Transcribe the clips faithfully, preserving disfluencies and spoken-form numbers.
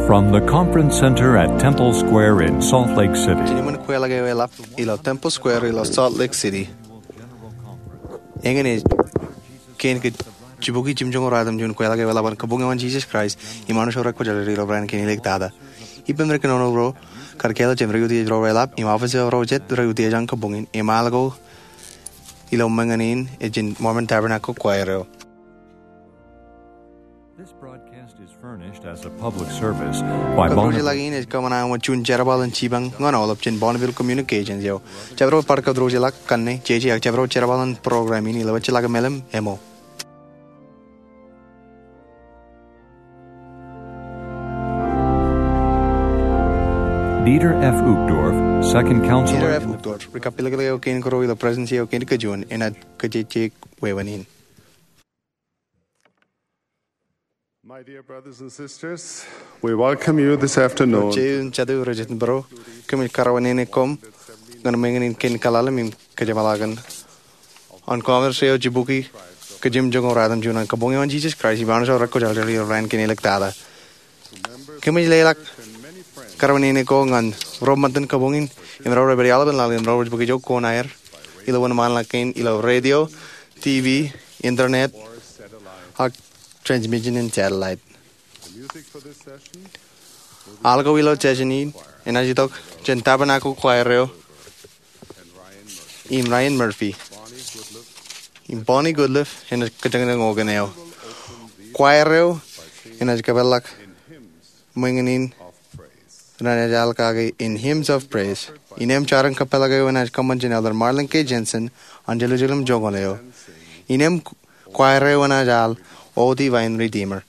From the Conference Center at Temple Square in Salt Lake City. Jān iṃōn kweilọk eo eḷap ilo Temple Square ilo Salt Lake City, eñin ej kein kōj jibukwi jimjuonñoul ruwatimjuon kweilọk eo eḷap an Kabuñ eo an Jisōs Kraist im Anij eo Rekwōjarjar ilo Raan kein Āliktata. Ippān ri kōnono ro kar kāālōt jān ri utiej ro reḷap im office ro jet ri utiej an kabuñ in im al ko ilo ṃōñā in ej jān Mormon Tabernacle Choir eo. This broadcast is furnished as a public service by Bonneville. Kōtḷọk in ej kōṃṃan wōt juon jerbal in jipañ ñan aolep jān Bonneville Communications eo. Jabdewōt bar kōtḷọk kaṇe, jeje ak jabdewōt jerbal in program in ilo wōt jeḷā ke meḷeḷe eo. Dieter F. Uchtdorf, Second Counselor. Dieter F. Uchtdorf, ri kappilōklōk eo kein kōrā ilo Presidency eo kein kajuon, enaaj kajjitōk wāween in. My dear brothers and sisters, we welcome you this afternoon. Ro jeiū im jatū, ri jitōnbōro, kōmij kōrā wāween in koṃ ñan ṃōñā in kein kaḷalem im kōjeṃḷọkin an Conference eo jibukwi kōj jimjuonñoul ruwatimjuon an Kabuñ eo an Jisōs Kraist im Anij eo Rekwōjarjar ilo Raan kein Āliktata. Kōmij leḷọk kōrā wāween in koṃ ñan ro ṃōttan kabuñ in im ro rej pād iaḷ ippān laḷ im ro rej bōk ijo koṇaer ilo wōnṃaanḷọk kein ilo radio, TV, internet, ak transmission in satellite. Al ko ilo session in enaaj itok jān Tabernacle Choir eo im Ryan Murphy. Im Bonnie Goodliff enaaj kōjañjañ open eo. Choir eo enaaj kōpeḷḷọk ṃōñā in renaaj al kake In Hymns of Praise. Innām jar in kōpeḷḷọk eo enaaj kōṃṃan jān Elder Marlin K. Jensen an Jerusalem Joñoul eo. Innām choir eo enaaj al O Divine Redeemer.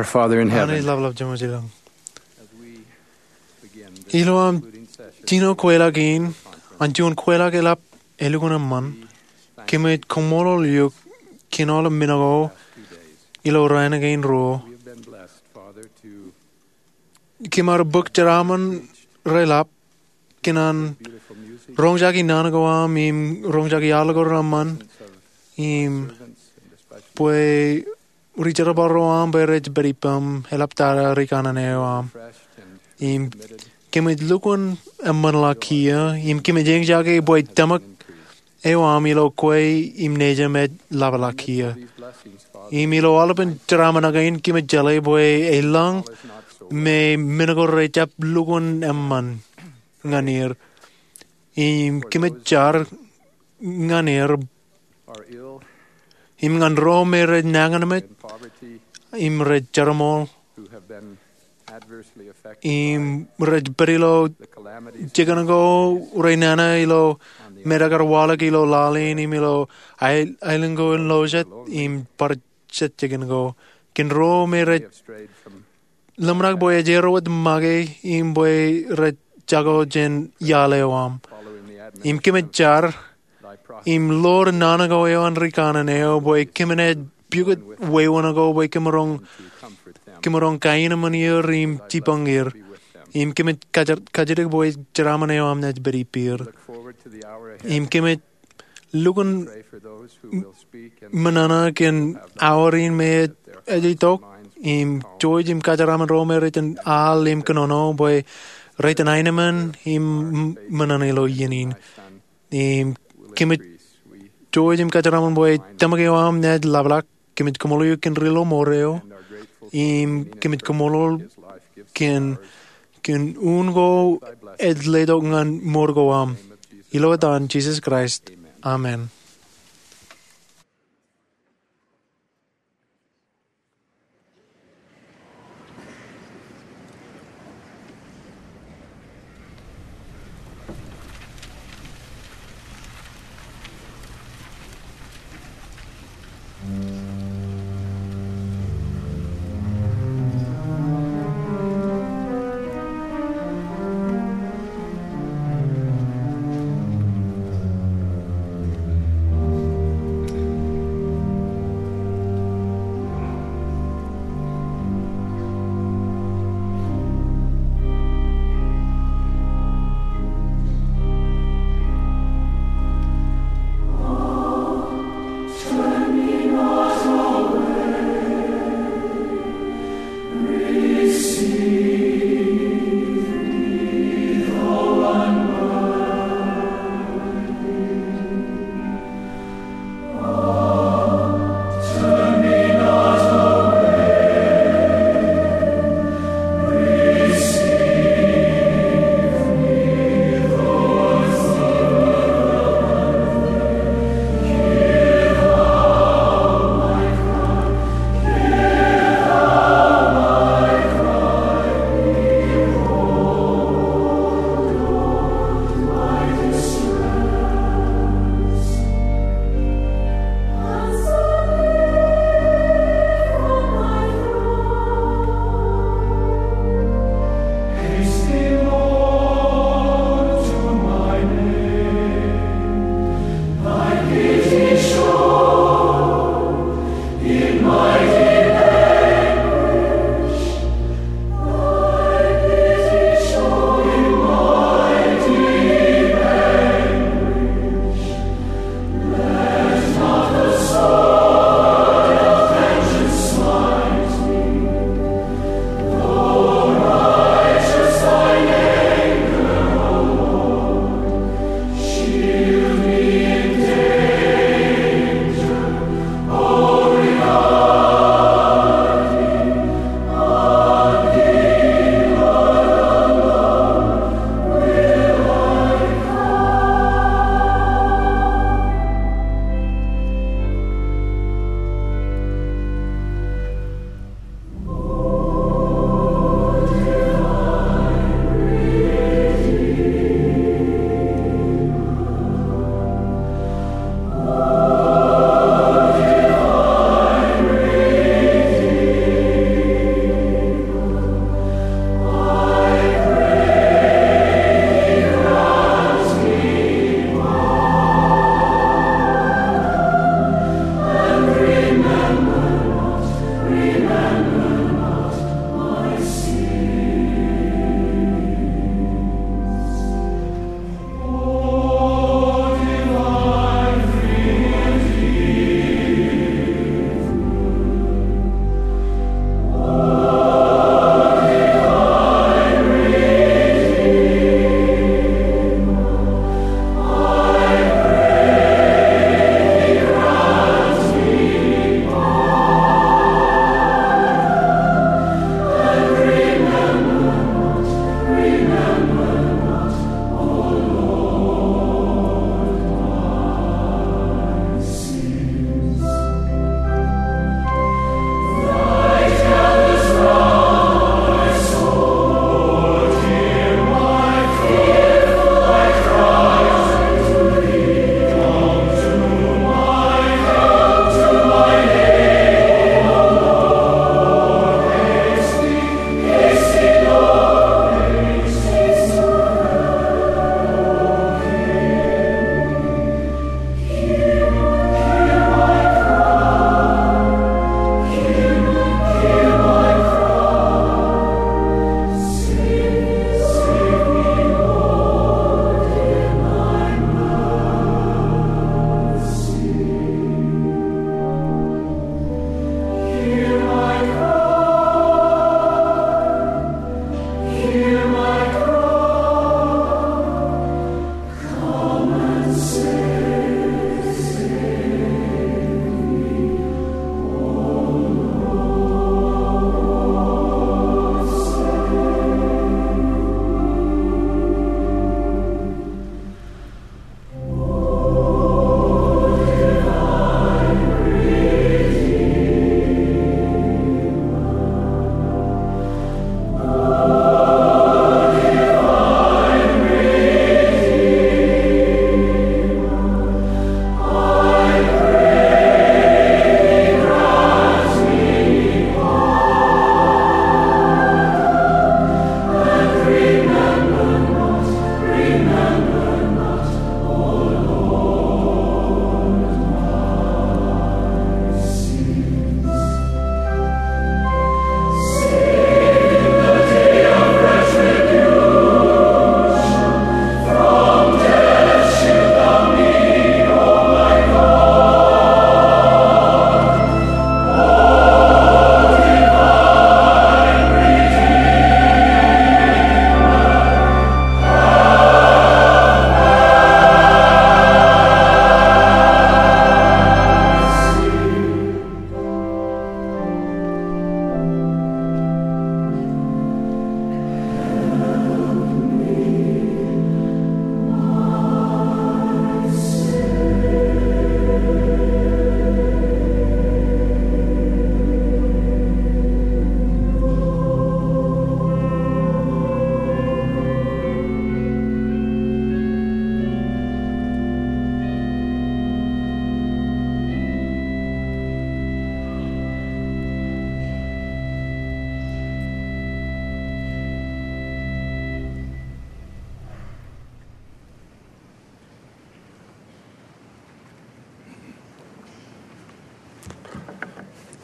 Father in heaven, Anij ḷapḷap Jemem ilañ. Ilo aṃ jino kweilọk in, an juon kweilọk eḷap elukkuun eṃṃan, kōmij kaṃṃoolol eok kōn aolep men ko ilo raan kein ruo. Kōm ar bōk jeraaṃṃan reḷap kōn an roñjake naan ko aṃ im roñjake al ko reṃṃan im bwe ri jerbal ro aṃ bwe rej pād ippaṃ eḷaptata ri kanaan eo aṃ. Im kōmij lukkuun eṃṃanḷọk kiiō im kōmij eñjake bwe tōmak eo aṃ ilo kwe im nejūṃ ej ḷapḷọk kiiō. Im ilo aolepān jeraaṃṃan kein kōmij jeḷā bwe elōñ me men ko rejjab lukkuun eṃṃan ñan er. Im kōmij jar ñan er im ñan ro me rej nañinmej im rej jeroṃool im rej pād ilo jikin ko, rej nana ilo metak ear waḷọk ilo laḷ in im ilo aelōñ ko in lo jet im bar jet jikin ko. Kōn ro me rej ḷōmṇak bwe ej erro wōt make im bwe rej jako jān iaḷ eo aṃ. Im kōmij jar im ḷoor naan ko eo an ri kanaan eo bwe kōmin ej pukot wāween ko bwe kōmin roñ, kōmin roñ kaenōṃṃan er im jipañ er. Im kōmij kajjitōk bwe jeraaṃṃan eo aṃ naaj pād ippāer. Im kōmij lukkuun ṃōṇōṇō kōn awa in me ej itok im jouj im kajeraṃṃan ro me rej al im kōnono bwe rej aenōṃṃan im ṃōṇōṇō ilo iien in. Im kōmij jouj im kajeraṃṃan bwe tōmak eo aṃ naaj ḷapḷọk. Kōmij kaṃṃoolol eok kōn ri ḷōṃour eo im kōmij kaṃṃoolol kōn kōn un ko ej letok ñan mour ko aṃ. Ilo etan Jisōs Kraist, amen.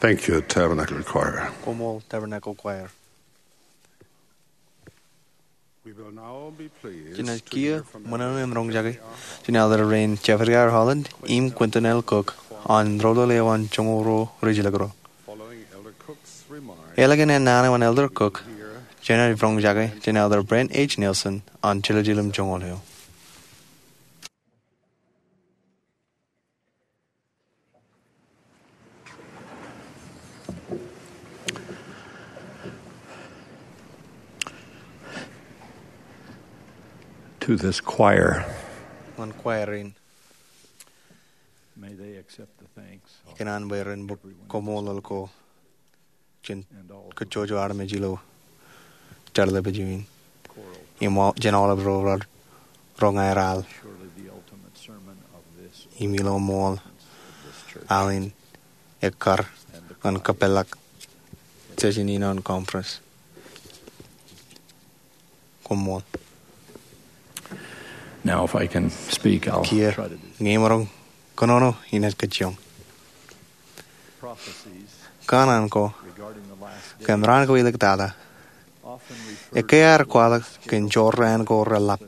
Thank you, Tabernacle Choir. Koṃṃool Tabernacle Choir. We'll now be pleased Jenaaj to kiiō hear from ṃōṇōṇō im roñjake jān Elder Rein Jeffrey R. Holland im Quentin L. Cook an rōḷḷōḷ eo an joñoul ruo rijilōk ro. Following Elder Cook's remarks, Ālikin ennaan eo an Elder Cook, jenaaj roñjake jān Elder Brent H. Nelson an Jerusalem joñoul eo. To this choir. Ñan choir in. May they accept the thanks. Ikōṇaan bwe ren bōk koṃṃool ko jān kajjojo armej ilo jerbal in. Im wa-, jān aolep ro raar roñ aer al. Im ilo ṃool al in ekkar ñan kapeḷḷọk session in an conference. Koṃṃool. Now, if I can speak, I'll Kiiō, try to do. Ñe imaroñ kōnono, inaaj kajjioñ. Prophecies Kanaan ko regarding the last days kōn raan ko iliktata often refer ekkā ear kwaḷọk kōn jorrāān ko reḷap,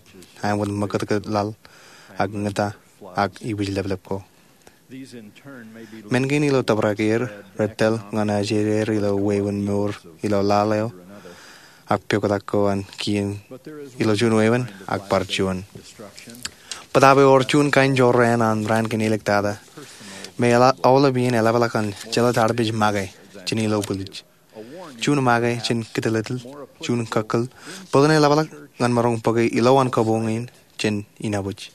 āinwōt ṃakūtkūt laḷ, ak ñūta, ak ibwijleplep ko. Men kein ilo tōprak er rej tōl ñan ajej er ilo wāween mour ilo laḷ eo ak poktak ko an kien ilo juon wāween ak bar juon. Bōtaab ewōr juon kain jorrāān an raan kein iliktata me eḷap, aolep iien eḷapḷọk an jeḷā tarpej make jān ilo bwilej. Juon make jān kōtōllōtōl, juon kōkkōl, bōlen eḷapḷọk ñan maroñ bōke ilowaan kabuñ in jān inabwij.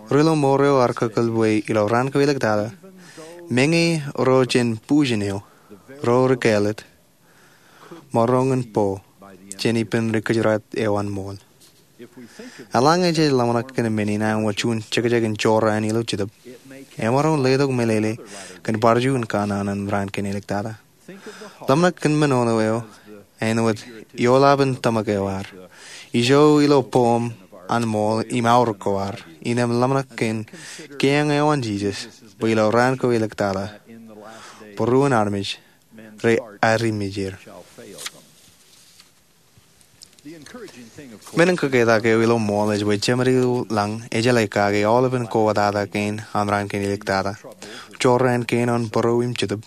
Ri-lọmọọr eo ear kōkkōl bwe ilo raan ko iliktata, meñe ro jān bujen eo, ro ri kāālōt, maroñ in bo jān ippān ri kōjeraat eo an ṃool. Eḷaññe jej ḷōmṇak kōn men in āinwōt juon jekjek in jorrāān ilo Jetōb, emaroñ letok meḷeḷe kōn bar juon kanaan an raan kein iliktata. Ḷōmṇak kōn men eo āinwōt eoḷapin tōmak eo ad, ijo ilo boom an ṃool im aorōk ko ad, innem ḷōmṇak kōn keiō eo an Jisōs bwe ilo raan ko iliktata, būruon armej rej arimjek. Men in kōketak eo ilo ṃool ej bwe Jemān eo lañ ejeḷā kake aolepān kōwōtata kein an raan kein iliktata, jorrāān kein an būruo im jetōb,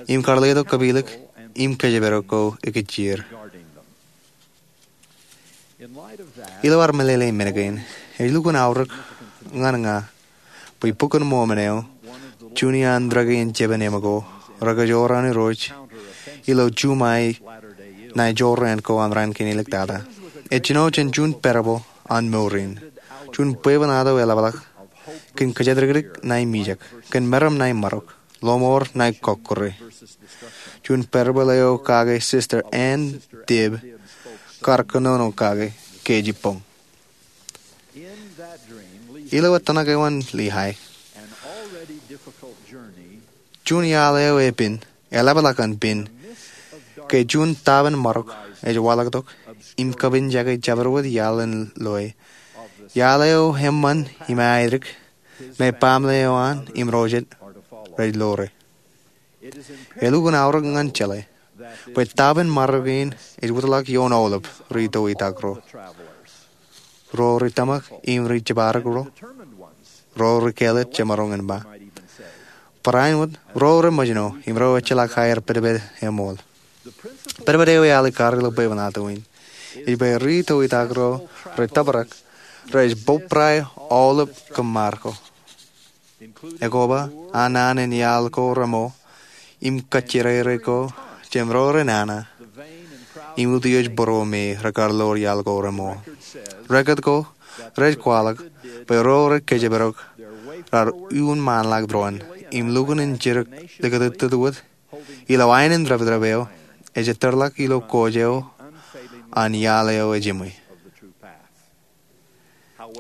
im kar letok kapilōk im kōjparok ko ikijjien. Ilo ad meḷeḷe men kein, ej lukkuun aorōk ñan ña bwe Bok in Mormon eo, juon iaan rūkaki in jeban Emko, rekajoor an Irooj ilo juṃae ṇae jorrāān ko an raan kein iliktata, ej jino jān juon parable an mour in, juon bwebwenato eḷapḷọk kōn kōjatdikdik ṇae mijak, kōn meram ṇae marok, lọmọọr ṇae kọkkure. Juon parable eo kake Sister Ann Dibb kar kōnono kake kōj ippọñ. Ilo ettōṇak eo an Lehi, juon iaḷ eo epen, eḷapḷọk an pen, ke juon taaban marok ej waḷọktok im kapinjake jabdewōt iaḷ in loe. Iaḷ eo eṃṃan im aedik, me baaṃle eo an im ro jet rej lore. Elukkuun aorōk ñan jeḷā bwe taaban marok in ej wōtlọk ioon aolep ri toitak ro, ro ri tōmak im ri jibadek ro, ro ri kāālōt jemaroñ in ba. Barāinwōt ro rej ṃōjṇọ im ro ejjeḷọk aer pedped eṃool. Pedped eo ealikkar ilo bwebwenato in ej bwe ri toitak ro rej tōprak rej bōbrae aolep kōṃṃar ko. Ekwe ba, an naan in iaḷ ko remo, im kajjirere ko jān ro ri nana, im utiej būruo me rekar lor iaḷ ko remo. Rekōt ko rej kwaḷọk bwe ro rej kōjparok raar uññāṇḷọk doon, im lukkuun in jidik likūtūtūt wōt, ilo aenōn dāpdāp eo ej ettōrḷọk ilo kōj eo an iaḷ eo ejiṃwe.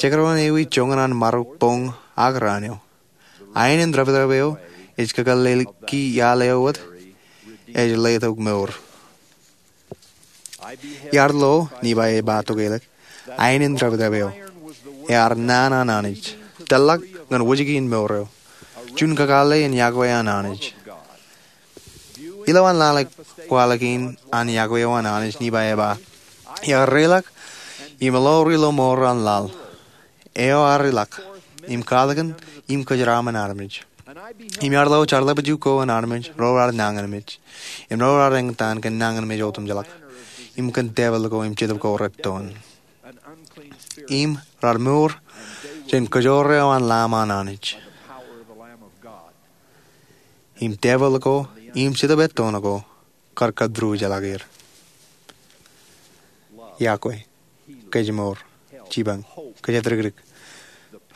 Jekdọọn ewi joñan an marok boñ ak raan eo, aenōn dāpdāp eo ej kakōḷḷālōki iaḷ eo wōt ej letok mour. Iar lo, Nifai ej ba tokālik, aenōn dāpdāp eo ear naan an Anij, tōrḷọk ñan wōjke in mour eo, juon kakōḷḷe in yokwe an Anij. Ilowaan lale kwaḷọk in an yokwe eo an Anij, Nifai ej ba, iar reiḷọk im ḷoori ilo mour an laḷ, eo ear ilọk, im katakin im kōjeraaṃṃan armej. Im iar lo jarlepju ko an armej ro raar nañinmej, im ro raar eñtaan kōn nañinmej otemjeḷọk, im kōn devilḷọk ko im jetōb ko rettoon. Im raar mour jān kōjoor eo an Lamb an Anij. Im devilḷọk ko im jetōb ettoon ko kar kōtūrjeḷọk er. Yokwe, kōjmour, jipañ, kōjatdikdik,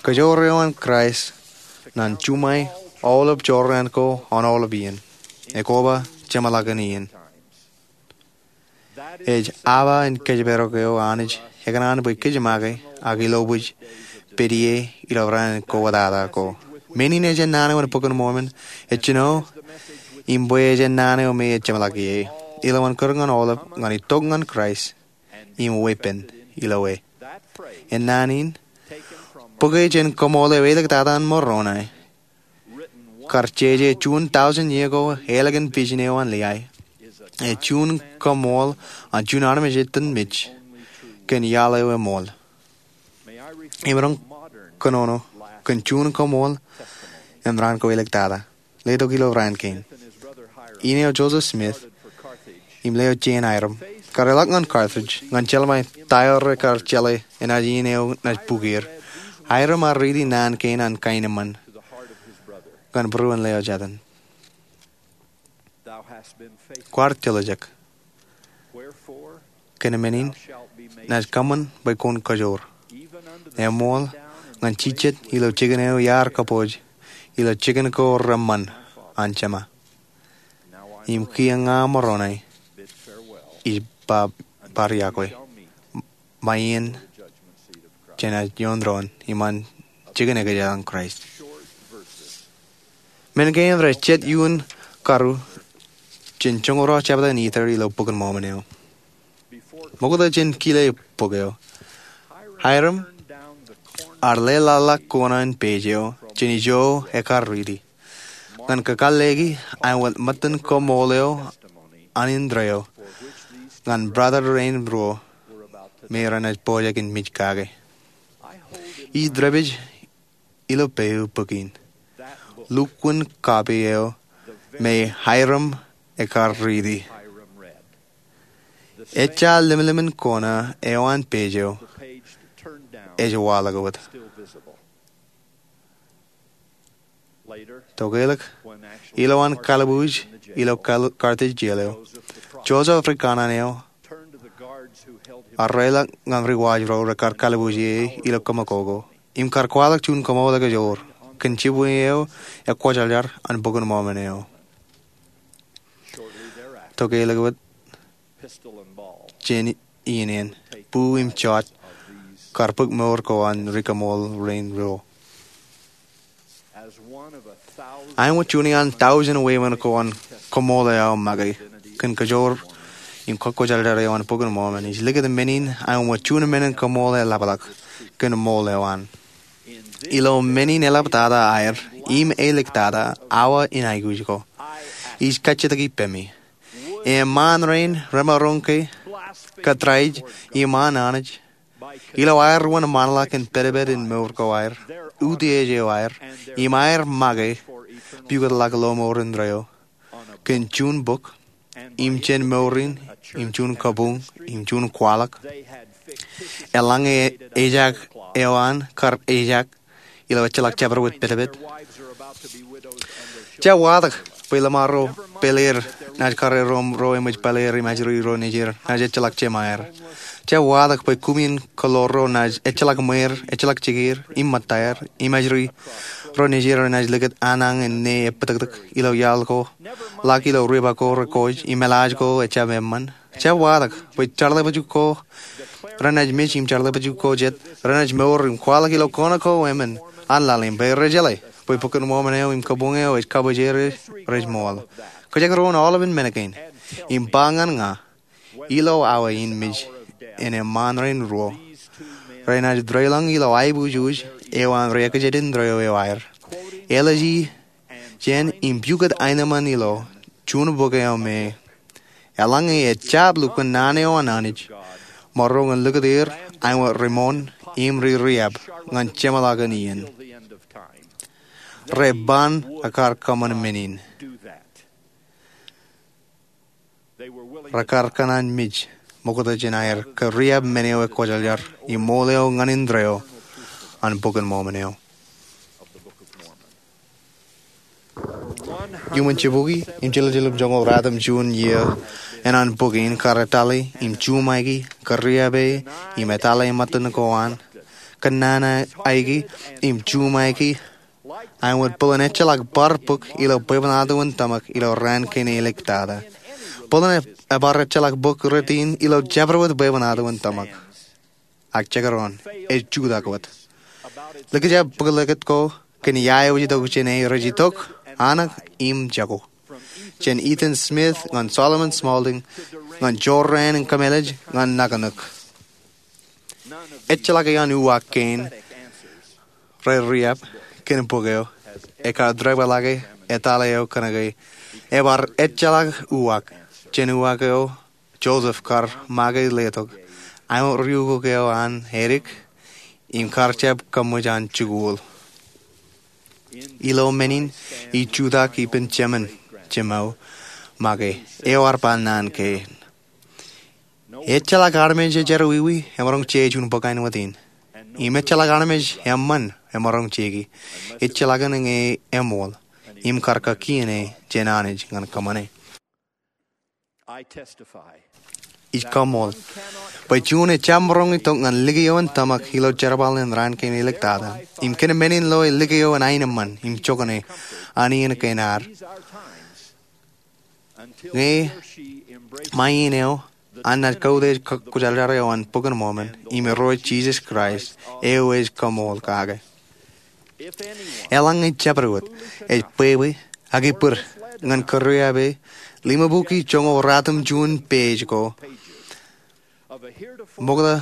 kōjoor eo an Kraist ṇe en juṃae aolep jorrāān ko an aolep iien, ekoba jeṃḷọkin iien. Ej awa in kōjparok eo Anij ekōṇaan bwe kōj make ak ilo bwe kōj pād ie ilo raan in kōwōtata ko. Men in ejān naan eo an Bok in Mormon ej jino im bwe ejān naan eo me ej jeṃḷọk ie. Ilowaan kūr ñan aolep ñan itok ñan Kraist im weeppān ilo e. Ennaan in, bōke jān koṃṃool eo āliktata an Moroni, kar jeje juon tọujin iiō ko ālikin vision eo an Liai, ej juon koṃṃool an juon armej etan mej kōn iaḷ eo eṃool. Im ren kōnono kōn juon koṃṃool im raan ko āliktata, letok ilo raan kein. In eo Joseph Smith im leo Jane Hyrum, kar ilọk ñan Carthage ñan jeḷā ṃae ta eo rekar jeḷā enaaj in eo naaj bōk er, Hyrum ear riiti naan kein an kaenōṃṃan ñan būruon leo jatūn. Kwaar diljek. Kōn men in, naaj kōṃṃan bwe kwōn kōjoor, eṃool ñan jijet ilo jikin eo iar kōpooj, ilo jikin ko reṃṃan an Jema. Im kiiō ña Moroni ij ba bar yokwe ṃae iien jān ioon doon im an jikin ekōjā an Kraist. Men kein rej jet iuun karuo jān joñoul ruo jebta in Ether ilo Bok in Mormon eo. Ṃokta jān kile bok eo, Hyrum ear leḷḷọk kona in page eo jān ijo ekar riiti ñan kakālleki aṃ wōt ṃōttan koṃṃool eo an indeeo ñan brother rein ruo me renaaj pojak in mej kake. Ij dāpij ilo peio bok in, lukkuun copy eo me Hyrum ekar riiti. Ejja lemlemmen kona eo an page eo ej waḷọk wōt. Tokālik, ilowaan kalbuuj ilo Carthage jail eo, Joseph ri kanaan eo ear reiḷọk ñan ri waj ro rekar kalbuuj ie ilo kōṃakoko im kar kwaḷọk juon koṃṃool ekajoor kōn jibwe eo ekwōjarjar an Bok in Mormon eo. Tokālik wōt jān iien eṇ, boo im jot kar bōk mour ko an ri koṃṃool rein ruo. Aṃ wōt juon iaan tọujin wāween ko an koṃṃool eo aṃ make kōn kōjoor im kwōjarjar eo an Bok in Mormon. Ij likūt men in aṃ wōt juon men in koṃṃool eḷapḷọk kōn ṃool eo an. Ilo men in eḷaptata aer im āliktata awa in aikuj ko, ij kajjitōk ippemi. Eṃṃaan rein remaroñ ke, kōttāij iṃaan Anij ilo aer wōnṃaanḷọk in pedped in mour ko aer, utiej eo aer, im aer make pukotḷọk lọmọọr indeeo kōn juon bok im jān mour in im juon kabuñ im juon kwaḷọk eḷaññe ejaak eo an kar ejaak ilo ejjeḷọk jabdewōt pedped. Jab watōk bwe lọmọọr ro pāleer naaj karreoik im ro eṃōj pāleer im ajri ro nejier naaj ejjeḷọk jemaer. Jab watōk bwe kumien kōḷoor ro naaj ejjeḷọk ṃweer, ejjeḷọk jikier im ṃōttaer, im ajri ro nejier renaaj likūt aṇaṇ in ne ebōtōktōk ilo iaḷ ko, ḷak ilo riba ko rekoj im eḷaaj ko ejjab eṃṃan. Jab watōk bwe jarlepju ko renaaj mej im jarlepju ko jet renaaj mour im kwaḷọk ilo kōṇaan ko emān an laḷ im bwe rej jeḷā bwe Bok in Mormon eo im kabuñ eo ej kabwijer rej ṃool. Kōjekdọọn aolepān men kein im ba ñan ña ilo awa in mej in eṃṃaan rein ruo renaaj deḷọñ ilo aiboojoj eo an ri-ekjed indeeo eo aer, eḷaññe jān im pukot aenōṃṃan ilo juon bōk eo me eḷaññe ejjab lukkuun naan eo an Anij, maroñ in likūt er āinwōt ri-moon im ri-riab ñan jeṃḷọkin iien. Re ban ekkar kōṃṃan men in. Rekar kōṇaan mej ṃokta jān aer kōriab men eo ekwōjarjar im ṃool eo ñan indeeo an Bok in Mormon eo. Iuṃwin jibukwi im jiljilimjuonñoul ratimjuon iiō eṇ an bok in, kar etale im juṃaiki kōriab e im etale ṃōttan ko an, kōnnaan aiki im juṃaiki āinwōt bōlen ejjeḷọk bar bōk ilo bwebwenato in tōmak ilo raan kein āliktata. Bōlen ebar ejjeḷọk bōk rot in ilo jabdewōt bwebwenato in tōmak. Ak jekdọọn, ej jutak wōt. Likjab bōklōkōt ko kōn ia eo ej itok jān e rej itok, anak im jako. Jān Ethan Smith ñan Solomon Smaulding, ñan jorrāān in kōmālij ñan nakanōk. Ejjeḷọk eoon uwaak kein rej riab kōn bok eo ekar deḷọñḷọke etale eo kōnke ebar ejjeḷọk uwaak jān uwaak eo Joseph kar make letok āinwōt riukuk eo an edik im kar jab kōṃṃan jikuuḷ. Ilo men in ij jutak ippān jemān jemān make eo ear ba naan kein: Ejjeḷọk armej ejjeḷọk wiwi emaroñ je juon bōk āinwōt in, im ejjeḷọk armej eṃṃan emaroñ jeki, ejjeḷọkin ñe eṃool im kar kakien e jān Anij ñan kōṃṃane. Ij kaṃool bwe juon ejjab maroñ itok ñan likio in tōmak ilo jerbal in raan kein āliktata im kōn men in loe likio in aenōṃṃan im jokane an iien kein ad. Ñe ṃae iien eo an naaj kautiej kwōjarjar eo an Bok in Mormon im Irooj Jisōs Kraist eo ej kaṃool kake. Eḷaññe jabdewōt ej bwebwe ak ippād ñan kōriab e limabukwi joñoul ratimjuon page ko, ṃokta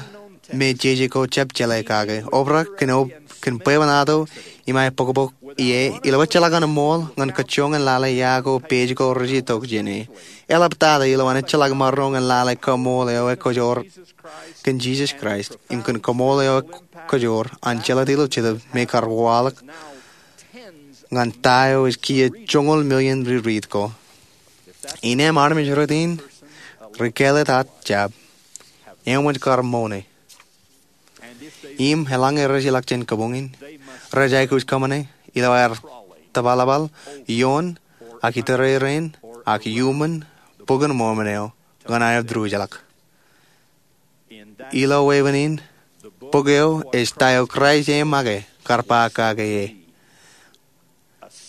me jeje ko jab jeḷā kake, obrak kōn bwebwenato im aebokbok ie ilo ejjeḷọk an ṃool ñan kōjjoñ in lale ia ko page ko rej itok jān e. Eḷaptata ilo an ejjeḷọk maroñ in lale kaṃool eo ekkojoor kōn Jisōs Kraist im kōn kaṃool eo ekkojoor an jelōt ilo Jetōb me kar waḷọk ñan ta eo ej kiiō joñoul million ririit ko. Innām armej rot in ri-kāālōt aō jab eṃōj kar moone. Im eḷaññe rej ilọk jān kabuñ in, rej aikuj kōṃṃane ilo aer tōbalbal ioon ak itōrerein ak iuṃwin Bok in Mormon eo ñan aer diwōjḷọk. Ilo wāween in, bok eo ej ta eo Kraist e make kar ba kake e: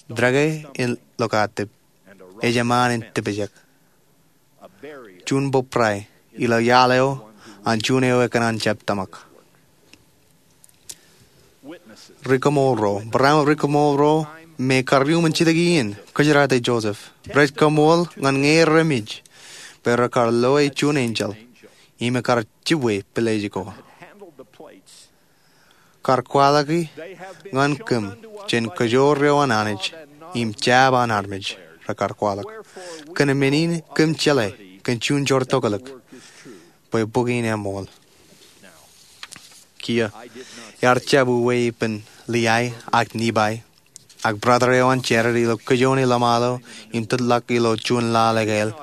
Dreke in lokaatip, ejṃaan in tipjek, juon bōbrae ilo iaḷ eo an juon eo ekōṇaan jab tōmak. Ri-kaṃool ro, barāinwōt ri-kaṃool ro me kar iuṃwin jidik iien kōjeraate Joseph, rej kaṃool ñan ñe remej bwe rekar loe juon enjeḷ im ekar jibwe pilej ko. Kar kwaḷọki ñan kōm jān kōjoor eo an Anij im jab an armej rekar kwaḷọk. Kōn men in kōm jeḷā kōn juon joor tokōlōk bwe bok in eṃool. Kiiō, iar jab uwe ippān Liai ak Nipai ak brother eo an Jared ilo kōjone ḷōṃaḷo im tōtḷọk ilo juon laḷ ekāāl.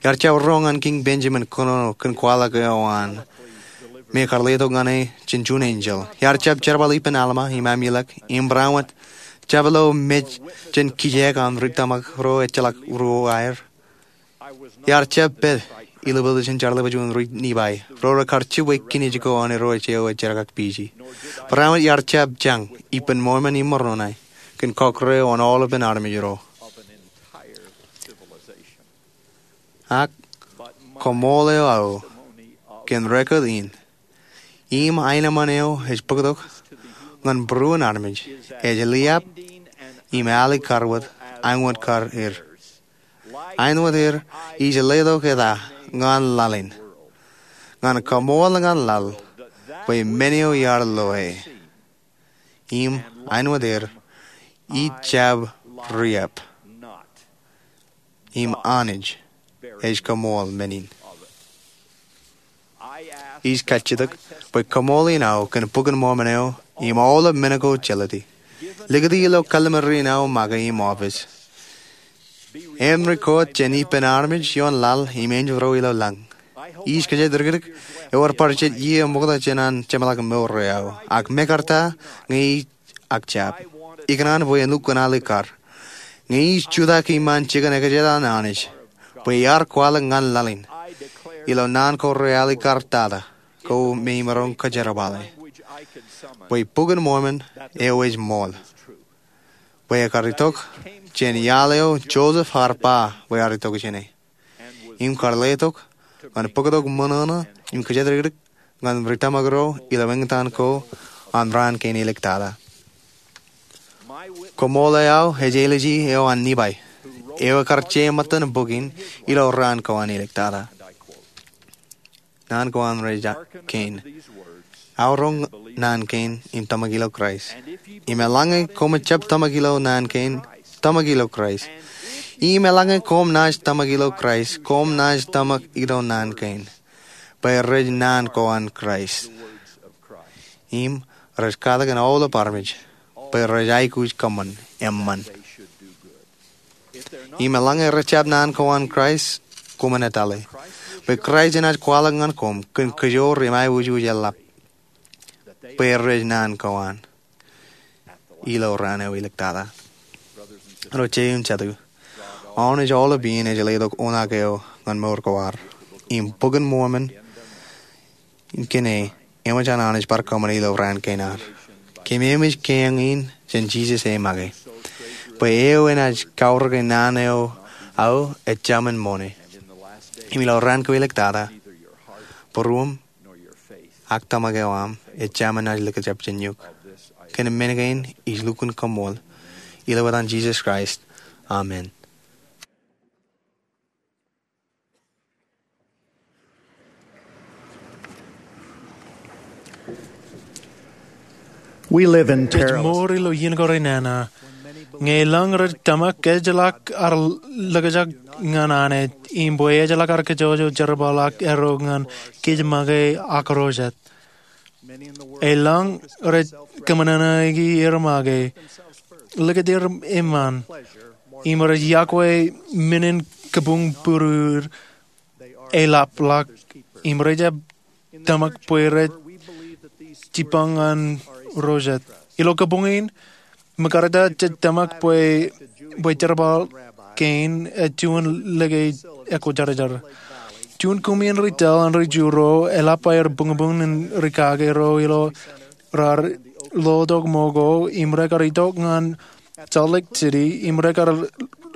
Iar jab roñ ñan Kiiñ Benjamin kōnono kōn kwaḷọk eo an me kar letok ñan e jān juon enjeḷ. Iar jab jerbal ippān Alma im Amulek im barāinwōt jab lo mej jān kijeek an ri tōmak ro ejjeḷọk ruo aer. Iar jab pād ilo pilisin jerbal jān ri Nipai ro rekar jibwe kinij ko an irooj eo ej jerkakpeje. Barāinwōt iar jab jañ ippān Mormon im Moronai kōn kọkkure eo an aolepān armej ro. Ak kaṃool eo aō kōn record in im aenōṃṃan eo ej bōktok ñan būruon armej ej liab im alikkar wōt āinwōt kar er. Āinwōt er ij letok eta ñan laḷ in, ñan kaṃool ñan laḷ bwe men eo iar loe. Im āinwōt er ij jab riab. im Anij ej koṃṃool men in. Ij kajjitōk bwe koṃṃool in aō kōn Bok in Mormon eo im aolep men ko jelōt e. Likūti ilo kallim̧ur in aō make im oppis. Im ri-kōt jān ippān armej ioon laḷ im enjeḷ ro ilo lañ. Ij kōjatdikdik ewōr bar jet iiō ṃokta jān an jeṃḷọkin mour eo aō, ak mekarta ñe ij ak jab, ikōṇaan bwe en lukkuun alikkar. Ñe ij jutak iṃaan jikin ekajet an Anij bwe iar kwaḷọk ñan laḷ in, ilo naan ko realikkar tata, ko me imaroñ kōjerbale, bwe Bok in Mormon eo ej ṃool, bwe ekar itok jān iaḷ eo Joseph ear ba bwe ear itok jāne, im kar letok ñan bōktok ṃōṇōṇō im kōjatdikdik ñan ri tōmak ro ilo eñtaan ko an raan kein āliktata. Koṃṃool eo aō ej āliji eo an Nifai, eo ekar jeṃḷọkin bok in ilo raan ko an āliktata. Naan ko an rej kein: Aorōk naan kein im tōmak ilo Kraist. Im eḷaññe koṃij jab tōmak ilo naan kein, tōmak ilo Kraist. Im eḷaññe koṃ naaj tōmak ilo Kraist, koṃ naaj tōmak ilo naan kein, bwe rej naan ko an Kraist, im rej katak ñan aolep armej bwe rej aikuj kōṃṃan eṃṃan. Im eḷaññe rej jab naan ko an Kraist, koṃwin etale bwe Kraist enaaj kwaḷọk ñan koṃ kōn kōjoor im aiboojoj eḷap, bwe rej naan ko an ilo raan eo āliktata. Ro jeiū im jatū, Anij aolep iien ej letok unak eo ñan mour ko ad, im Bok in Mormon in kōn e eṃōj an Anij bar kōṃṃane ilo raan kein ad. Kōmij keañ in jān Jisōs e make, bwe eo enaaj kaorōk naan eo aō ejāmin ṃoṇe. Im ilo raan ko āliktata, būruōṃ ak tōmak eo aṃ ejāmin naaj likjab jān eok. Kōn men kein ij lukkuun koṃṃool, ilo etan Jisōs Kraist, amen. Ej mour ilo iien ko renana ñe elōñ rej tōmak, ejjeḷọk ad likjab ñan Anij, im bwe ejjeḷọk ad kōjọjọ jerbal ak erro ñan kōj make ak ro jet. Elōñ rej kōṃōṇōṇōiki er make, likūt er eṃṃan, im rej iọkwe men in kabuñ būruod eḷapḷọk, im rej jab tōmak bwe rej jipañ ñan ro jet. Ilo kabuñ in, ṃōkarata jej tōmak bwe, bwe jerbal kein ej juon lōke ekwojarjar. Juon koṃin ri tōl an ri Ju ro eḷap aer buñbuñ in rikaki ro ilo raar lotok ṃōko im rekar itok ñan Salt Lake City im rekar,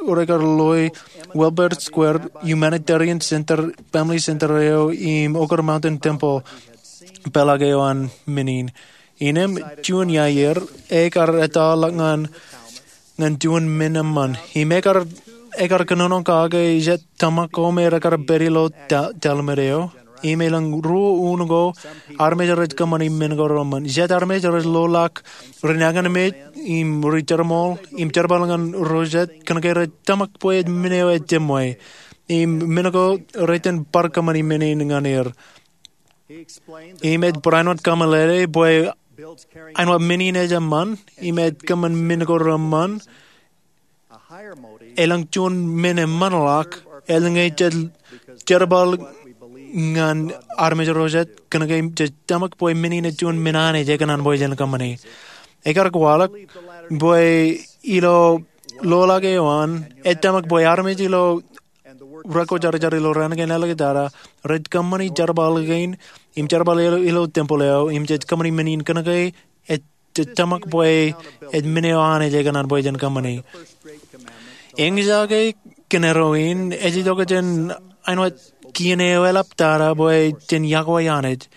rekar loe Wilbert Square Humanitarian Center, Family Center eo im Oquirrh Mountain Temple, peḷaak eo an men in. Innām juon iiō er, ekar ettoḷọk ñan, ñan juon men eṃṃan. Im ekar, ekar kōnono kake jet tōmak ko me rekar pād ilo ta-, talimid eo. Im elōñ ruo uno ko armej rej kōṃṃani men ko reṃṃan. Jet armej rej loḷọk rinañinmej im ri-jerbal, im jerbal ñan ro jet kōnke rej tōmak bwe men eo ej jeṃwe. Im men ko rej itōn bar kōṃṃani men in ñan er. Im ej barāinwōt kaṃōlele bwe āinwōt men in ej eṃṃan, im ej kōṃṃan men ko reṃṃan, elōñ juon men eṃṃanḷọk, elōñ ej jerbal ñan armej ro jet, kōnke jej tōmak bwe men in ej juon men Anij ekōṇaan bwe jen kōṃṃani. Ekar kwaḷọk bwe ilo loḷọk eo an, ej tōmak bwe armej ilo rekwōjarjar ilo raan kein āliktata rej kōṃṃani jerbal kein im jerbal ilo, ilo temple eo, im jej kōṃṃani men in kōnke ej, jej tōmak bwe ej men eo Anij ekōṇaan bwe jen kōṃṃani. Eñjake kōn arro in, ej itok jān āinwōt kien eo eḷaptata bwe jen iọkwe Anij.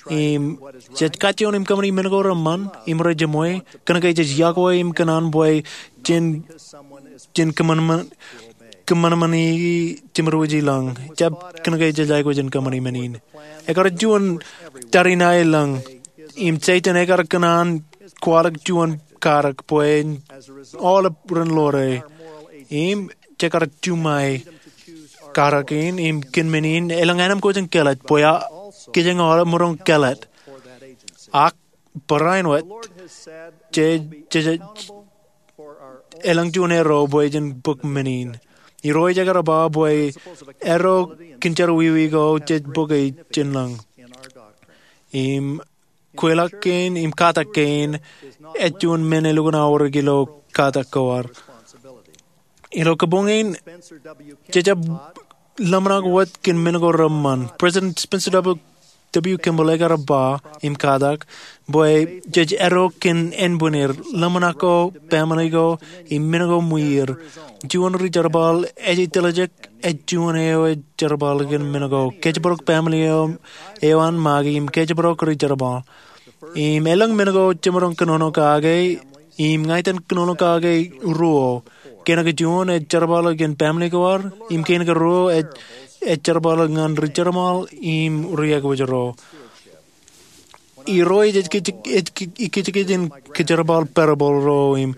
Im jej kajjioñ im kōṃṃani men ko reṃṃan im rej jeṃwe, kōnke jej iọkwe im kōṇaan bwe jen, jen kōṃanṃan, kōṃanṃani jeṃirwōj i lañ, jab kōnke jej aikuj in kōṃṃani men in. Ekar juon tariṇae lañ, im Setan ekar kōṇaan kwaḷọk juon karōk bwe aolep ren ḷoore. Im jekar juṃae karak in im kōn men in elōñ ānām kōj in kelōt bwe a kijeñ aolep maroñ kelōt. Ak barāinwōt jej, jej, elōñ juon erro bwe jen bōk men in. Irooj ekar ba bwe erro kōn jerọwiwi ko jej bōk e jān lañ. Im kweilọk kein im katak kein ej juon men elukkuun aorōk ilo katak ko ad. Ilo kabuñ in, jejab ḷōmṇak wōt kōn men ko reṃṃan. President Spencer W. Kimball ekar ba im katak bwe jej erro kōn ānbwinnier, ḷōmṇak ko, pāmeli ko, im men ko ṃwiir. Juon ri-jerbal ej ej tiljek, ej juon eo ej jerbal kōn men ko. Kōjparok pāmeli eo, eo an make im kōjparok ri-jerbal. Im elōñ men ko jemaroñ kōnono kake, im ña itōn kōnono kake ruo. Kōnke juon ej jerbal kōn pāmeli ko ad, im kōnke ruo ej, ej jerbal ñan ri-jerbal im ri-aikuj ro. Irooj ej, ej, ej kōjkōj in kōjerbal parable ro im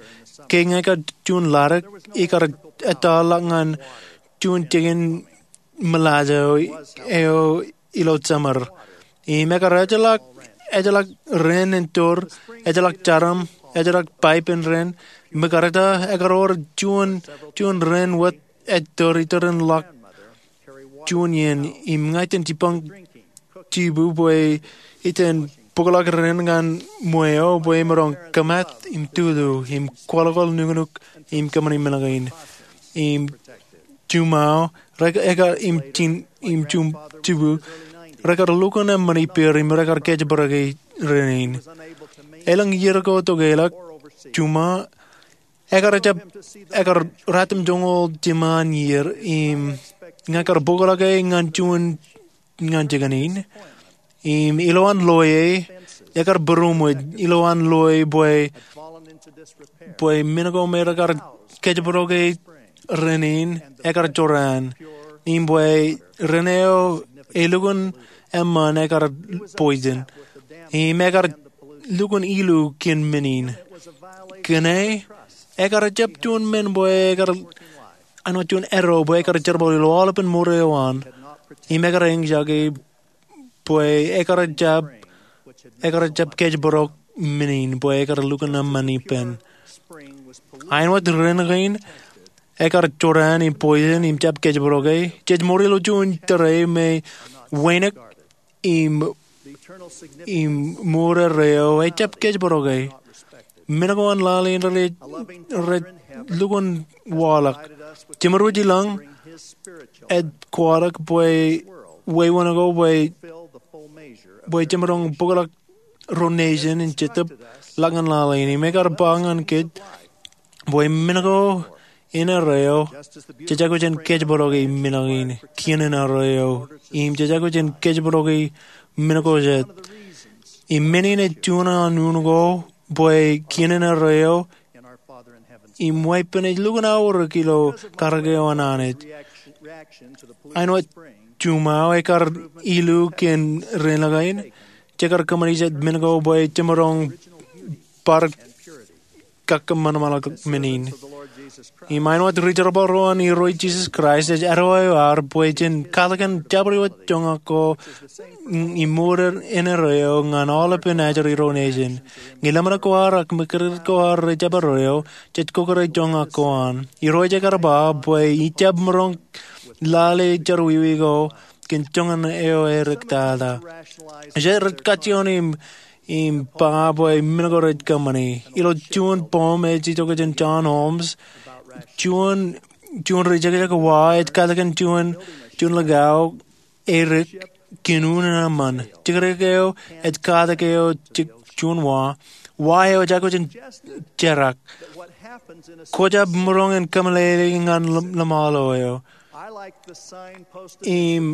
ke ñe ekar juon ḷadik, ikar ettā ḷọk ñan juon jikin ṃōḷaḷ eo ilo jemed. Im ekar ejjeḷọk, ejjeḷọk ren in tour, ejjeḷọk jarom, ejjeḷọk pipe in ren, ṃōkarta ekar wōr juon, juon ren wōt ej tour itōn ren ḷọk juon iien. Im ña itōn jibboñ jibu bwe itōn bōkḷọk ren ñan ṃweo bwe emaroñ kōmat im tutu im kwaḷọkwaḷ nuknuk im kōṃṃani men kein. Im juṃae, rek-, ekar im jin, im jum, jibu, rekar lukkuun eṃṃan ippāer im rekar kōjparok e ren in. Elōñ iier ko tokālik, juṃae, ekar jab, ekar ratimjuonñoul eo jiṃṃaan iier, im ña ekar bōkḷọk e ñan juon ñan jikin in. Im ilowaan loe, ekar būroṃōj ilowaan loe bwe, bwe men ko me rekar kōjparok e ren in, ekar jorrāān. Im bwe ren eo elukkuun eṃṃan ekar poison. Im ekar lukkuun ilu kōn men in. Kōn e, ekar jab juon men bwe ekar āinwōt juon erro bwe ekar jerbal ilo aolepān mour eo an. Im ekar eñjake bwe ekar jab, ekar jab kōjparok men in bwe ekar lukkuun eṃṃan ippān. Āinwōt ren kein ekar jorrāān im poison im jab kōjparok e, jej mour ilo juon tōre me wānōk im, im mour erreo ejab kōjparok e. Men ko an lale in rej, rej lukkuun waḷọk. Jemed wōj i lañ ej kwaḷọk bwe wāween ko bwe, bwe jemaroñ bōkḷọk ro nation in jetōb ḷọk ñan lale in. Im ekar ba ñan kōj bwe men ko in erreo, jej aikuj in kōjparok e men kein kien in erreo, im jej aikuj in kōjparok e men ko jet. Im men in ej juon an unin ko bwe kien in erreo im weeppān ej lukkuun aorōk ilo karōk eo an Anij. Āinwōt juṃae ekar ilu kōn ren kein, jekar kōṃṃani jet men ko bwe jemaroñ bar kakkōṃanṃanḷọk men in. Im āinwōt ri-jerbal ro an Irooj Jisōs Kraist ej eddo eo ad bwe jen katakin jabdewōt joñak ko im mour in erreo ñan aolepān ajri ro nation. Ñe ḷōmṇak ko ad ak ṃōkaj ko ad rej jab erreo, jej kōkōrā joñak ko an. Irooj ekar ba bwe ijab maroñ lale jerọwiwi ko kōn joñan eo erik tata. Jet rej kajjioñ im im ba bwe men ko rej kōṃṃani. Ilo juon poem ej itok jān John Holmes, juon, juon ri-jekjek wa ej katakin juon, juon likao erik kōn unin eṃṃan. Jekjek eo ej katak eo jek juon wa, wa eo ej aikuj in jerak. Kwōjab maroñ in kōmeḷeḷe ñan ḷōṃ-, ḷōṃaḷo eo. Im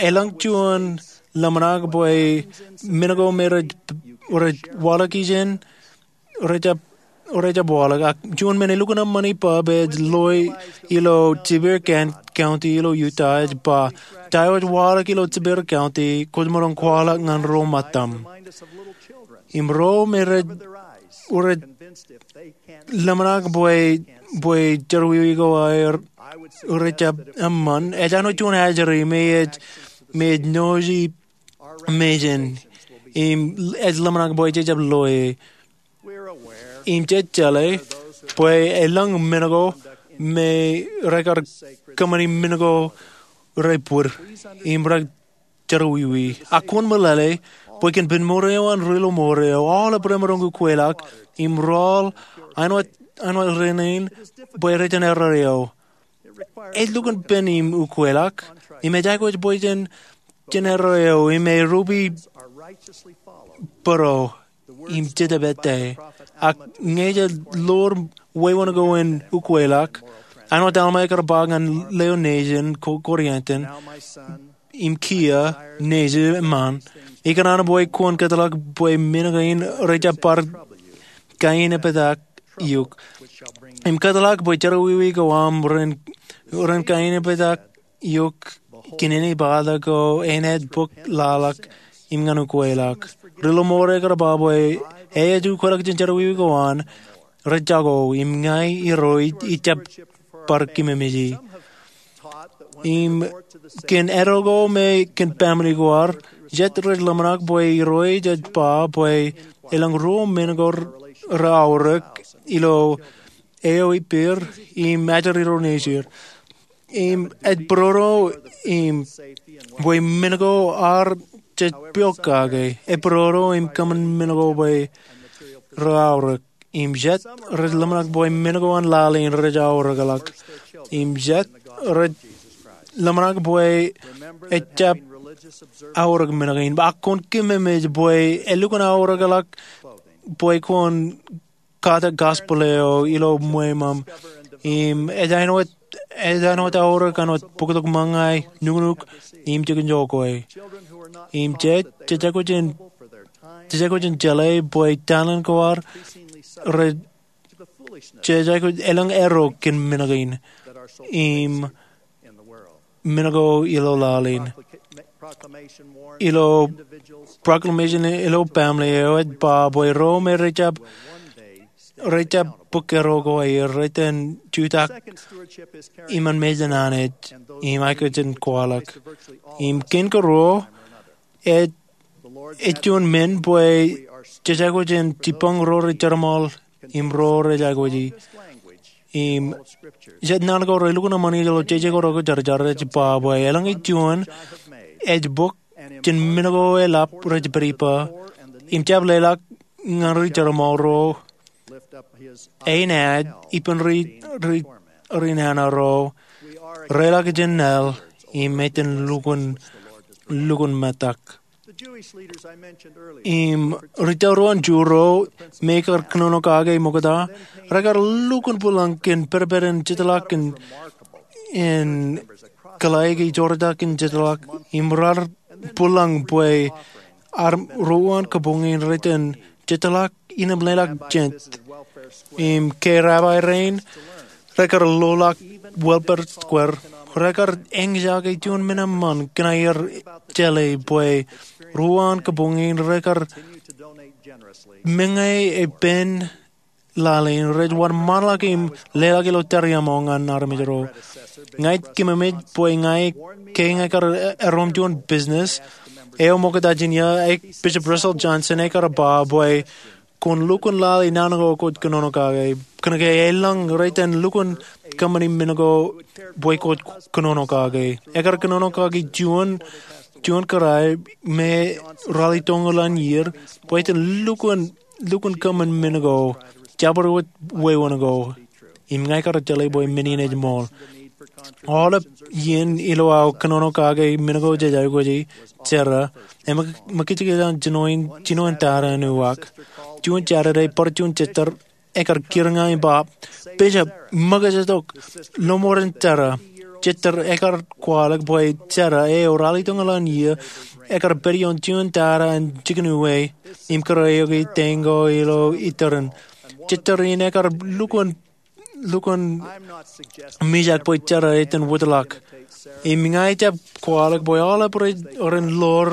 elōñ juon ḷōmṇak bwe men ko me rej, rej waḷọk ijin, rej jab, rej jab waḷọk. Ak juon men elukkuun eṃṃan ippa bwe ej loe ilo Sevier County ilo Utah ej ba, ta eo ej waḷọk ilo Sevier County, kwōj maroñ kwaḷọk ñan ro ṃōttam. Im ro me rej, rej ḷōmṇak bwe, bwe jerọwiwi ko aer rej jab eṃṃan, ej āinwōt juon ajri me ej, me ej noji mejān, im ej ḷōmṇak bwe jej jab loe. Im jej jeḷā bwe elōñ men ko me rekar kōṃṃani men ko rej bōd im rej jerọwiwi. Ak kwōn meḷeḷe bwe kōn pen mour eo an ri ilo mour eo, aolep remaroñ ukwelọk im rool āinwōt, āinwōt rein bwe rej erreo. Ej lukkuun pen im ukwelọk, im ej aikuj bwe jen, jen erreo im erupe bōro im jete pād ie. Ak ñe ej ḷoor wewōn ko in ukwelọk, āinwōt Alma ekar ba ñan leo nejin Ko-, Korianton, im kiiō nejin eṃṃan, ikōṇaan bwe kwōn kōtḷọk bwe men kein rej jab bar kaeneptak eok. Im kōtḷọk bwe jerọwiwi ko aṃ ren, ren kaeneptak eok kōn āne bōktok ko āne bōk laḷọk im ñan ukwelọk. Ri ilo mour eo ekar ba bwe ej ukwelọk jān jerọwiwi ko an, rej jako, im ña Irooj ij jab bar kōmmemeje. Im kōn eddo ko me kōn family ko ad, jet rej ḷōmṇak bwe Irooj ej ba bwe elōñ ruo men ko reaorōk ilo eo ippāer im ajri ro nejier. Im ej bōroro im bwe men ko ad jej piọk kake, ej bōroro im kōṃṃan men ko bwe reaorōk. Im jet rej ḷōmṇak bwe men ko an laḷ in rej aorōkḷọk. Im jet rej ḷōmṇak bwe ej jab aorōk men kein. Ak kwōn kōmmemej bwe elukkuun aorōkḷọk bwe kwōn kate gospel eo ilo ṃweo aṃ. Im ej āinwōt, ej āinwōt aorōk āinwōt bōktok ṃōñā, nuknuk, im jikin jokwe. Im jej, jej aikuj in, jej aikuj in jeḷā bwe talent ko ad rej, jej aikuj elōñ eddo kōn men kein im men ko ilo laḷ in. Ilo proclamation ilo family eo ej ba bwe ro me rej jab, rej jab bōk eddo ko aer rej iten jutak iṃaan mejān Anij im aikuj in kwaḷọk. Im kein karuo, ej, ej juon men bwe jej aikuj in jibboñ ro rej jeṃaḷ im ro rej aikuji. Im jet naan ko relukkuun eṃṃan ilo jeje ko rokjarjar ej ba bwe elōñ juon ej bōk jān men ko eḷap rej pād ippa im jab leḷọk ñan ri jeṃaḷ ro enaaj ippān ri, ri, ri nana ro reḷọk jān nal im iten lukkuun, lukkuun metak. Im ri tōl ro an Ju ro me ekar kōnono kake ṃokta, rekar lukkuun būḷañ kōn pedped in jetḷọk in, in kōḷaiki joortak in jetḷọk, im raar būḷañ bwe ad ruo an kabuñ in rej iten jetḷọk innem leḷọk jān. Im ke rabbi rein rekar loḷọk welfare square, rekar eñjake juon men eṃṃan kōn aer jeḷā bwe ruo an kabuñ in rekar meñe ippān laḷ in rej wōnṃaanḷọk im leḷọk ilo tariaṃo ñan armej ro. Ña ij kōmmeṃṃan bwe ña, ke ña kar erom juon business eo ṃokta jān ia, Bishop Russell Johnson ekar ba bwe kwōn lukkuun lale naan ko kwōj kōnono kake. Kōnke elōñ rej iten lukkuun kōṃṃani men ko bwe kwōj kōnono kake. Ekar kōnono kaki juon, juon kōrā me ralitōñoul an iiō bwe iten lukkuun, lukkuun kōṃṃan men ko, jabdewōt wewōn ko. Im ña ikar jeḷā bwe men in ej ṃool. Aolep iien ilo aō kōnono kake men ko jej aikuji, Sarah, eṃōj, eṃōj kajjitōk jān jinoin, jinoin tata in uwaak. Juon Saturday, bar juon jitōñ ekar kūr ña im ba, "Bishop, ṃōkaj tok, lọmọọren Sarah." Jitōñ ekar kwaḷọk bwe Sarah eo ralitōñoul an iiō ekar pād ioon juon tata in jikin uwe im kōrā eok itañ ko ilo itōrin. Jitōñ in ekar lukkuun, lukkuun mijak bwe Sarah ej iten wōtlọk. Im ña ij jab kwaḷọk bwe aolep rej, ren ḷoor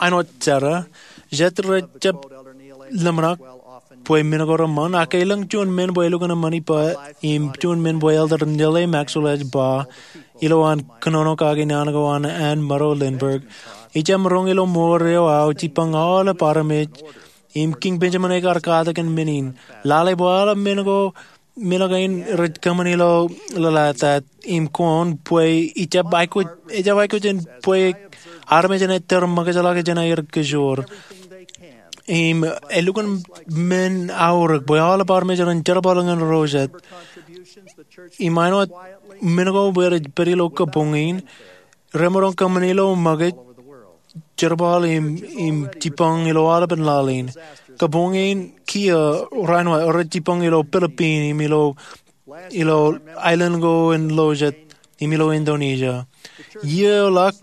āinwōt Sarah, jet rej jab ḷōmṇak bwe men ko reṃṃan, ak elōñ juon men bwe elukkuun eṃṃan ippa, im juon men bwe Elder Neal A. Maxwell ej ba, ilo an kōnono kake naan ko an Ann Murrow Lindberg. Ij jab roñ ilo mour eo aō jipañ aolep armej, im Kiiñ Benjamin ekar katak in men in. Lale bwe aolep men ko men kein rej kōṃṃani ilo ḷōḷātāt im koon bwe ejab aikuj, ejab aikuj in bwe armej enaaj tōre ṃōkajḷọk jān aer kōjoor. Im elukkuun men aorōk bwe aolep armej ren jerbal ñan ro jet. Im āinwōt men ko bwe rej pād ilo kabuñ in, remaroñ kōṃṃani ilo ṃōkaj, jerbal im, im jipañ ilo aolepān laḷ in. Kabuñ in kiiō raan wōt rej jipañ ilo Philippine im ilo, ilo aelōñ ko in ḷọjet im ilo Indonesia. Iiō eo ḷọk,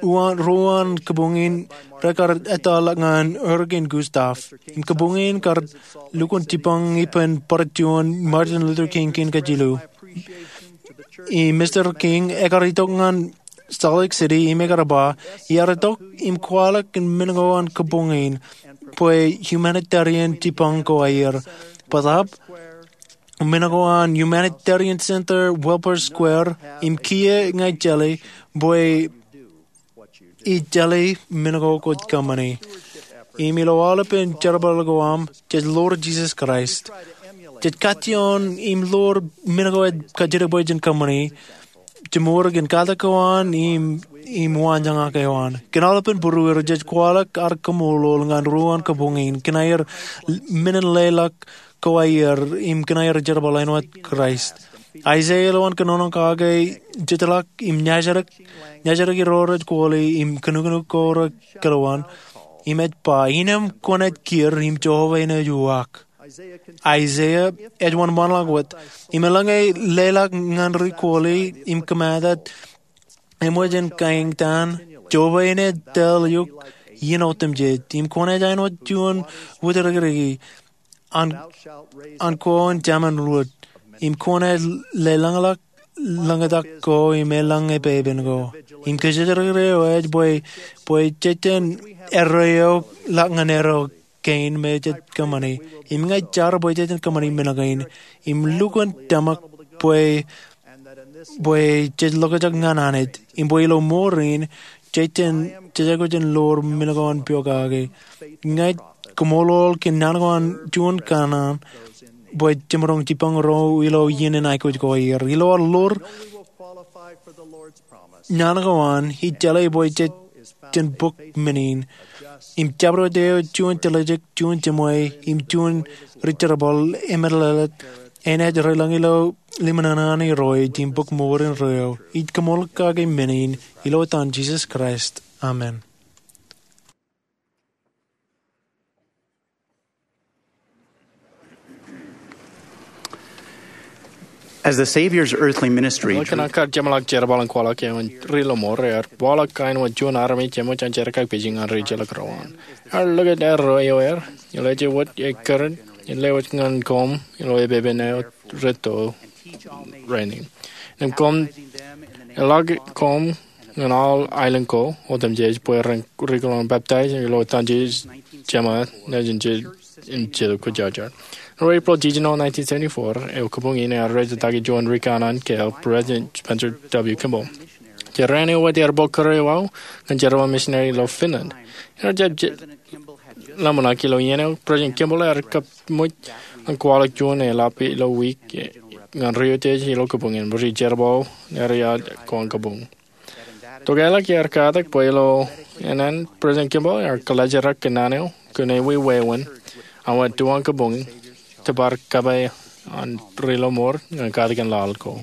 uwaan, ruo uwaan kabuñ in rekar ettoḷọk ñan Hurricane Gustav. Im kabuñ in kar lukkuun jipañ ippān bar juon Martin Luther King kein kajilu. Im Mister King ekar itok ñan Salt Lake City im ekar ba, iar itok im kwaḷọk men ko an kabuñ in bwe humanitarian jipañ ko aer. Bōtaab men ko an Humanitarian Center, Wilber Square, im kiiō ña ij jelōt bwe ij jelōt men ko kwōj kōṃṃani. Im ilo aolepān jerbal ko aṃ, jej ḷoor Jisōs Kraist. Jej kajjioñ im ḷoor men ko ej kajjitōk bwe jen kōṃṃani, jemour kōn katak ko an im, im waanjoñak eo an. Kōn aolepān būrueir jej kwaḷọk ad kaṃṃoolol ñan ruo uwaan kabuñ in kōn aer men in leḷọk ko aer im kōn aer jerbal āinwōt Kraist. Aiseia ilo an kōnono kake ej jeḷak im ñājdik, ñājdik ro rej kwōle im kōnukunuk ko rekilowaan. Im ej ba, "Innām kwōnaaj kiiō im Jeova enaaj uwaak." Aiseia ej wōnṃaanḷọk wōt, "Im eḷaññe leḷọk ñan ri kwōle im kōmaat, eṃōj in kaeñtaan, Jeova enaaj tōl eok iien otemjej. Im kwōnaaj āinwōt juon wūtdikdiki an, an kōn jemān rot. Im kwōnaaj leḷọñḷọk ḷōñtak ko im elōñ epepen ko." Im kōjatdikdik eo ej bwe, bwe jej jen erreo ḷọk ñan erreo kein me jej kōṃṃani. Im ña ij jar bwe jej jen kōṃṃani men kein. Im lukkuun tōmak bwe, bwe jej ḷokjak ñan Anij. Im bwe ilo mour in, jej jen, jej aikuj in ḷoor men ko an pokake. Ña ij kaṃṃoolol kōn naan ko an juon kanaan bwe jemaroñ jipañ ro ilo iien in aikuj ko aer. Ilo ad ḷoor naan ko an, ij jelōt bwe jej jen bōk men in. Im jabdewōt eo juon tiljek, juon jeṃwe, im juon ri jerbal emeḷeḷe, enaaj reiḷọk ilo ḷōmṇak in Irooj im bōk mour in reo. Ij kaṃṃoolol kake men in, ilo etan Jisōs Kraist. Amen. As the Savior's earthly ministry, Ḷọk kōn an kar jeṃḷọk jerbal in kwaḷọk eo an ri lọmọọr, ear waḷọk kain wōt juon armej eṃōj an jerkakpeje ñan ri ejjeḷọk ro an. Ear likūt erreo eo aer, eḷaññe wōt ekkar in lewōj ñan koṃ ilo epepen eo retto rainin. Im koṃ eḷak koṃ ñan aolep aelōñ ko otemjej bwe ren rikūrḷọk im peptaij ilo etan Jisōs Jema, nejin Jisōs im Jetōb Kwōjarjar. Ilo Eprel jiljino nineteen seventy-four, eo kabuñ in ear rej itōn juon ri kanaan kāāl, President Spencer W. Kimball. Jeraan eo wōt ear bōk kūr eo aō ñan jerbal misineri ilo Finland. Ear jab ḷōmṇak ilo iien eo President Kimball ear kōṃṃan ñan kwaḷọk juon eḷap ilo wiik ñan ri otemjej ilo kabuñ in rej jerbal ñan ri eo aō kabuñ. Tokālik ear katak bwe ilo ānen, President Kimball ear kōḷajrak kōn naan eo kōn ewi wāween an wōt tuwaan kabuñ tōpar kōpā an ri lọmọọr ñan katakin laḷ ko.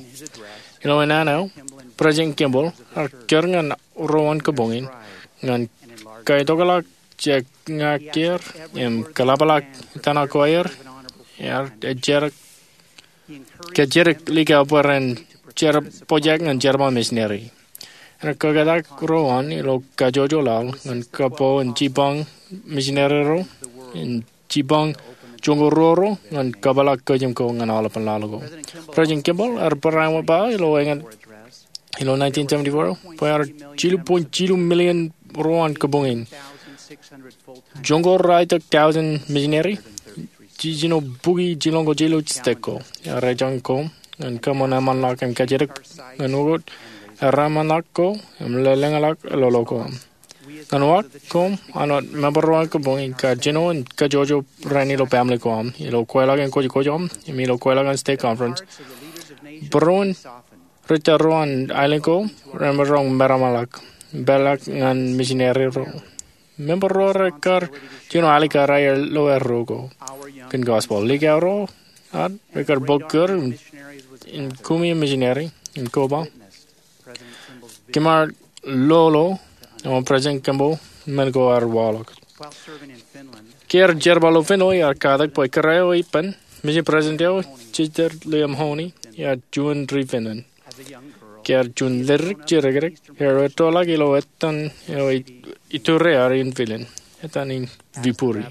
Ilo naan eo, President Kimball ear kūr ñan ro an kabuñ in ñan kaitokḷọk jekñakier im kōḷapḷọk itōṇak ko aer, ear ejjeḷọk kōjatdikdik likao bwe ren jer-, pojak ñan jerbal misineri. Ear kōktak ro an ilo kajjojo laḷ ñan kapo in jipañ misineri ro, in jipañ joñoul ruo ro ñan kōpeḷḷọk kōjām ko ñan aolepān laḷ ko. President Kimball ear barāinwōt ba ilo eñin ilo nineteen seventy-four, bwe ear jilu point jilu million ro an kabuñ in, joñoul ralitōk thousand misineri, jino bukwi jilñoul jilu stek ko. Ear ejjañ koṃ ñan kōṃṃan eṃṃanḷọk im kajjitōk ñan ukot erreṃanḷọk ko im lōḷñọñḷọk lolo ko aṃ. Ñan uwaak, koṃ an wōt member ro an kabuñ in kar jino in kajjojo rainin ilo family ko aṃ, ilo kweilọk in kwōjkwōj aṃ, im ilo kweilọk in stake conference. Būruon ri-tōl ro an aelōñ ko remaroñ meramḷọk, peḷḷọk ñan misineri ro. Member ro rekar jino alikkar aer lo erro ko kōn gospel. Likao ro ad rekar bōk kūr in kumi misineri in koba. Kōm ar lolo eo an President Kimball men ko ear waḷọk. Ke ear jerbal ilo Finland, ear katak bwe kōrā eo ippān, mission president eo, Sister Leah Mahoney, ear juon ri Finland. Ke ear juon ledik jidik, ear ettoḷọk ilo etan eo ituriaer in Finland, etan in Viipuri.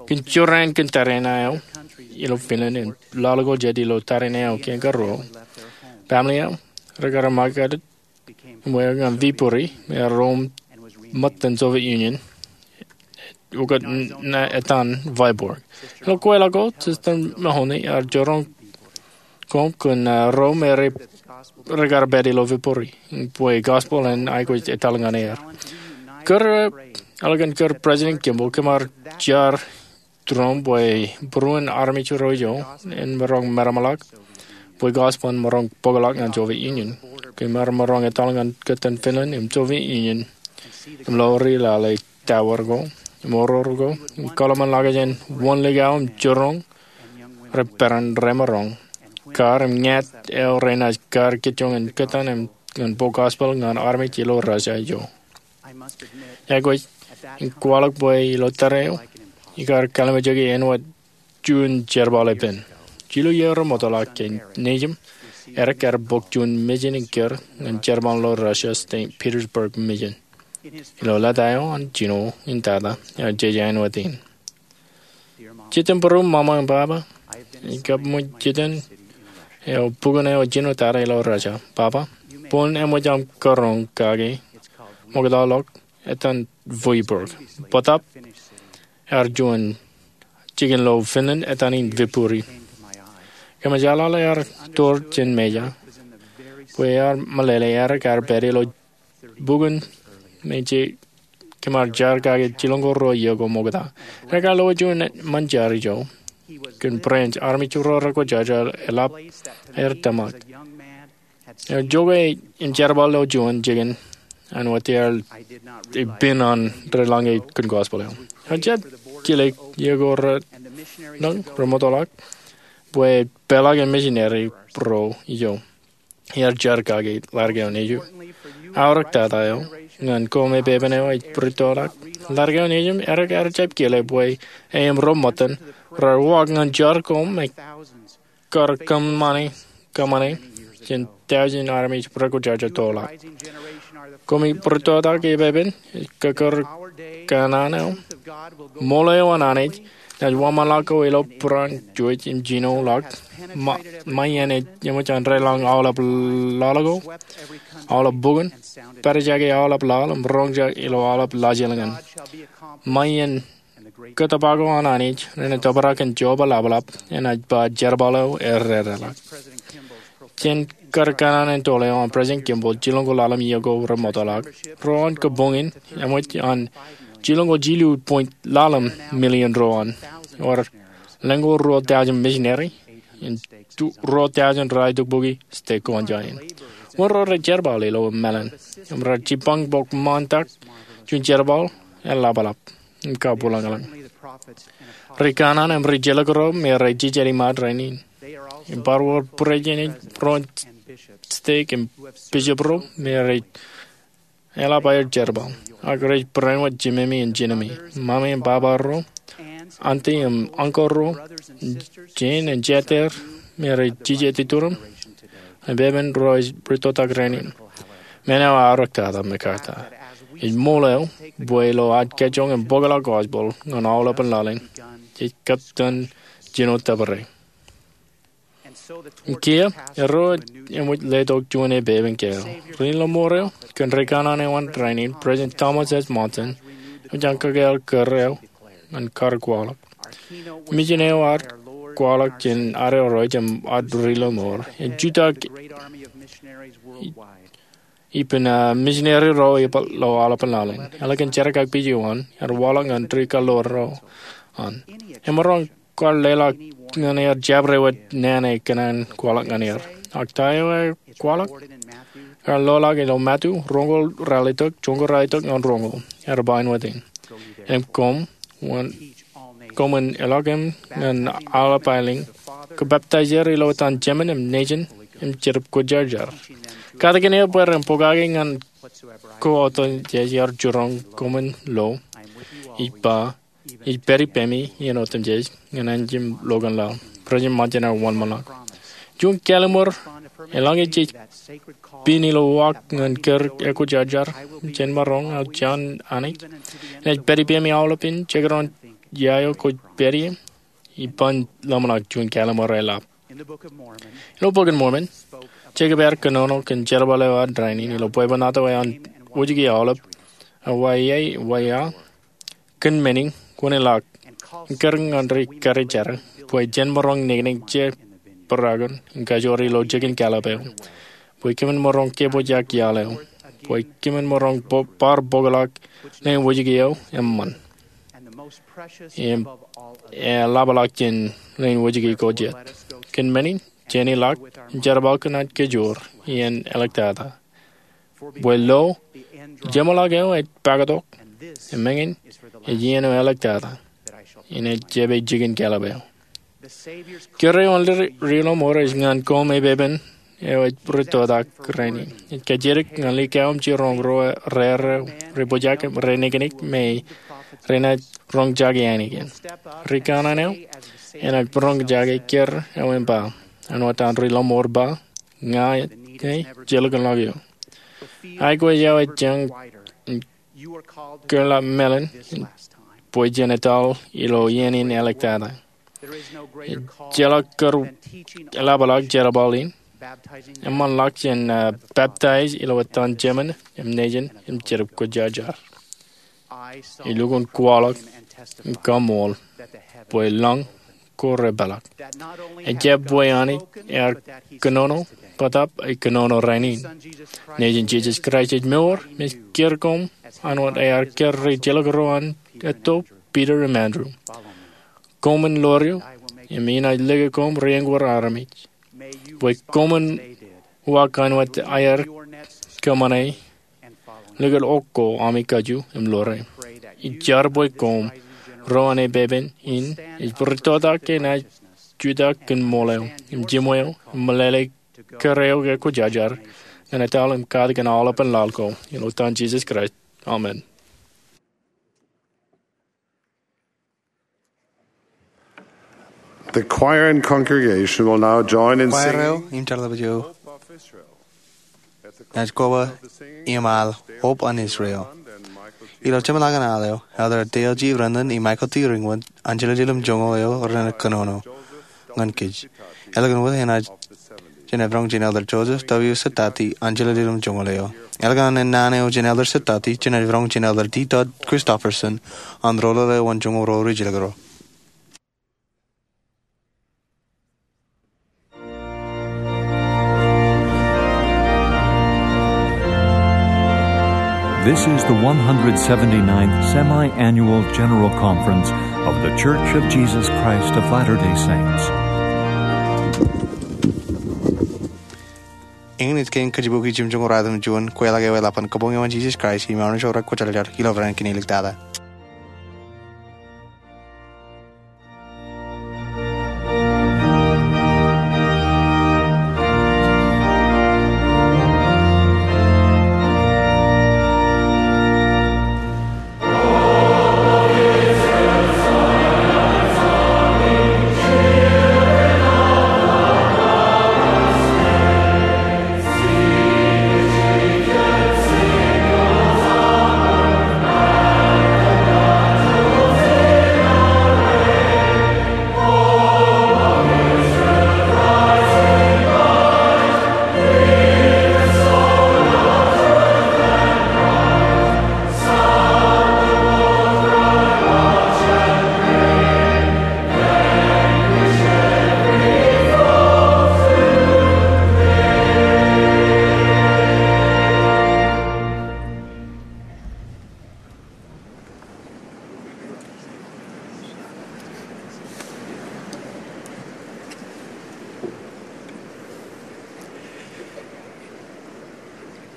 Kōn jorrāān kōn tariṇae eo ilo Finland im laḷ ko jet ilo tariṇae eo kiiō ruo, family eo rekar ṃakūt im eok ñan Viipuri im ear ro ṃōttan Soviet Union, ukōt etan Vyborg. Ilo kweilọk ko, Sister Mahoney ear jiroñ koṃ kōn ro me rekar pād ilo Viipuri bwe gospel en aikuj etal ñan er. Kōrā eo, eḷap an kōrā President Kimball, kōm ar jar tūroṃ bwe būruon armej ro ijo en maroñ meramḷọk bwe gospel en maroñ bōkḷọk ñan Soviet Union. Kōm ar maroñ etal ñan kōttan Finland im Soviet Union im ḷoori lale tower ko im oror ko im kōḷmānḷọkjeṇ wōn likao im jiroñ rej peran remaroñ kar im ñāāt eo renaaj kar kōjjoñ in kōttan im ñan bōk gospel ñan armej ilo Russia ijo. Iar aikuj in kwaḷọk bwe ilo tōre eo, ikar kallimjeke āinwōt juon jerbal epen. Jilu iiō remootḷọk ke nejūṃ, edik ear bōk juon mission in kōr ñan jerbal ilo Russia, Saint Petersburg Mission. Ilo leta eo an jino in tata, ear jeje āinwōt in. Jitōnbōro ṃaṃa im baba, ikab ṃōj jitōn eo bukun eo jino tata ilo Russia. Baba, boñ eṃōj aṃ kōrọọñ kake ṃoktaḷọk etan Vyborg. Bōtap ear juon jikin lo Finland etan in Viipuri. Kōmij jeḷāḷọk ear tōr jān Mejja bwe ear meḷeḷe edik ear pād ilo bukun me jej kōm ar jar kake jilñoul ruo iiō ko ṃokta. Edik ear lowaan juon ṃōn jar ijo kōn branch armej ro rekwōjarjar eḷap aer tōmak. Ear jokwe im jerbal ilo juon jikin āinwōt ear ippān an rej lañe kōn gospel eo. Ear jab kile iiō ko renaaj remootḷọk bwe peḷḷọk im misineri ro ijo. Ear jar kake ḷadik eo nejū. Aorōk tata eo, ñan koṃ epepen eo ej rūttoḷọk, ḷadik eo nejūṃ edik ear jab kile bwe e im ro ṃōttan raar uwaak ñan jar koṃ im kar kōṃṃane, kōṃṃane jān tọujin armej rekwōjarjar toḷọk. Koṃ ej rūttoḷọk epepen, kōkōrā kanaan eo, ṃool eo an Anij enaaj wōnṃaanḷọk ko ilo būruon juon im jino ḷọk. Ṃae iien ej eṃōj an reiḷọñ aolep laḷ ko, aolep bukun, pādjake aolep laḷ im roñjake ilo aolep laajilñan. Ṃae iien kōttōpar ko an Anij renaaj tōprak kōn joba ḷapḷap enaaj ba jerbal eo erreḷọk. Jān kar kanaan in toḷ eo an President Kimball jilñoul ḷalem iiō ko remootḷọk, ro an kabuñ in eṃōj an jilñoul jilu point ḷalem million ro an, ewōr lōñoul ruo tọujin misineri im ruo tọujin rej itok bukwi stek ko an Japan. Wōn ro rej jerbal ilo mālōn im rej jibbañ bōk ṃaantak juon jerbal eḷapḷap im kabwilōñlōñ. Ri kanaan im ri jilkinḷọk ro me rej jijet iṃaad rainin im bar wōr būreejin ro an stek im bishop ro me rej eḷap aer jerbal, ak rej barāinwōt jimemi im jinemi, ṃaṃe im baba ro, auntie im uncle ro, jān im jatū me rej jijet ituriṃ, epepen ro ej rūttoḷọk rainin. Men eo aorōk tata MacArthur. Ej ṃool eo bwe ilo ad kōjjoñ im bōkḷọk gospel ñan aolepān laḷ in, jej kab tōn jino tōpare. Im kiiō, erro ej eṃōj letok juon epepen kāāl. Ri-lọmọọr eo kōn ri kanaan eo an rainin, President Thomas S. Monson, eṃōj an kōkāāl kōrā eo ñan kar kwaḷọk. Mijin eo ear kwaḷọk jān ad ro im ad ri lọmọọr. Ej jutak ippān, ah, misineri ro epaak ilo aolepān laḷ in. Eḷap kōn jerkakpeje eo an, ear waḷọk ñan ri kaḷoor ro an. Emaroñ kwaar leḷọk ñan er jabdewōt naan ekōṇaan kwaḷọk ñan er. Ak ta eo ear kwaḷọk? Ear loḷọk ilo Matu roñoul ralitōk, joñoul ralitōk ñan roñoul. Ear ba āinwōt in: Im koṃ, wōn, koṃwin ilọk im ñan aolep aelōñ, kōbaptaijer ilo etan Jemān im Nejin im Jetōb Kwōjarjar, katakin er bwe ren pokake ñan ko otemjej ear jiroñ koṃwin lo. Ij ba, ij pād ippemi iien otemjej ñan anjim lokan laḷ. President Monson ear wōnṃaanḷọk. Juon kallim̧ur, eḷaññe jej pin ilo uwaak ñan kōr ekwōjarjar, jen maroñ, aō jān Anij, inaaj pād ippemi aolepān jekdọọn ia eo kwōj pād ie. Iban ḷōmṇak juon kallim̧ur eḷap. Ilo Bok in Mormon, Jekōb ear kōnono kōn jerbal eo ad rainin ilo bwebwenato eo an wōjke aolep, ewōr ia, ewōr ia. Kōn men in, kwōn ilọk im kōrā ñan ri karijer bwe jen maroñ niknik jebrakon im kajoor ilo jikin kallib eo, bwe kōmin maroñ kebōjak iaḷ eo, bwe kōmin maroñ bo-, bar bōkḷọk leen wōjke eo eṃṃan im eḷapḷọk jān leen wōjke ko jet. Kōn men in, jen ilọk im jerbal kōn ad kajoor iien āliktata. Bwe lo, jeṃḷọk eo ej pakatok, im eñin, ej iien eo āliktata, inaaj jab jikin kallib eo. Kōrā eo an ri, ri lọmọọr ej ñan koṃ epepen eo ej rūttotak rainin. Ej kajjitōk ñan likao im jiroñ ro raar, ri pojak im ri niknik me renaaj roñjake ainikien. Ri kanaan eo enaaj roñjake kōrā eo im ba, āinwōt an ri lọmọọr ba, ña ej jelōkḷọk eō. Aikuj eo ej jañ kōḷḷā mālōtlōt bwe jen etal ilo iien in āliktata. Ejjeḷọk kōrā eḷapḷọk jerbal in, eṃṃanḷọk jān, ah, baptaij ilo etan Jemān im Nejin im Jetōb Kwōjarjar. Ij lukkuun kwaḷọk im kaṃool bwe lañ ko repeḷọk. Ejjab bwe Anij ear kōnono, bōtab ej kōnono rainin. Nejin Jisōs Kraist ej mour im ej kōr koṃ āinwōt ear kōr ri jilkinḷọk ro an etto, Piter im Andrew. Koṃwin ḷoor eō, im inaaj lōke koṃ ri eñoul armej. Bwe koṃwin uwaak āinwōt ear kōṃṃane, likūt ḷọk ko ami kajju im ḷoore. Ij jar bwe koṃ ro an epepen in ej rūttotak ke enaaj jutak kōn ṃool eo im jiṃwe eo im meḷeḷe kōrā eo ekwōjarjar ñan etal im katakin aolepān laḷ ko. Ilo etan Jisōs Kraist, amen. The choir and congregation will now join in singing. Kwaer eo im jeḷā eo enaaj koba im al Hope of Israel. Ilo jeṃḷọkin al eo, Elder Dale G. Renlund im Michael T. Ringwand, an jiljilimjuonñoul eo renaaj kōnono ñan kōj. Ālikin wōt enaaj Jen ej roñ jān Elder Joseph W. Satati an jiljilimjuonñoul eo. Ālikin an naan eo jān Elder Satati, jen ej roñ jān Elder D. Todd Christofferson an roḷoḷ eo an juon ro ri jilkinḷọk ro. This is the one hundred seventy-ninth Semi-Annual General Conference of The Church of Jesus Christ of Latter-day Saints. Eñin ej kein kajibukwi jimjuonñoul ratimjuon, kweilọk eo eḷap an kabuñ eo an Jesus Christ im armej ro rekwōjarjar ilo raan kein āliktata.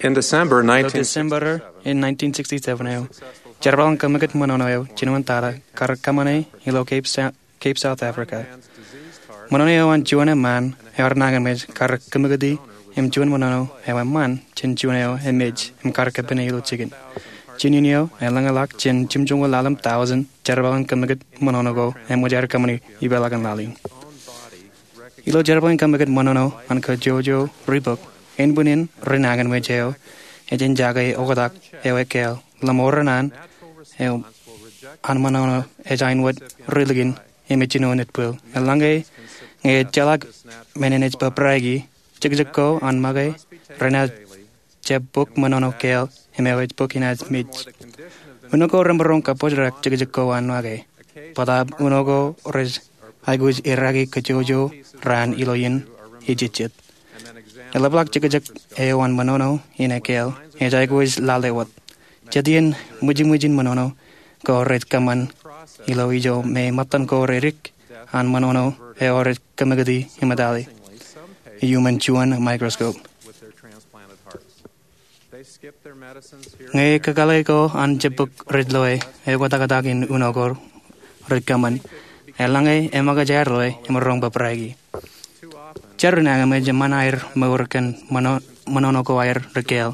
Ilo December in nineteen sixty-seven eo, jerbal in kōmmikōt ṃōṇōṇō eo jinoin tata kar kōṃṃane ilo Cape Sa- Cape South Africa. Ṃōṇōṇō eo an juon eṃṃaan eo ear nañinmej kar kōmmikōti im juon ṃōṇōṇō eo eṃṃaan jān juon eo emej im kar kōpine ilo jikin. Jinen eo eḷaññe ḷak jān jimjuonñoul ḷalem thousand jerbal in kōmmikōt ṃōṇōṇō ko eṃōj aer kōṃṃani ipeḷaakin laḷ in. Ilo jerbal in kōmmikōt ṃōṇōṇō an kajjojo ribok, ānbwinnin ri nañinmej eo ej eñjake oktak eo ekkāāl ḷōṃour in an eo an ṃōṇōṇō ej āinwōt ri likin im ej jino nitpwil. Eḷaññe ñe ejjeḷọk men in ej bōbraiki, jekjek ko an make renaaj jab bōk ṃōṇōṇō kāāl im eo ej bōk inaaj mej. Uno ko remaroñ kabōjrak jekjek ko an make, bōtaab uno ko rej aikuj iraki kajjojo raan ilo iien ejejjet. Eḷapḷọk jekjek eo an ṃōṇōṇō in ekkāāl ej aikuj lale wōt. Jet iien ṃwijṃwijin ṃōṇōṇō ko rej kōṃṃan ilo ijo me ṃōttan ko redik an ṃōṇōṇō eo rej kōmmikōti im etale iuṃwin juon microscope. Ñe kakōḷḷe ko an jab bōk rej loe eoktaktak in uno ko rej kōṃṃan, eḷaññe emaroñ aer loe im roñ bōbraiki. Jar ri nañinmej eṃṃan aer mour kōn ṃōṇō- ṃōṇōṇō ko aer ri kāāl.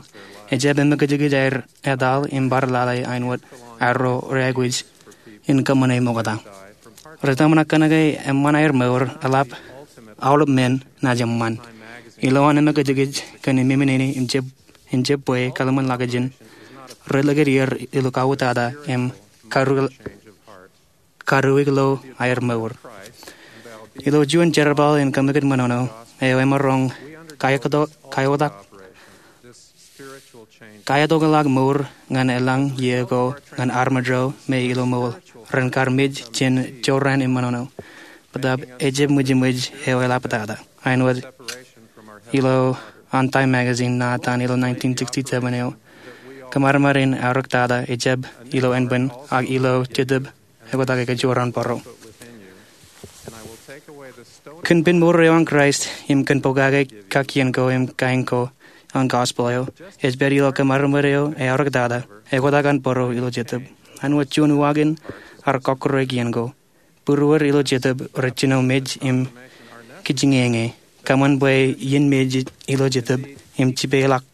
Ejjab emōkajkij aer etal im bar lale āinwōt arro reaikuj in kōṃṃane ṃokta. Rej tōmak kōnke eṃṃan aer mour eḷap aolep men naaj eṃṃan. Ilowaan emōkajkij kōn ememenin in jab in jab bwe kallim̧ur ḷọk jān ri likūt er ilo kauwōtata im karuwik- karuwikḷọk aer mour. Ilo juon jerbal in kōmmikōt ṃōṇōṇō eo emaroñ kaeoktak- kaeoktak- kaetokḷọk mour ñan eḷaññe ko ñan armej ro me ilo ṃool ren kar mej jān jorrāān im ṃōṇōṇō. Bōtaab ejjab ṃwijṃwij eo eḷaptata āinwōt ilo an Time magazine ṇa etan ilo nineteen sixty-seven eo. Kōṃarṃar in aorōktata ejjab ilo ānbwin ak ilo jetōb eoktak ekajoor an bōro. Kōn pen mour eo an Kraist im kōn pokake kakkien ko im kain ko an gospel eo, ej pād ilo kōṃarṃar eo eaorōktata eoktak an bōro ilo jetōb. Āinwōt juon uwaak in ar kọkkure kien ko, būrueir ilo jetōb rej jino mej im kijiñeñe. Kōṃṃan bwe iien mej ilo jetōb im jipeḷọk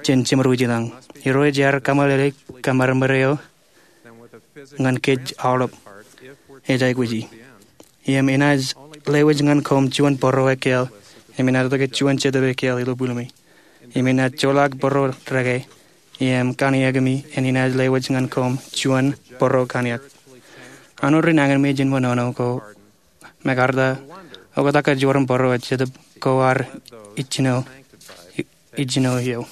jān jeṃro ilañ. Irooj ear kōmeḷeḷe kōṃarṃar eo ñan kōj aolep. Ej aikuji im enaaj lewōj ñan koṃ juon bōro ekkāāl im enaaj tōke juon jetōb ekkāāl ilo būlumi. Im enaaj joḷọk bōro deke im kaniekmi im enaaj lewōj ñan koṃ juon bōro kaniek. An ri nañinmej in ṃōṇōṇō ko mekarta oktak ekajoor an bōro ej jetōb ko ar ijjino ijjino eo.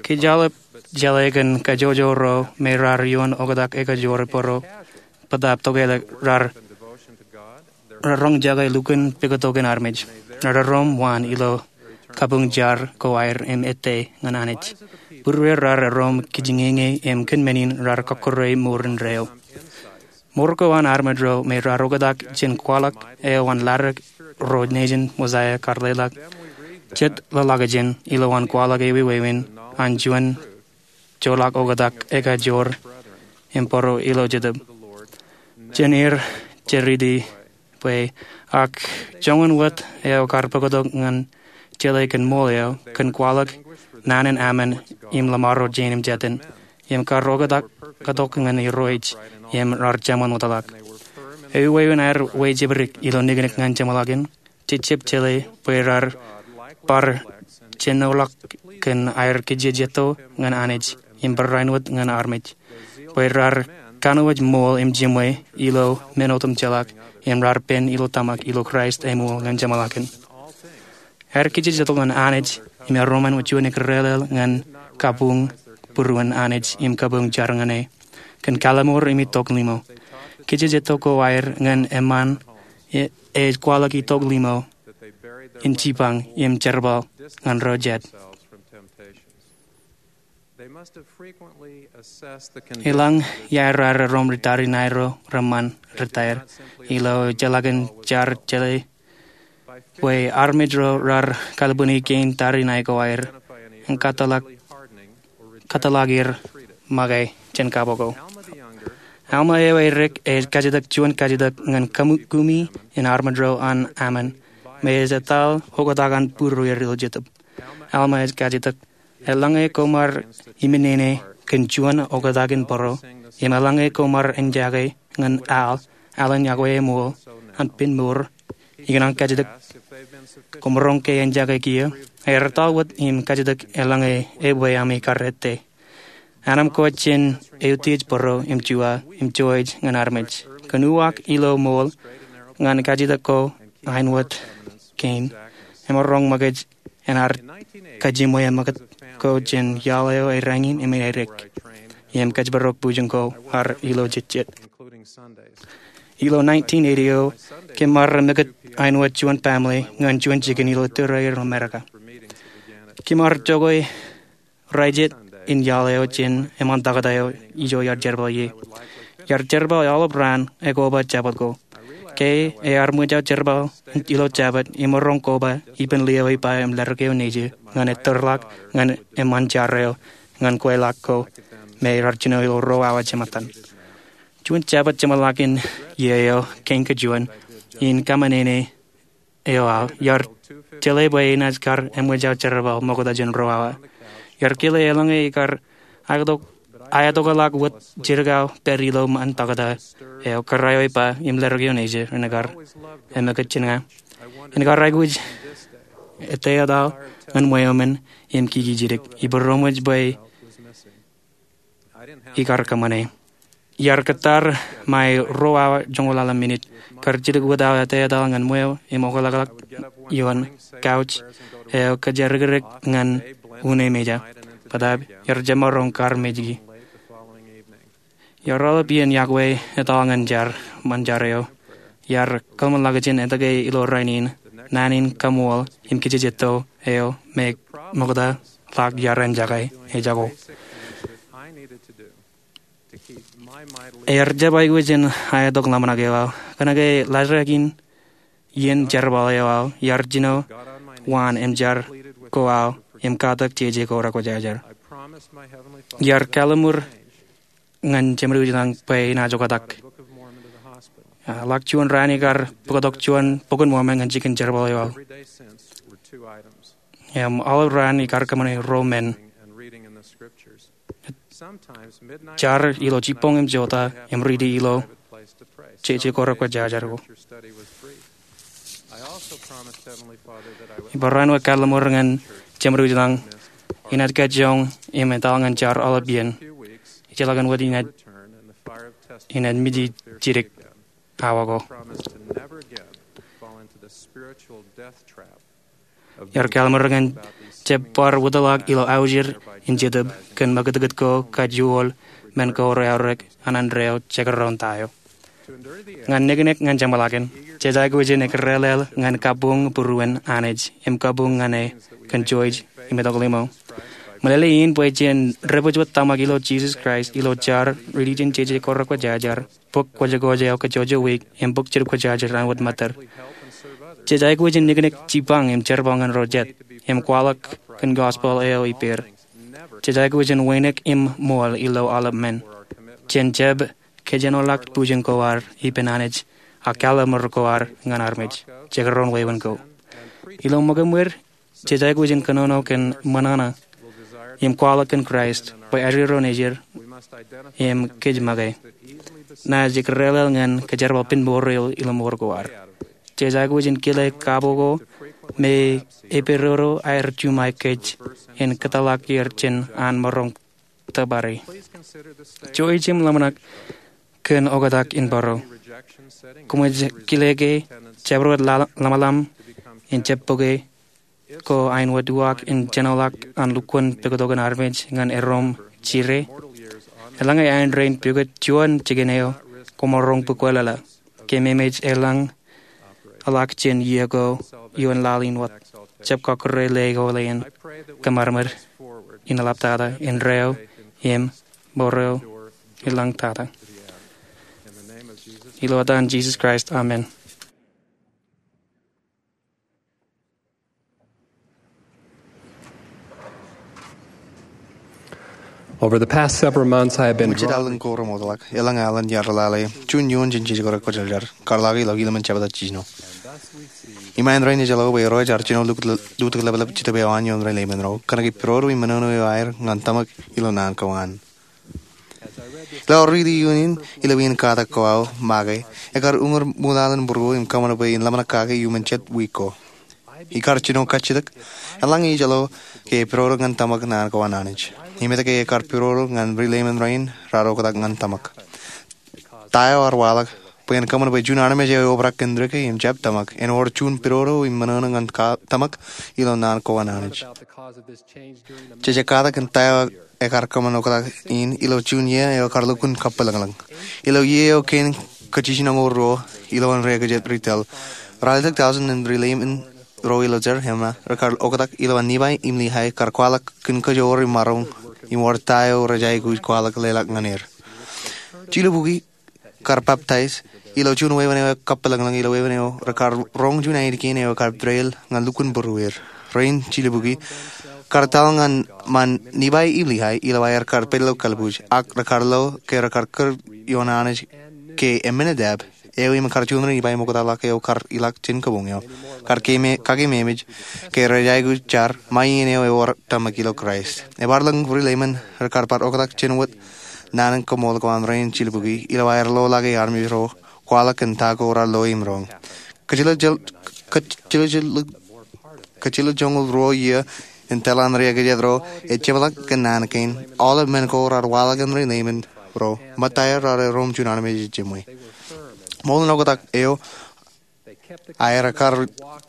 Kōj aolep jeḷā kōn kajjojo ro me raar ioon oktak ekajoor bōro bōtaab tokālik raar roñjake lukkuun pukot in armej. Raar erom waan ilo kabuñ jar ko aer im ettā ñan Anij. Būrueir raar erom kijiñeñe im kōn men in raar kọkkure mour indeeo. Mour ko an armej ro me raar oktak jān kwaḷọk eo an ḷadik ro nejin Mosaia kar leḷọk jet ḷōḷḷọkjeṇ ilowaan kwaḷọk eo wāween an juon joḷọk oktak ekajoor im bōro ilo jetōb. Jān er jeriti bwe ak joñan wōt eo kar bōktok ñan jeḷā kōn ṃool eo kōn kwaḷọk naan in aṃ im lọmọọr ro jein im jetin im kar oktak katok ñan Irooj im raar jeṃḷọk. Eo wāween aer wejebdik ilo niknik ñan jeṃḷọkin, jejjab jeḷā bwe raar bar jenoḷọk kōn aer kijejeto ñan Anij im barāinwōt ñan armej. Bwe raar kanooj ṃool im jiṃwe ilo men otemjeḷọk im raar pen ilo tōmak ilo Kraist eṃool ñan jeṃḷọkin. Aer kijejeto ñan Anij im erom āinwōt juon ikdeḷeḷ ñan kabuñ būruon Anij im kabuñ jar ñan e kōn kallim̧ur im itok limo. Kijejeto ko aer ñan eṃṃaan e- ej kwaḷọk itok limo in jipañ im jerbal ñan ro jet. Eḷaññe raar erom ri tariṇae ro reṃṃan ri taer ilo jeḷākin jar jeḷā bwe armej ro raar kalbwini kein tariṇae ko aer im kōtḷọk, kōtḷọk er make jān kabo ko. Alma eo erik ej kajjitōk juon kajjitōk ñan kumi in armej ro an Ammon, me ej etal oktak an būrueir ilo Jetōb. Alma ej kajjitōk, eḷaññe koṃ ar iminene kōn juon oktak in bōro, im eḷaññe koṃ ar enjake ñan al, alan iọkwe eṃool an pen mour, ikōṇaan kajjitōk, koṃ roñ ke enjake kiiō? Aer etal wōt im kajjitōk eḷaññe ebwe ami kar ettā. Anemkwōj jān eutiej bōro im juwa im jouj ñan armej. Kōn uwaak ilo ṃool ñan kajjitōk ko aenwōt kein, emaroñ ṃōkaj en ad kajjimwe ṃōkaj ko jān iaḷ eo eran in im erik im kōjparok bujen ko ad ilo jejjet. Ilo nineteen eighty eo, kōm ar ṃōkaj aenwōt juon baaṃle ñan juon jikin ilo tōre in Amerika. Kōm ar jokwe raelep in iaḷ eo jān eṃṃan tọkata eo ijo iar jerbal ie. Iar jerbal aolep raan ekoba Jabōt ko. Ke ear ṃōj aō jerbal ilo Jabōt, emaroñ koba ippān lio ippa im ḷadik eo nejū ñan ettōrḷọk ñan eṃṃan jar eo ñan kweilọk ko me raar jino ilo ruo awa jemātan. Juon Jabōt jeṃḷọkin iiō eo kein kajuon in kōṃṃane eo aō, iar jeḷā bwe enaaj kar eṃōj aō jerbal ṃokta jān ruo awa. Iar kile eḷaññe ikar aetokḷọk wōt jidik aō pād ilo ṃōn tọkata eo, kōrā eo ippa im ḷadik eo nejū, renaaj kar eṃōkaj jān ña. Inaaj kar aikuj ettā etal ñan ṃweo men im kiki jidik. Iboojoj bwe ikar kōṃṃane. Iar kōttar ṃae ruo awa joñoul ḷalem minit. Kar jidik wōt aō ettā etal ñan ṃweo im okḷọkḷọk ioon couch eo kōjjārikirik ñan unin meja. Bōtaab iar jemaroñ kar mejki. Iar aolep iien iọkwe etal ñan jar, ṃōn jar eo, iar kōḷmānḷọkjeṇ etke ilo rainin, naan in kaṃool im kajjitōk eo me ṃokta ḷọk iar enjake ejako. Ear jab aikuj in aetok ḷōmṇak eo aō. Kōnke laajrak in iien jerbal eo aō, iar jino waan im jar ko aō im katak jeje ko rekwōjarjar. Iar kalliṃur ñan Jemedwōj ḷañ bwe inaaj oktak. Ḷak juon raan ikar bōktok juon Bok in Mormon ñan jikin jerbal eo aō. Im aolep raan ikar kōṃṃane ruo men. Jar ilo jibboñ im jota im riiti ilo jeje ko rekwōjarjar ko. Ibar raan wōt kalliṃur ñan Jemedwōj ḷañ inaaj kajjioñ im etal ñan jar aolep iien. Ijellọkin wōt inaaj, inaaj miji jidik awa ko. Iar kalliṃur ñan jab bar wōtlọk ilo aujir in Jetōb kōn ṃakūtkūt ko, kajoor men ko reaorōk an indeeo jekdọọn ta eo. Ñan niknik ñan jeṃḷọkin, jej aikuj in ekrelel ñan kabuñ būruon Anij im kabuñ ñan e kōn jouj im itok ḷimo. Meḷeḷe in bwe jen debwāāj wōt tōmak ilo Jisōs Kraist ilo jar, riiti jān jeje ko rekwōjarjar, bok kwōjkwōj eo kajjojo wiik im bok jidik kwōjarjar an wōt ṃōttōr. Jej aikuj in niknik jibbañ im jerbal ñan ro jet im kwaḷọk kōn gospel eo ippāer. Jej aikuj in wānōk im ṃool ilo aolep men. Jen jab kōjenolọk bujen ko ad ippān Anij ak kalliṃur ko ad ñan armej. Jekdọọn wāween ko. Ilo ṃōkaṃwōj, jej aikuj in kōnono kōn ṃōṇōṇō im kwaḷọk kōn Kraist bwe ajri ro nejid im kōj make. Naaj ekrelel ñan kōjerbal pen mour eo ilo mour ko ad. Jej aikuj in kile kabo ko me epedodo aer juṃae kōj in kōtḷọk er jān an maroñ tōpare. Jouj im ḷōmṇak kōn oktak in bōro. Koṃij kile ke jabdewōt ḷōmṇak in jab bōke ko aenwōt uwaak in jenoḷọk an lukkuun pukot ko an armej ñan erom jire. Eḷaññe aendein pukot juon jikin eo koṃ maroñ bōkwōlōḷā, kōmij eḷañḷọk jān iiō ko ioon laḷ in wōt. Jab kọkkure ḷe ko ḷein kōṃadṃōd in eḷaptata indeeo im mour eo eḷañtata. Ilo etan Jisōs Kraist, amen. Over the past several months, I have been Jet drawn aolep ko remootḷọk, elōñ alen iar lale juon iioon jān jejkore kwōjarjar, kar lale ilo lemon jabta jiljino. Iṃaan rainin ej lo bwe Irooj ear jino lutōk ḷapḷap Jetōb eo an ioon reileimān ro kōnke pidodo im ṃōṇōṇō eo aer ñan tōmak ilo naan ko an. Ilo aō riiti iioon in ilo wien katak ko aō make, ekar uñūr ṃool alen būruō im kōṃṃan bwe in ḷōmṇak kake iuṃwin jet wiik ko. Ikar jino kajjitōk, eḷaññe ej lo ke pidodo ñan tōmak naan ko an Anij. Im etke ke ekar pidodo ñan reileimān rein raar oktak ñan tōmak? Ta eo ear waḷọk bwe en kōṃṃan bwe juon armej eo eobrak kōn reke im jab tōmak en wōr juon pidodo im ṃōṇōṇō ñan tōmak ilo naan ko an Anij? Jej katak kōn ta eo ekar kōṃṃan oktak in ilo juon iiō eo ekar lukkuun kappilōñlōñ. Ilo iiō eo kein kajjitōk oñoul ruo, ilowaan ri-ekōjāt retail, ralitōk tọujin in reileimān ro ilo Zarahemla rekar oktak ilowaan Nifai im Lihai kar kwaḷọk kōn kajoor im maroñ im wōr ta eo rej aikuj kwaḷọk leḷọk ñan er. Jilubukwi kar peptaij ilo juon wāween eo kappilōñlōñ, ilo wāween eo rekar roñ juon ainikiin eo ekar pād ñan lukkuun būrueir. Rein jilubukwi kar taḷ ñan ṃaan Nifai im Lihai ilo aer kar pād ilo kalbuuj, ak rekar lo ke rekar kūr ioon Anij ke Aminadab, eo im kar juon ri-Nifai ṃoktaḷọk eo kar ilọk jān kabuñ eo, kar kake māmej ke rej aikuj jar ṃae iien eo ewōr tōmak ilo Kraist. Ebar lōñ reileimān rekar bar oktak jān wōt naan in koṃṃool ko an rein jilubukwi ilo aer lo ḷọk armej ro kwaḷọk kōn ta ko raar lo im roñ. Kōjjeḷā, kōjjeḷā, kōjjeḷā joñoul ruo iiō in tōl an ri-ekōjāt ro ejjeḷọk kōn naan kein, aolep men ko raar waḷọk ñan reileimān ro, ṃōttaer raar erom juon armej ej jemwe. Ṃool in oktak eo aer, ekar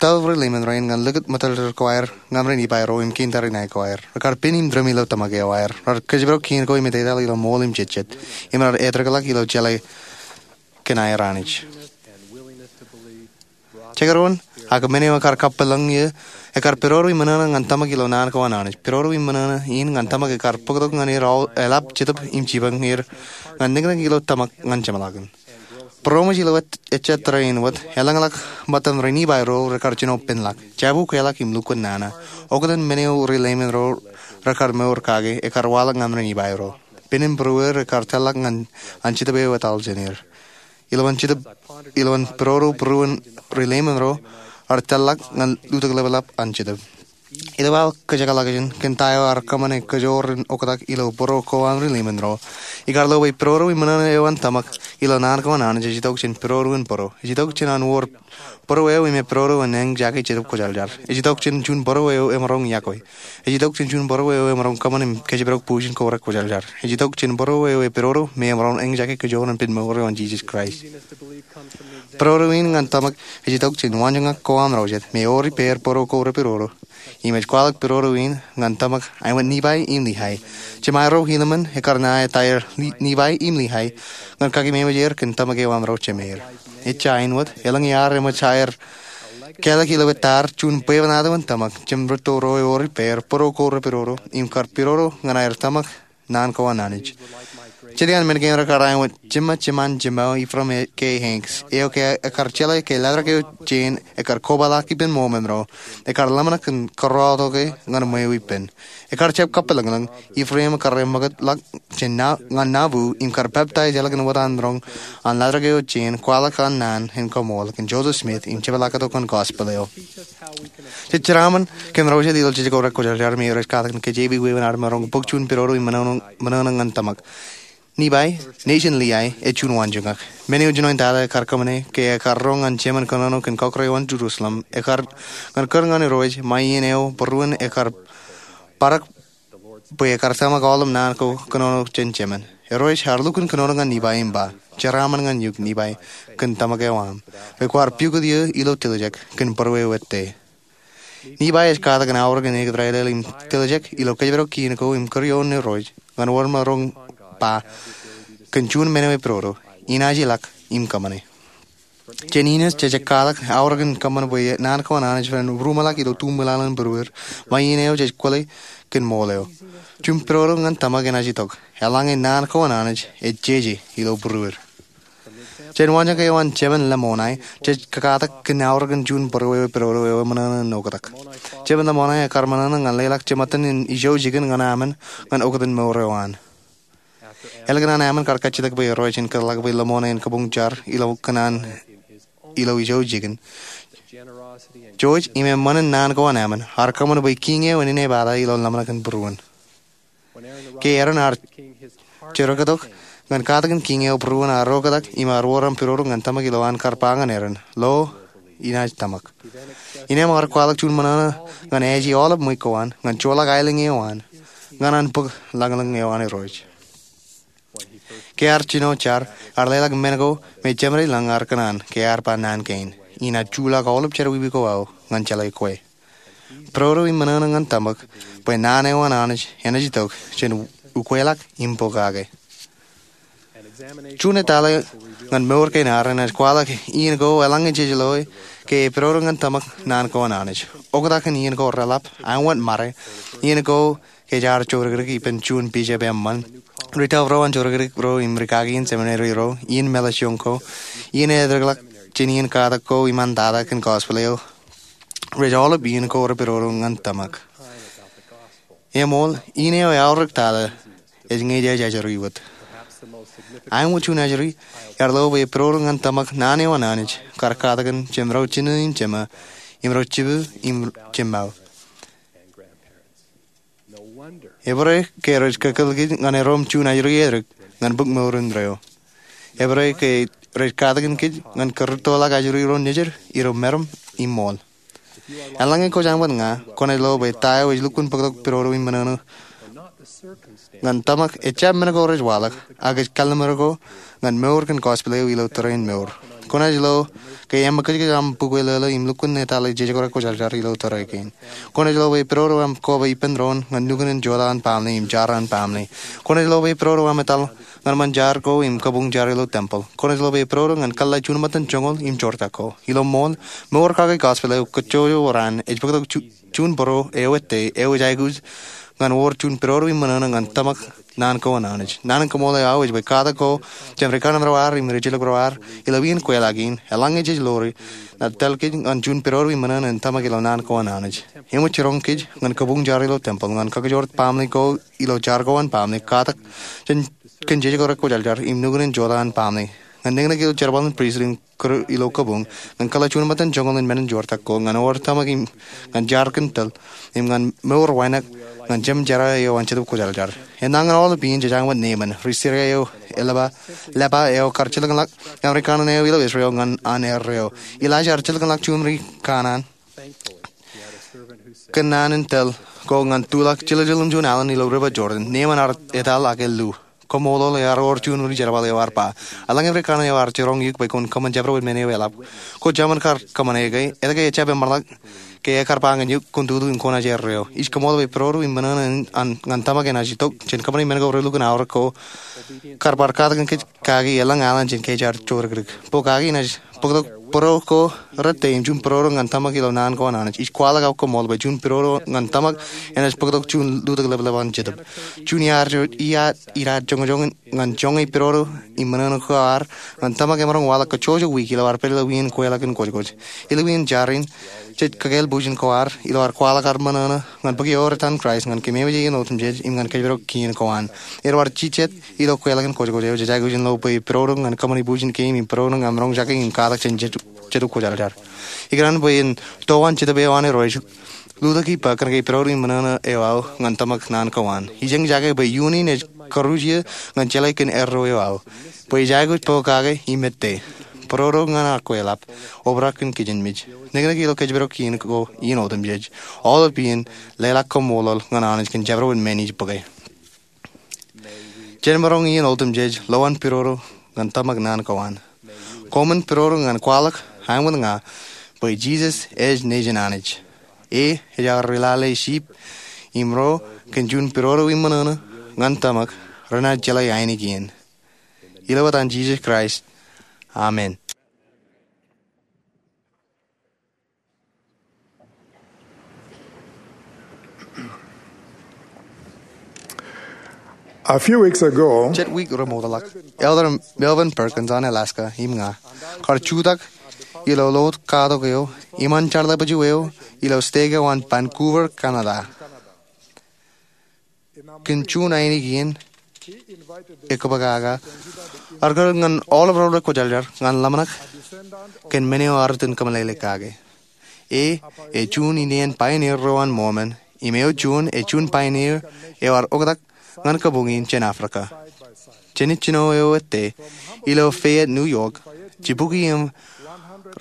tōl reileimān rein ñan likūt ṃōtōltōl ko aer ñan ri-Nifai ro im kein tariṇae ko aer. Rekar pen im dram ilo tōmak eo aer. Raar kōjparok kien ko im etetal ilo ṃool im jejjet. Im raar etōrḷọk ilo jeḷā kōn aer Anij. Jekdọọn, ak men eo ekar kappilōñ iiō, ekar pidodo im ṃōṇōṇō ñan tōmak ilo naan ko an Anij. Pidodo im ṃōṇōṇō in ñan tōmak ekar bōktok ñan er aō eḷap Jetōb im jipañ er ñan niknik ilo tōmak ñan jeṃḷọkin. Būroṃōj ilo ejja tōre in wōt, elōñḷọk ṃōttan ri-Nifai ro rekar jino penḷọk, jabukweḷọk im lukkuun nana. Oktak men eo reileimān ro rekar mour kake ekar waḷọk ñan ri-Nifai ro. Pen im būrueir ekar tōlḷọk ñan an Jetōb eo etal jān er. Ilowaan Jetōb, ilowaan pidodo būruon reileimān ro, ear tōlḷọk ñan lutōk ḷapḷap an Jetōb. Ilo aō kōjekḷọkjeṇ kōn ta eo ear kōṃṃane kajoor in oktak ilo būruo ko an reileimān ro, ikar lo bwe pidodo im ṃōṇōṇō eo an tōmak ilo naan ko an Anij ej itok jān pidodo in bōro. Ej itok jān an wōr bōro eo im pidodo in eñjake Jetōb Kwōjarjar. Ej itok jān juon bōro eo emaroñ yokwe. Ej itok jān juon bōro eo emaroñ kōṃṃan im kōjparok bujen ko rekwōjarjar. Ej itok jān bōro eo epidodo me emaroñ eñjake kajoor in pen mour eo an Jisōs Kraist. Pidodo in ñan tōmak ej itok jān waanjoñak ko aṃ ro jet me ewōr ippāer bōro ko repidodo. Im ej kwaḷọk pidodo in ñan tōmak āinwōt Nifai im Lihai. Jemaroñ ilo men ekar ṇa etaer Nifai im Lihai ñan kakememej er kōn tōmak eo aṃ ro jemeer. Ejja āinwōt, elōñ iaar eṃōj aer kālọk ilo etaar juon bwebwenato in tōmak jān rūtto ro ewōr ippāer bōro ko repidodo im kar pidodo ñan aer tōmak naan ko an Anij. Jet iaan men kein rekar āinwōt jema jeman jemao Ephraim K. Hanks, eo ke ekar jeḷā ke laḷdrak eo jān ekar kobaḷọk ippān ṃool men ro, ekar ḷōmṇak in kōrọọltok e ñan ṃweo ippān. Ekar jab kappilōñlōñ, Ephraim kar eṃōkaj ḷọk jān ñan Nauvoo im kar peptaij ḷọk in wōt an roñ an laḷdrak eo jān kwaḷọk an naan in koṃṃool kōn Joseph Smith im jepḷaaktok an gospel eo. Jej jeraaṃṃan kōn ro jet ilo jej ko rekwōjarjar me rej katak in kōjeañ wāween ad maroñ bōk juon pidodo im ṃōṇōṇō ñan tōmak. Nifai, nejin Lihai, ej juon waanjoñak. Men eo jinoin tata ekar kōṃṃane ke ekar roñ an jemān kōnono kōn kọkkure eo an Jerusalem, ekar ñan kūr ñan Irooj ṃae iien eo būruon ekar parak bwe ekar tōmak aolep naan ko kōnono jān jemān. Irooj ear lukkuun kōnono ñan Nifai im ba, jeraaṃṃan ñan eok Nifai kōn tōmak eo aṃ, bwe kwaar pukot eō ilo tiljek kōn būrueir ettā. Nifai ej katak in aorōk in ekōt raelel im tiljek ilo kōjparok kien ko im kūr ioon Irooj ñan wōr maroñ ba kōn juon men eo epidodo, inaaj ilọk im kōṃṃane. Jān Enos jej katak aorōk in kōṃṃan bwe naan ko an Anij ren ruṃwij ḷọk ilo tuṃwilaḷ in būrueir ṃae iien eo jej kwōle kōn ṃool eo. Juon pidodo ñan tōmak enaaj itok eḷaññe naan ko an Anij ej jeje ilo būrueir. Jān waanjoñak eo an jemān Lamonae, jej kakatak kōn aorōk in juon būruewe pidodo eo eṃōṇōṇō in oktak. Jemān Lamonae ekkar ṃōṇōṇō ñan leḷọk jeṃatten in ijo jikin ñan emān ñan oktak in mour eo an. Ālikin an emān kar kajjitōk bwe rej kōtḷọk bwe Lamonae en kabuñ jar ilo kōṇaan ilo ijo jikin, George im eṃṃan in naan ko an emān ear kōṃṃan bwe kiiñ eo en inepata ilo ḷōmṇak in būruon. Ke Aaron ear jerkaktok ñan katakin kiiñ eo būruon ear oktak im ear wōr aṃ pidodo ñan tōmak ilo an kar ba ñan Aaron, lo, inaaj tōmak. Innām ear kwaḷọk juon ṃōṇōṇō ñan aje aolep ṃweiuk ko an ñan joḷọk aelōñ eo an ñan an bōk lañlōñ eo an Irooj. Ke ear jino jar, ear leḷọk men ko me jeṃadeḷọñ ear kōṇaan ke ear ba naan kein, inaaj juḷọk aolep jerọwiwi ko aō ñan jeḷā kwe. Pidodo im ṃōṇōṇō ñan tōmak bwe naan eo an Anij enaaj itok jān ukweḷọk im pokake. Juon etale ñan mour kein ad enaaj kwaḷọk iien ko eḷaññe jej loe ke epidodo ñan tōmak naan ko an Anij. Oktak in iien ko reḷap, āinwōt ṃare, iien ko ke jaar jodikdik ippān juon bishop eṃṃan, ri-tōl ro an jodikdik ro im ri-kaki in seminary ro, iien mālejjoñ ko, iien etōkḷọk jān iien katak ko im an tata kōn gospel eo, rej aolep iien ko repidodo ñan tōmak. Eṃool, iien eo eaorōk tata ej ñe jej ajri wōt. Āinwōt juon ajri, ear lo bwe epidodo ñan tōmak naan eo an Anij kar katakin jemro jino im jema, im ro jibu im jemao. Ebōd ke rej kōkōḷḷe kōj ñan erom juon ajri etōk ñan bōk mour in reo. Ebōd ke rej katakin kōj ñan kōrūttoḷọk ajri ro nejid ilo meram im ṃool. Eḷaññe kwōj aṃ wōt ña, kwōnaaj lo bwe ta eo ej lukkuun bōktok pidodo im ṃōṇōṇō ñan tōmak ejjab men ko rej waḷọk, ak ej kalliṃur ko ñan mour kōn gospel eo ilo tōre in mour. Kwōnaaj lo ke eṃōkajkōj aṃ bukwe lōḷō im lukkuun etale jejkorōk kwōjarjar ilo tōre kein. Kwōnaaj lo bwe pidodo aṃ koba ippān doon ñan nukun in jota an baaṃle im jar an baaṃle. Kwōnaaj lo bwe pidodo aṃ etal ñan ṃōn jar ko im kabuñ jar ilo tempeḷ. Kwōnaaj lo bwe pidodo ñan kōḷḷā juon ṃōttan joñoul im joortak ko. Ilo ṃool, mour kake gospel eo kōjjojo raan ej bōktok ju- juon bōro eo ettā eo ej aikuj ñan wōr juon pidodo im ṃōṇōṇō ñan tōmak naan ko an Anij. Naan in kaṃṃoolol eo aō ej bwe katak ko jān ri kanaan ro ad im ri jilkinḷọk ro ad ilo iien kweilọk in, eḷaññe jej ḷoori, naaj tōl kōj ñan juon pidodo im ṃōṇōṇō in tōmak ilo naan ko an Anij. Eṃōj jiroñ kōj ñan kabuñ jar ilo tempeḷ, ñan kakajoor baaṃle ko ilo jar ko an baaṃle, katak jān kōn jejkorōk kwōjarjar im nukun in jota an baaṃle, ñan neknek ilo jerbal in pristut im kōrā ilo kabuñ, ñan kōḷḷā juon ṃōttan joñoul in men in joortak ko, ñan wōr tōmak im ñan jar kōn tōl, im ñan mour wānōk ñan Jemem jerā eo an Jetōb Kwōjarjar. Enañin aolep iien jej aṃ wōt neeṃṃan, ri-Siria eo lepa, lepa eo kar jilkinḷọk ñan ri kanaan eo ilo Israel ñan an erreo. Elijah ear jilkinḷọk juon ri kanaan kōnnaan in tōl ko ñan tuḷọk jiljilimjuon alen ilo River Jordan. Neeṃṃan ear etal ak ellu. Koṃṃoolol ear wōr juon ri jerbal eo ear ba, eḷaññe ri kanaan eo ear jiroñ eok bwe kwōn kōṃṃan jabdewōt men eo eḷap, kwō jaṃin kar kōṃṃane ke, etke ejjab eṃṃanḷọk ke ekar ba ñan eok kwōn tutu im kwōnaaj erreo? Ij koṃṃool bwe pidodo im ṃōṇōṇō in an ñan tōmak enaaj itok jān kōṃṃane men ko relukkuun aorōk ko kar bar katakin kōj kaki elōñ alen jān ke jaar jodikdik. Pokake enaaj bōktok bōro ko rettā im juon pidodo ñan tōmak ilo naan ko an Anij. Ij kwaḷọk aō koṃṃool bwe juon pidodo ñan tōmak enaaj bōktok juon lutōk ḷapḷap an Jetōb. Juon iaad, iaad, iaad joñojoñ ñan joñe pidodo im ṃōṇōṇō ko ad ñan tōmak emaroñ waḷọk kōjjojo wiik ilo ad pād ilo iien kweilọk in kwōjkwōj. Ilo iien jar in, jej kakāāl bwijin ko ad ilo ad kwaḷọk ad ṃōṇōṇō ñan bōk ewōr etaṃ Kraist ñan kōmemeje iien otemjej im ñan kōjparok kien ko an. Ilo ad jijet ilo kweilọk in kwōjkwōj eo, jej aikuj in lo bwe pidodo ñan kōṃṃane bwijin kein im pidodo ñan maroñ jake im katak jān Jetōb Kwōjarjar. Ikōṇaan bwe en to an Jetōb eo an Irooj lutōk ippa kōnke pidodo im ṃōṇōṇō eo aō ñan tōmak naan ko an. Ij eñjake bwe iunin ej karuj eō ñan jeḷā kōn erreo eo aō, bwe ij aikuj pokake im ettā, pidodo ñan aō kweilọk, obrak kōn kijenmej, neknek ilo kōjparok kien ko iien otemjej. Aolep iien, leḷọk koṃṃoolol ñan Anij kōn jabdewōt men ij bōke. Jen maroñ iien otemjej lowaan pidodo ñan tōmak naan ko an. Koṃwin pidodo ñan kwaḷọk, āinwōt ña, bwe Jisōs ej Nejin Anij. E ej aō ri lale sheep, im ro kōn juon pidodo im ṃōṇōṇō ñan tōmak, renaaj jeḷā ainikien. Ilo etan Jisōs Kraist. Amen. A few weeks ago, jet wiik remootḷọk, Elder Melvin Perkins an Alaska im ña kar jutak ilo loot katok eo iṃaan jarlepju eo ilo stek eo an Vancouver, Canada. Kōn juon ainikien ekbōkaka, ear kōrā ñan aolep ro rekwōjarjar ñan ḷōmṇak kōn men eo ear itōn kōmeḷeḷe kake. E, ej juon ineen pioneer ro an Mormon, im eo juon, ej juon pioneer eo ear oktak ñan kabuñ in jān Africa. Jān ijjino eo ettā, ilo Fayette, New York, jibukwi im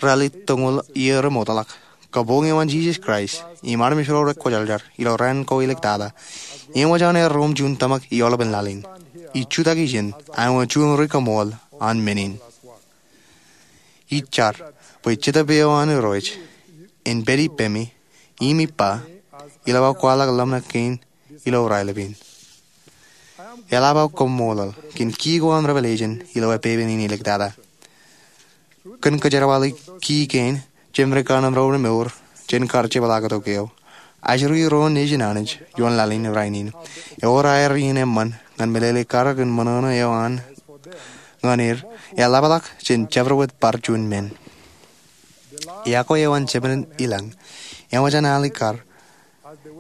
ralitōñoul iiō remootḷọk, Kabuñ eo an Jesus Christ im armej ro rekwōjarjar ilo raan ko iliktata, eṃōj an erro im juon tōmak i aolepen laḷ in. Ij jutak ijin, āinwōt juon ri-kaṃool an men in. Ij jar bwe Jetōb eo an Irooj en pād ippemi im ippa, ilo aō kwaḷọk ḷōmṇak kein ilo raelep in. Eḷap aō kaṃṃoolol kōn ki ko an revelation ilo epepen in iliktata. Kōn kōjerbali ki kein, jemān ri-kaanemro remour jān kar jepḷaaktok eo, ajri ro nejin Anij ioon laḷ in rainin, ewōr aer iien eṃṃan ñan meḷeḷe kar kōn ṃōṇōṇō eo an ñan er, eḷapḷọk jān jabdewōt bar juon men. Iọkwe eo an jemān ilañ eṃōj an al kar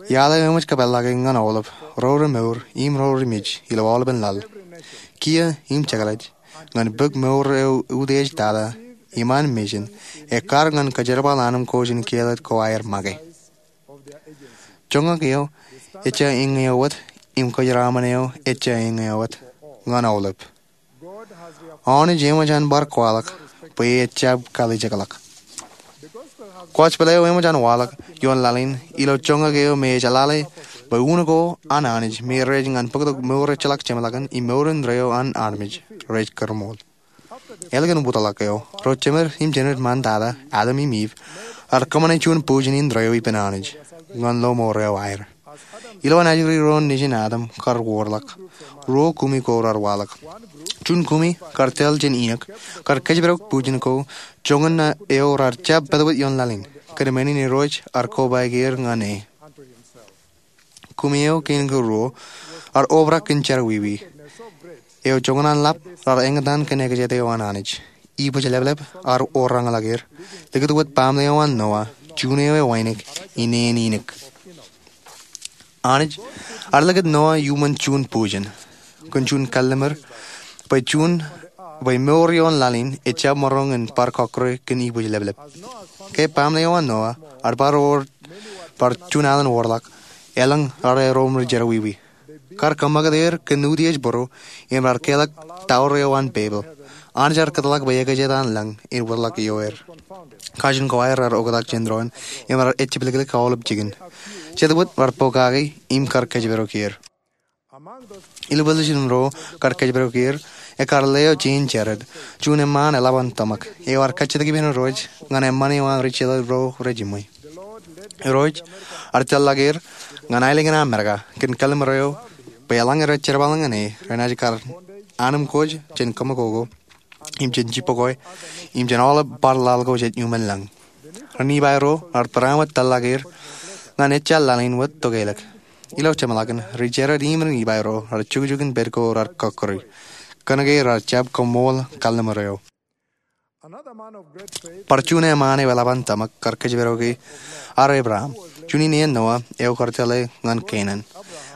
iaḷ eo eṃōj kōpeḷḷọke ñan aolep ro remour im ro rimej ilo aolepen laḷ, kiiō im jekḷaj, ñan bōk mour eo utiej tata iṃaan mission, ekkar ñan kōjerbal anemkwōj in kiiō ḷọk ko aer make. Joñak eo ejja eñeo wōt im kōjeraṃṃan eo ejja eñeo wōt ñan aolep. Anij eṃōj an bar kwaḷọk bwe ejjab kalijekḷọk. Gospel eo eṃōj an waḷọk ioon laḷ in ilo joñak eo me ej jeḷāḷọk bwe un ko an Anij me rej ñan bōktok mour ejjeḷọk jeṃḷọkin im mour indeeo an armej rej kōrṃool. Ālikin wōtlọk eo, ro jemād im jened ṃaantata, Adam im Eve, ear kōṃṃane juon bujen indeeo ippān Anij ñan lọmọọr eo aer. Ilo an ajri ro nejin Adam kar wōrḷọk, ruo kumi ko raar waḷọk. Juon kumi, kar tōl jān Inok, kar kōjparok bujen ko joñan eo raar jab pād wōt ioon laḷ in, kōn men in Irooj ear kobaik er ñan e. Kumi eo kein ko ruo ear obrak kōn jerọwiwi eo joñan an ḷap raar eñtaan kōn ekajet eo an Anij. Ibōjleplep ear orañḷọk er, likūt wōt baaṃle eo an Noah, juon eo ewānōk, ineen Inok. Anij ear likūt Noah iuṃwin juon bujen, kōn juon kalliṃur, bwe juon, bwe mour ioon laḷ in ejjab maroñ in bar kọkkure kōn ibōjleplep. Ke baaṃle eo an Noah ear bar wōr, bar juon alen wōrḷọk, elōñ raar erom ri jerọwiwi. Kar kōṃṃakūt er kōn utiej būru, im raar keḷọk tower eo an Babel. Anij ear kōtḷọk bwe ekajet an lañ en wōtlọk ioer. Kajin ko aer raar oktak jān doon, im raar ejjepḷōklōk aolep jikin. Jet wōt raar pokake im kar kōjparok er. Ilo position ro kar kōjparok er, ekkar leo jān Jared, juon eṃṃaan eḷap an tōmak, eo ear kajjitōk ippān Irooj ñan eṃṃan eo an ri jeḷā ro rejiṃwe. Irooj ear tōllọk er ñan aelōñ in Amerika kōn kalliṃur eo, bwe eḷaññe rej jerbal ñan e, renaaj kar anemkwōj jān kōṃakoko, im jān jibboñ ko, im jān aolep bar laḷ ko jej iuṃwin lañ. Ri-Nifai ro raar barāinwōt tōllọk er ñan ejjeḷọk laḷ in wōt tokeḷọk. Ilo jeṃḷọkin, ri-Jared im ri-Nifai ro raar jukjuk in pād ko raar kọkkure. Kōnke raar jab kaṃṃool kalliṃur eo. Bar juon eṃṃaan eo eḷap an tōmak kar kōjparok e ear Abraham, juon ineen Noah eo kar tōle ñan Kenan.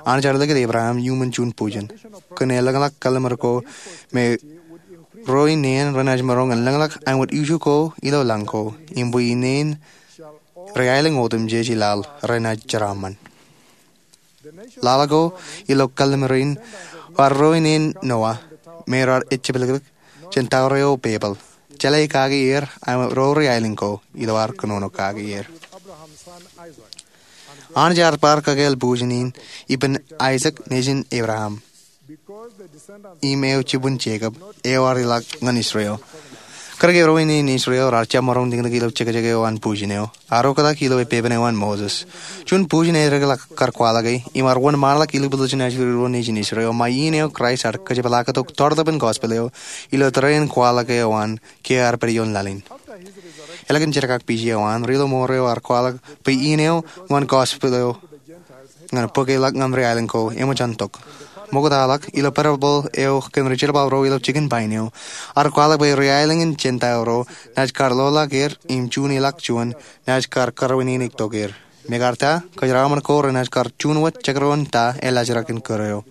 Anij ear likūt Abraham iuṃwin juon bujen, kōn elōñḷọk kalliṃur ko me ro ineen renaaj maroñ in lōñḷọk āinwōt ijo ko ilo lañ ko, im bwe ineen ri-aelōñ otemjej i laḷ renaaj jeraaṃṃan. Laḷ ko ilo kalliṃur in ear ro ineen Noah me raar ejjepḷōklōk jān tower eo Babel, jeḷā kaki er āinwōt ro ri-aelōñ ko ilo ad kōnono kaki er. Anij ear bar kakāāl bujen in ippān Aisak nejin Abraham, im eo jibwin Jekob, eo ear ilọk ñan Israel. Kōnke ro ineen Israel raar jab maroñ tikōnōk ilo jekjek eo an bujen eo, ear oktak ilo epepen eo an Moses. Juon bujen eddekḷọk kar kwaḷọke, im ear wōnṃaanḷọk ilo position ajri ro nejin Israel, ṃae in eo Kraist ear kōjepḷaaktok tọrtōpin gospel eo ilo tōre in kwaḷọke eo an ke ear pād ioon laḷ in. Ālikin jerkakpije eo an, ri-lọmọọr eo ear kwaḷọk bwe in eo ñan gospel eo ñan bōk e ḷọk ñan ri-aelōñ ko eṃōj an tok. ṃoktaḷọk ilo parabōḷ eo kōn ri jerbal ro ilo jikin pain eo. Ear kwaḷọk bwe ri aelōñ in Jentael ro naaj kar loḷọk er im juon ilọk juon naaj kar kōrabinnieṇ tok er. Im ekar ta, kōjeraaṃṃan ko renaaj kar juon wōt jekdọọn ta elaajrak in kōrā eo.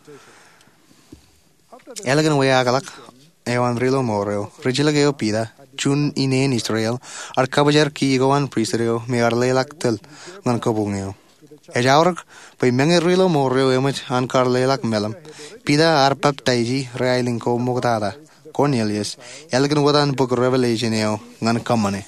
Ālikin wāween eo an ri ilo mour eo, ri jilkinḷọk eo Piter, juon ineen Israel, ear kabōjrak key ko an pristut eo me ear leḷọk tōl ñan kabuñ eo. Ej aorōk bwe meñe ri ilo mour eo eṃōj an kar leḷọk meḷeḷe, Piter ear peptaiji ri aelōñ ko ṃoktata, Korneliōs, ālikin wōt an bok Revelation eo ñan kōṃṃane.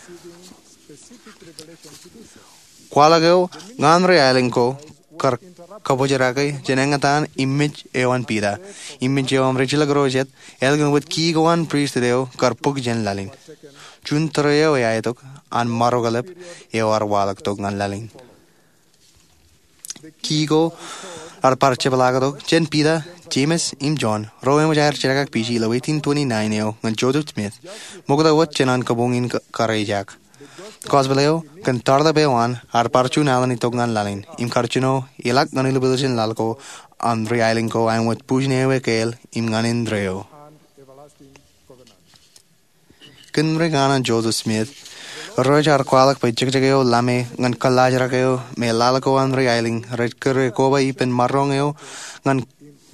Kwaḷọk eo ñan ri aelōñ ko kar kabōjrak jān eñtaan im mej eo an Piter im mej eo an ri jilkinḷọk ro jet, ālikin wōt key ko an pristut eo kar bōk jān laḷ in. Juon tōre eo eaetok an maroñ ḷap eo ear waḷọk tok ñan laḷ in. Key ko ear bar jepḷaaktok jān Piter, Jemes im Jon, ro eṃōj aer jeḷā kake pije ilo eighteen twenty-nine eo ñan Joseph Smith, ṃokta wōt jān an kabuñ in ka-, karijeak. Gospel eo kōn tarḷap eo an ear bar juon alen itok ñan laḷ in im kar jino ilọk ñan ilubwiljin laḷ ko an ri aelōñ ko āinwōt bujen eo ekāāl im ñan indeeo. Kōn ri kaanan Joseph Smith, rej bar kwaḷọk bwe jekjek eo ḷame ñan kōllaajrak eo me laḷ ko an ri aelōñ rej kūr e koba ippān maroñ eo ñan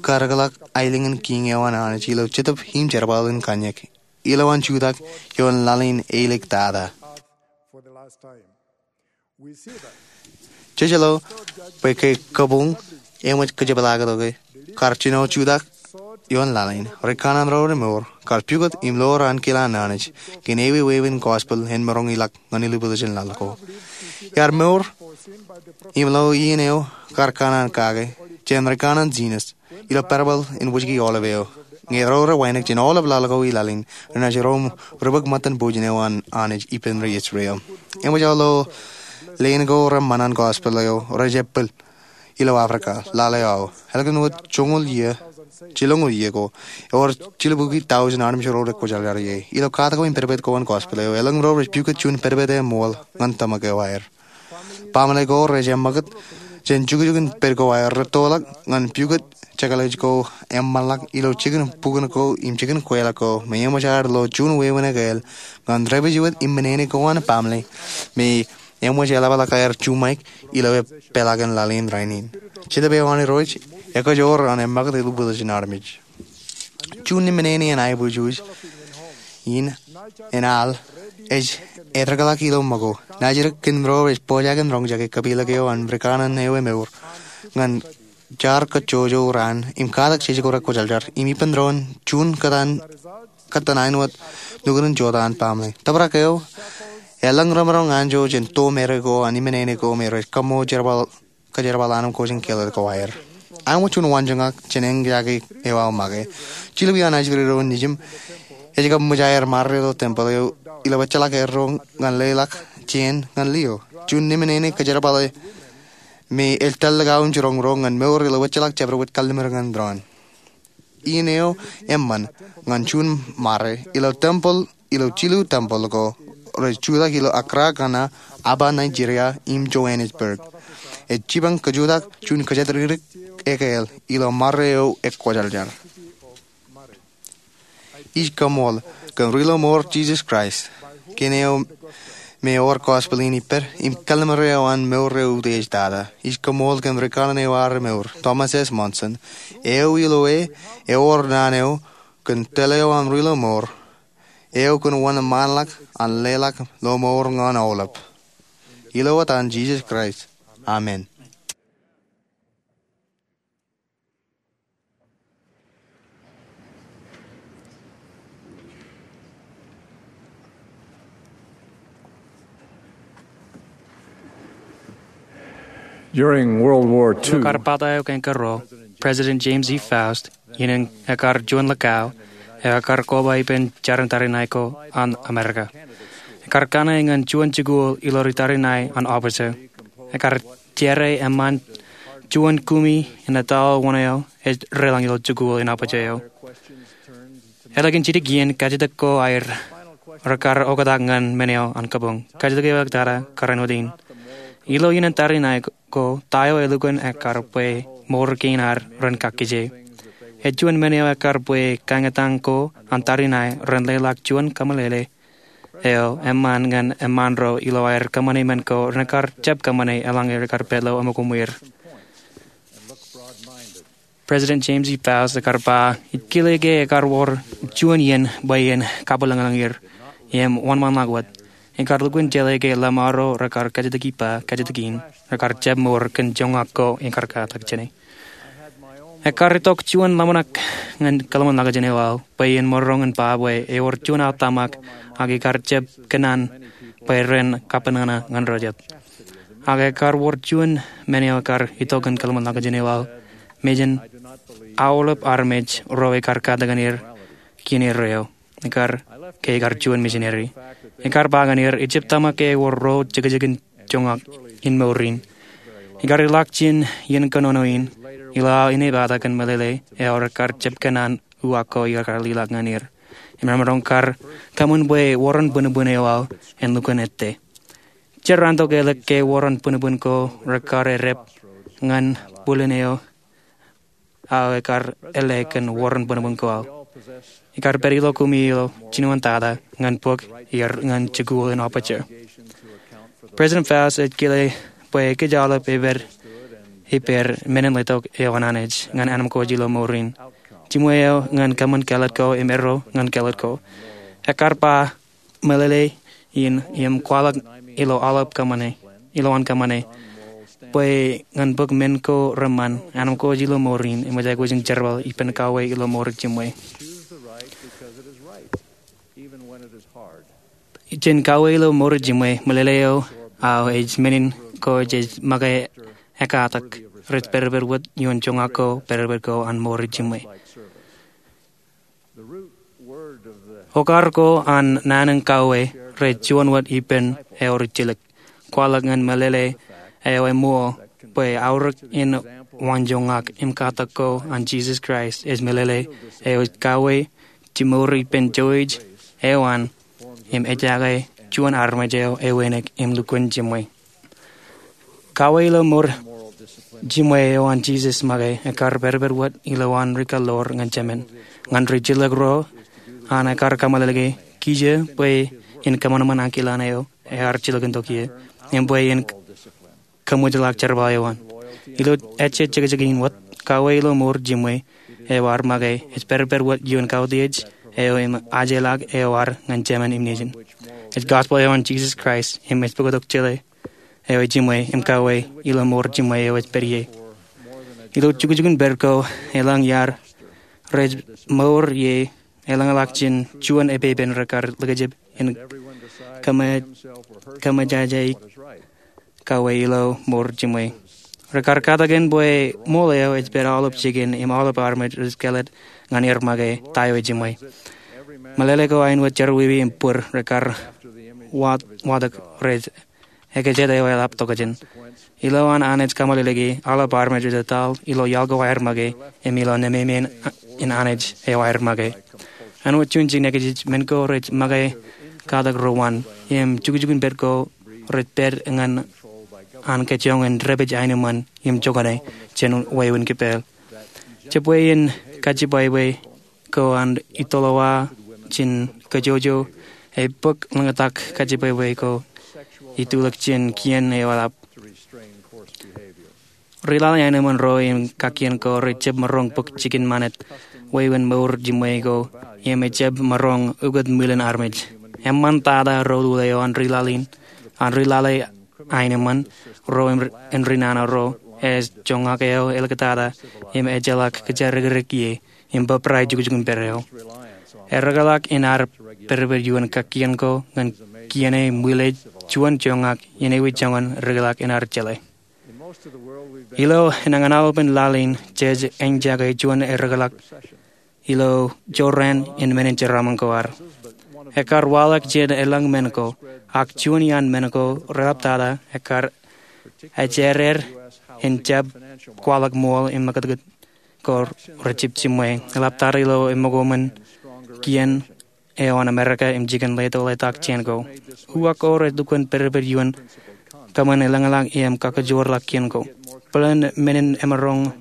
karōkḷọk aelōñ in kiiñ eo an Anij ilo Jetōb im Jerbal in Kōnyak ilowaan jutak ioon laḷ in eilōñ tata. Jej lo bwe ke kabuñ eṃōj kōjepḷaaktok e kar jino jutak ioon laḷ in, ri kaanan ro remour kar pukot im lo raan kile an Anij kōn ewi wāween gospel en maroñ ilọk ñan ilubwiljin laḷ ko. Iar mour im lo iien eo kar kōṇaan kake jān ri kaanan Jinas ilo parabōḷ in wōjke aolep eo. Ñe ro rej wānōk jān aolep laḷ ko ilaḷ in, renaaj ro im ri bōk ṃōttan bujen eo an Anij ippān ri Israel. Eṃōj aō lo leen ko reṃṃan an gospel eo rej epel ilo Africa, laḷ eo aō. Ālikin wōt joñoul iiō, jilñoul iiō ko, ewōr jilubukwi tọujin armej ro rekwōjarjar ie. Ilo katak ko im pedped ko an gospel eo, elōñ ro rej pukot juon pedped eṃool ñan tōmak eo aer. Baaṃle ko rej eṃṃakūt jān jukjuk in pād ko aer rettoḷọk ñan pukot jekḷaj ko eṃṃanḷọk ilo jikin bukwōn ko im jikin kweilọk ko me eṃōj aer lo juon wāween ekāāl ñan dāpij wōt im menene ko an baaṃle me eṃōj eḷapḷọk aer juṃaik ilo epeḷaakin laḷ in rainin. Jetōb eo an Irooj ekajoor an eṃṃakūt ilubwiljin armej. Juon ṇe menene en aiboojoj in en al ej etōrḷọk ilo ṃōko. Naaj edik kōn ro rej pojak in roñjake kapilōk eo an ri kaanan eo emour ñan jaar kajjojo raan im katak jej ko rekwōjarjar im ippān doon juon kōttan, kōttan āinwōt nukun in jota an baaṃle. Tōprak eo elōñ remaroñ anjọ jān to mare ko an menene ko me rej kaṃṃool jerbal kōjerbal anemkwōj in kellet ko aer. Āinwōt juon waanjoñak jān eñjake eo aō make, jilubwi an ajri ro nejiṃ ej kab ṃōj aer marre ilo tempeḷ eo ilo bōkḷọk erro ñan leḷọk jāān ñan lio. Juon ṇe menene kōjerbale me ej tōl likao im jiroñ ro ñan mour ilo bōkḷọk jabdewōt kalliṃur ñan doon. Iien eo eṃṃan ñan juon marre ilo tempeḷ, ilo jilu tempeḷ ko rej jutak ilo Accra, Ghana, Aba, Nigeria, im Johannesburg. Ej jipañ kajutak juon kōjatdikdik ekāāl ilo marre eo ekwōjarjar. Ij kaṃṃool kōn ri ilo mour Jisōs Kraist kōn eo me ewōr gospel in ippād im kalliṃur eo an mour eo utiej tata. Ij kaṃṃool kōn ri kaanan eo aō remour, Thomas S. Monson, eo ilo e ewōr naan eo kōn tōl eo an ri ilo mour eo kōn wōnṃaanḷọk an leḷọk lọmọọr ñan aolep. Ilo etan Jisōs Kraist, amen. During World War Two, ilo kar pata eo kein kōrro, President James E. Faust, in ekar juon likao, eo ekar koba ippān jar in tariṇae ko an Amerika. Ekar kanne ñan juon jikuuḷ ilo ri tariṇae an officer. Ekar jere eṃṃan juon kumi in ettoḷ wōn eo ej reḷọñ ilo jikuuḷ in officer eo. Ālikin jidik iien, kajjitōk ko aer rekar oktak ñan men eo an kabuñ. Kajjitōk eo ektata kar āinwōt in: Ilo iien in tariṇae ko, ta eo elukkuun ekkar bwe mour kein ad ren kakkije? Ej juon men eo ekkar bwe kaññōtan ko an tariṇae ren leḷọk juon kōmeḷeḷe eo eṃṃan ñan eṃṃaan ro ilo aer kōṃṃane men ko renaaj kar jab kōṃṃane eḷaññe rekar pād ilo eṃōko ṃwier. President James E. Faust ekkar ba, ij kile ke ekkar wōr juon iien bwe en kabwilōñlōñ er im wōnṃaanḷọk wōt. Ekkar lukkuun jeḷā ke lōṃaro rekar kajjitōk ippa, kajjitōk in, rekar jab mour kōn joñak ko ekkar katak jāne. Ekkar itok juon ḷōmṇak ñan kōḷmānḷọkjeṇ eo aō bwe en maroñ in ba bwe ewōr juon aō tōmak ak ikar jab kōnnaan bwe ren kapenana ñan ro jet. Ak ekkar wōr juon men eo ekkar itok ñan kōḷmānḷọkjeṇ eo aō, mejān aolep armej ro ekar katakin er kien er eo, ekkar, ke ikar juon misineri. Ekkar ba ñan er ijjab tōmak ke ewōr ro jekjekin joñak in mour in. Ikar ilọk jān iien kōnono in, ilo aō inepata kōn meḷeḷe eo rekar jab kōnnaan uwaak ko ikar lelọk ñan er. Im remaroñ kar kaṃṃan bwe wōran bwinbwin eo aō en lukkuun ettā. Jen raan tok ālikin ke wōran bwinbwin ko rekar errep ñan bwilin eo aō ekkar ālikin wōran bwinbwin ko aō. Ikar pād ilo kumi ilo jinoin tata ñan bōk er ñan jikuuḷ in aperture. President Faust ej kile bwe kōj aolep ej pād ippāer men in letok eo an Anij ñan ānōṃ ko ilo mour in. Jiṃwe eo ñan kōṃṃan kāālōt ko im erro ñan kāālōt ko. Ekkar ba meḷeḷe in im kwaḷọk ilo aolep kōṃṃane, ilo an kōṃṃane, bwe ñan bōk men ko reṃṃan, ānōṃ ko ilo mour in im ej aikuj in jerbal ippān kauwe ilo mour jiṃwe. Jān kauwe ilo mour jiṃwe, meḷeḷe eo aō ej men in ko jej make ekkatak rej pād ippād wōt ioon joñak ko pād ippād ko an mour jiṃwe. Okar ko an naan in kauwe rej juon wōt ippān eo rijjilōk. Kwaḷọk ñan meḷeḷe eo eṃṃool bwe aorōk in waanjoñak im katak ko an Jisōs Kraist ej meḷeḷe eo ej kauwe jimour ippān jouj eo an im ejake juon armej eo ewānōk im lukkuun jiṃwe. Kauwe ilo mour jiṃwe eo an Jisōs make ekkar pād ippād wōt ilo an rikaḷoor ñan Jemān. Ñan rijjilōk ro an ekkar kōmeḷeḷeiki kiiō bwe en kōṃanṃan ankilaan eo ear jilkintok ie im bwe en kōṃwijḷọk jerbal eo an. Ilo ejjet jekjek in wōt, kauwe ilo mour jiṃwe eo ear make ej pād ippād wōt ioon kautiej eo im ajeḷọk eo ear ñan Jemān im nejin. Ej gospel eo an Jisōs Kraist im ej bōktok jeḷā eo ej jiṃwe im kauwe ilo mour jiṃwe eo ej pād ie. Ilo jukjukun pād ko, eḷaññe iar rej mour ie, eḷaññe ḷọk jān juon epepen rekar likjab in kōmōjājaik kauwe ilo mour jiṃwe. Rekar katakin bwe ṃool eo ej pād aolep jikin im aolep armej rej kāālōt ñan er make ta eo ejiṃwe. Meḷeḷe ko āinwōt jerọwiwi im bōd rekar wa- watōk rej ekōjāt eo eḷap tokjān. Ilo an Anij kōmeḷeḷeiki, aolep armej rej etal ilo iaḷ ko aer make im ilo nememeiin Anij eo aer make. Āinwōt juon jikin ekōjij, men ko rej make katak ro wōn im jukjukun pād ko rej pād ñan an kōjoñan dāpij aenōṃṃan im jokane jān wāween kipāāl. Jebwe in kajibwābwe ko an itōḷọwa jān kōjwōjwō, ebōk ḷōñtak kajibwābwe ko itulōk jān kien eo eḷap. Ri-lale aenōṃṃan ro im kakkien ko rej jab maroñ bōk jikin ṃanit wāween mour jiṃwe ko im ejab maroñ ukōt ṃwilen armej. Eṃṃantata ro lule eo an ri-lale, an ri-lale aenōṃṃan ro im ri-nana ro ej joñak eo eliktata im ejjeḷọk kōjatdikdik ie im bōbrae jukjukun pād eo. Errōkḷọk in ad pād ippād ioon kakkien ko ñan kiene ṃwilaej juon joñak in ewi joñan errōkḷọk in ad jeḷā. Ilo enañin aolepān laḷ in jej eñjake juon errōkḷọk ilo jorrāān in men in jeraaṃṃan ko ad. Ekar waḷọk jān elōñ men ko, ak juon iaan men ko reḷaptata ekar ejāder in jab kwaḷọk ṃool im ṃakūtkūt ko rejjab jiṃwe. Eḷaptata ilo eṃōko ṃōn kien eo an Amerika im jikin leto letak jān ko. Uwaak ko rej lukkuun pād ippād ioon kōṃṃan elōñḷọk im kakajoorḷọk kien ko. Bōlen men in emaroñ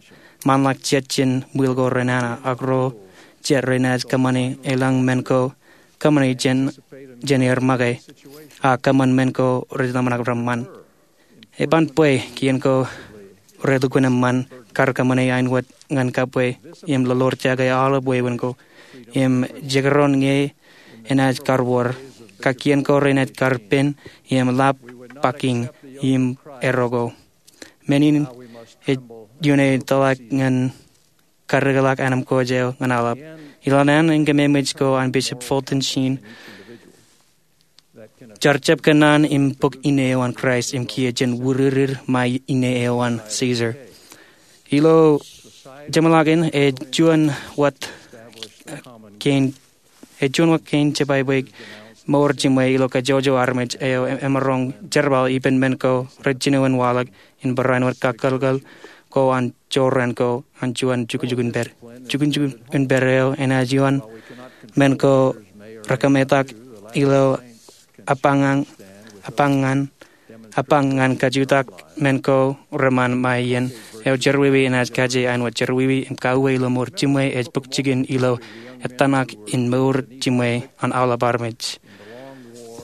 manlōñ jet jān ṃwiil ko renana, ak ro jet renaaj kōṃṃani elōñ men ko kōṃṃani jān er make, a kōṃṃan men ko rej ḷōmṇak reṃṃan. Eban bwe kien ko relukkuun eṃṃan kar kōṃṃani āinwōt ñan kabwe im lolorjake aolep wāween ko im jekdọọn ñe enaaj kar wōr, ka kien ko renaaj kar pen im lap bakiñ im erro ko. Men in ej iuṃwin tōmak ñan kaddekḷọk anemkwōj eo ñan aolep. Ilo naan in kōmemej ko an Bishop Fulton Sheen, jar jab kōnnaan im bōk ine eo an Kraist im kiiō jān wūrūrūr ṃae ine eo an Caesar. Ilo jeṃḷọkin ej juon wōt kein ej juon wōt kein jebwābwe mour jiṃwe ilo kajjojo armej eo emaroñ jerbal ippān men ko rej jinoin waḷọk in barāinwōt kakōḷḷe ko an jorrāān ko an juon jukjuk in pād. Jukjuk in pād eo enaaj ioon men ko rekametak ilo apañ ñan apañ ñan kajutak men ko reṃṃan ṃae iien eo jerọwiwi enaaj kaje āinwōt jerọwiwi im kauwe ilo mour jiṃwe ej bōk jikin ilo ettōṇak in mour jiṃwe an aolep armej.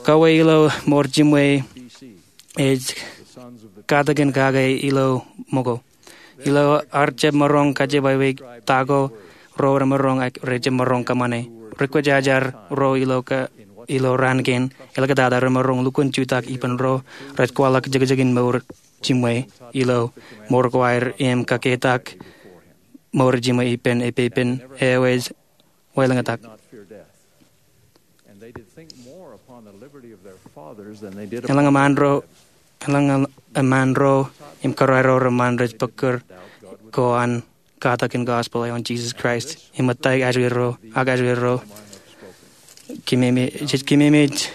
Kauwe ilo mour jiṃwe ej katakin kake ilo ṃōko. Ilo ar jab maroñ kajebwābwe ta ko ro remaroñ ak rej jab maroñ kōṃṃane. Ri-kwōjarjar ro ilo raan kein, eḷaptata remaroñ lukkuun jutak ippān ro rej kwaḷọk jekjekin mour jiṃwe ilo mour ko aer im kaketak mour jiṃwe ippān epepen eo ej wāween ḷōñtak. Eḷaññe eṃṃan ro im kōrā ro reṃṃan rej bōk kōr ko an katak in gospel eo an Jesus Christ im ṃōttaik ajuurro ak ajuurro kōmemej.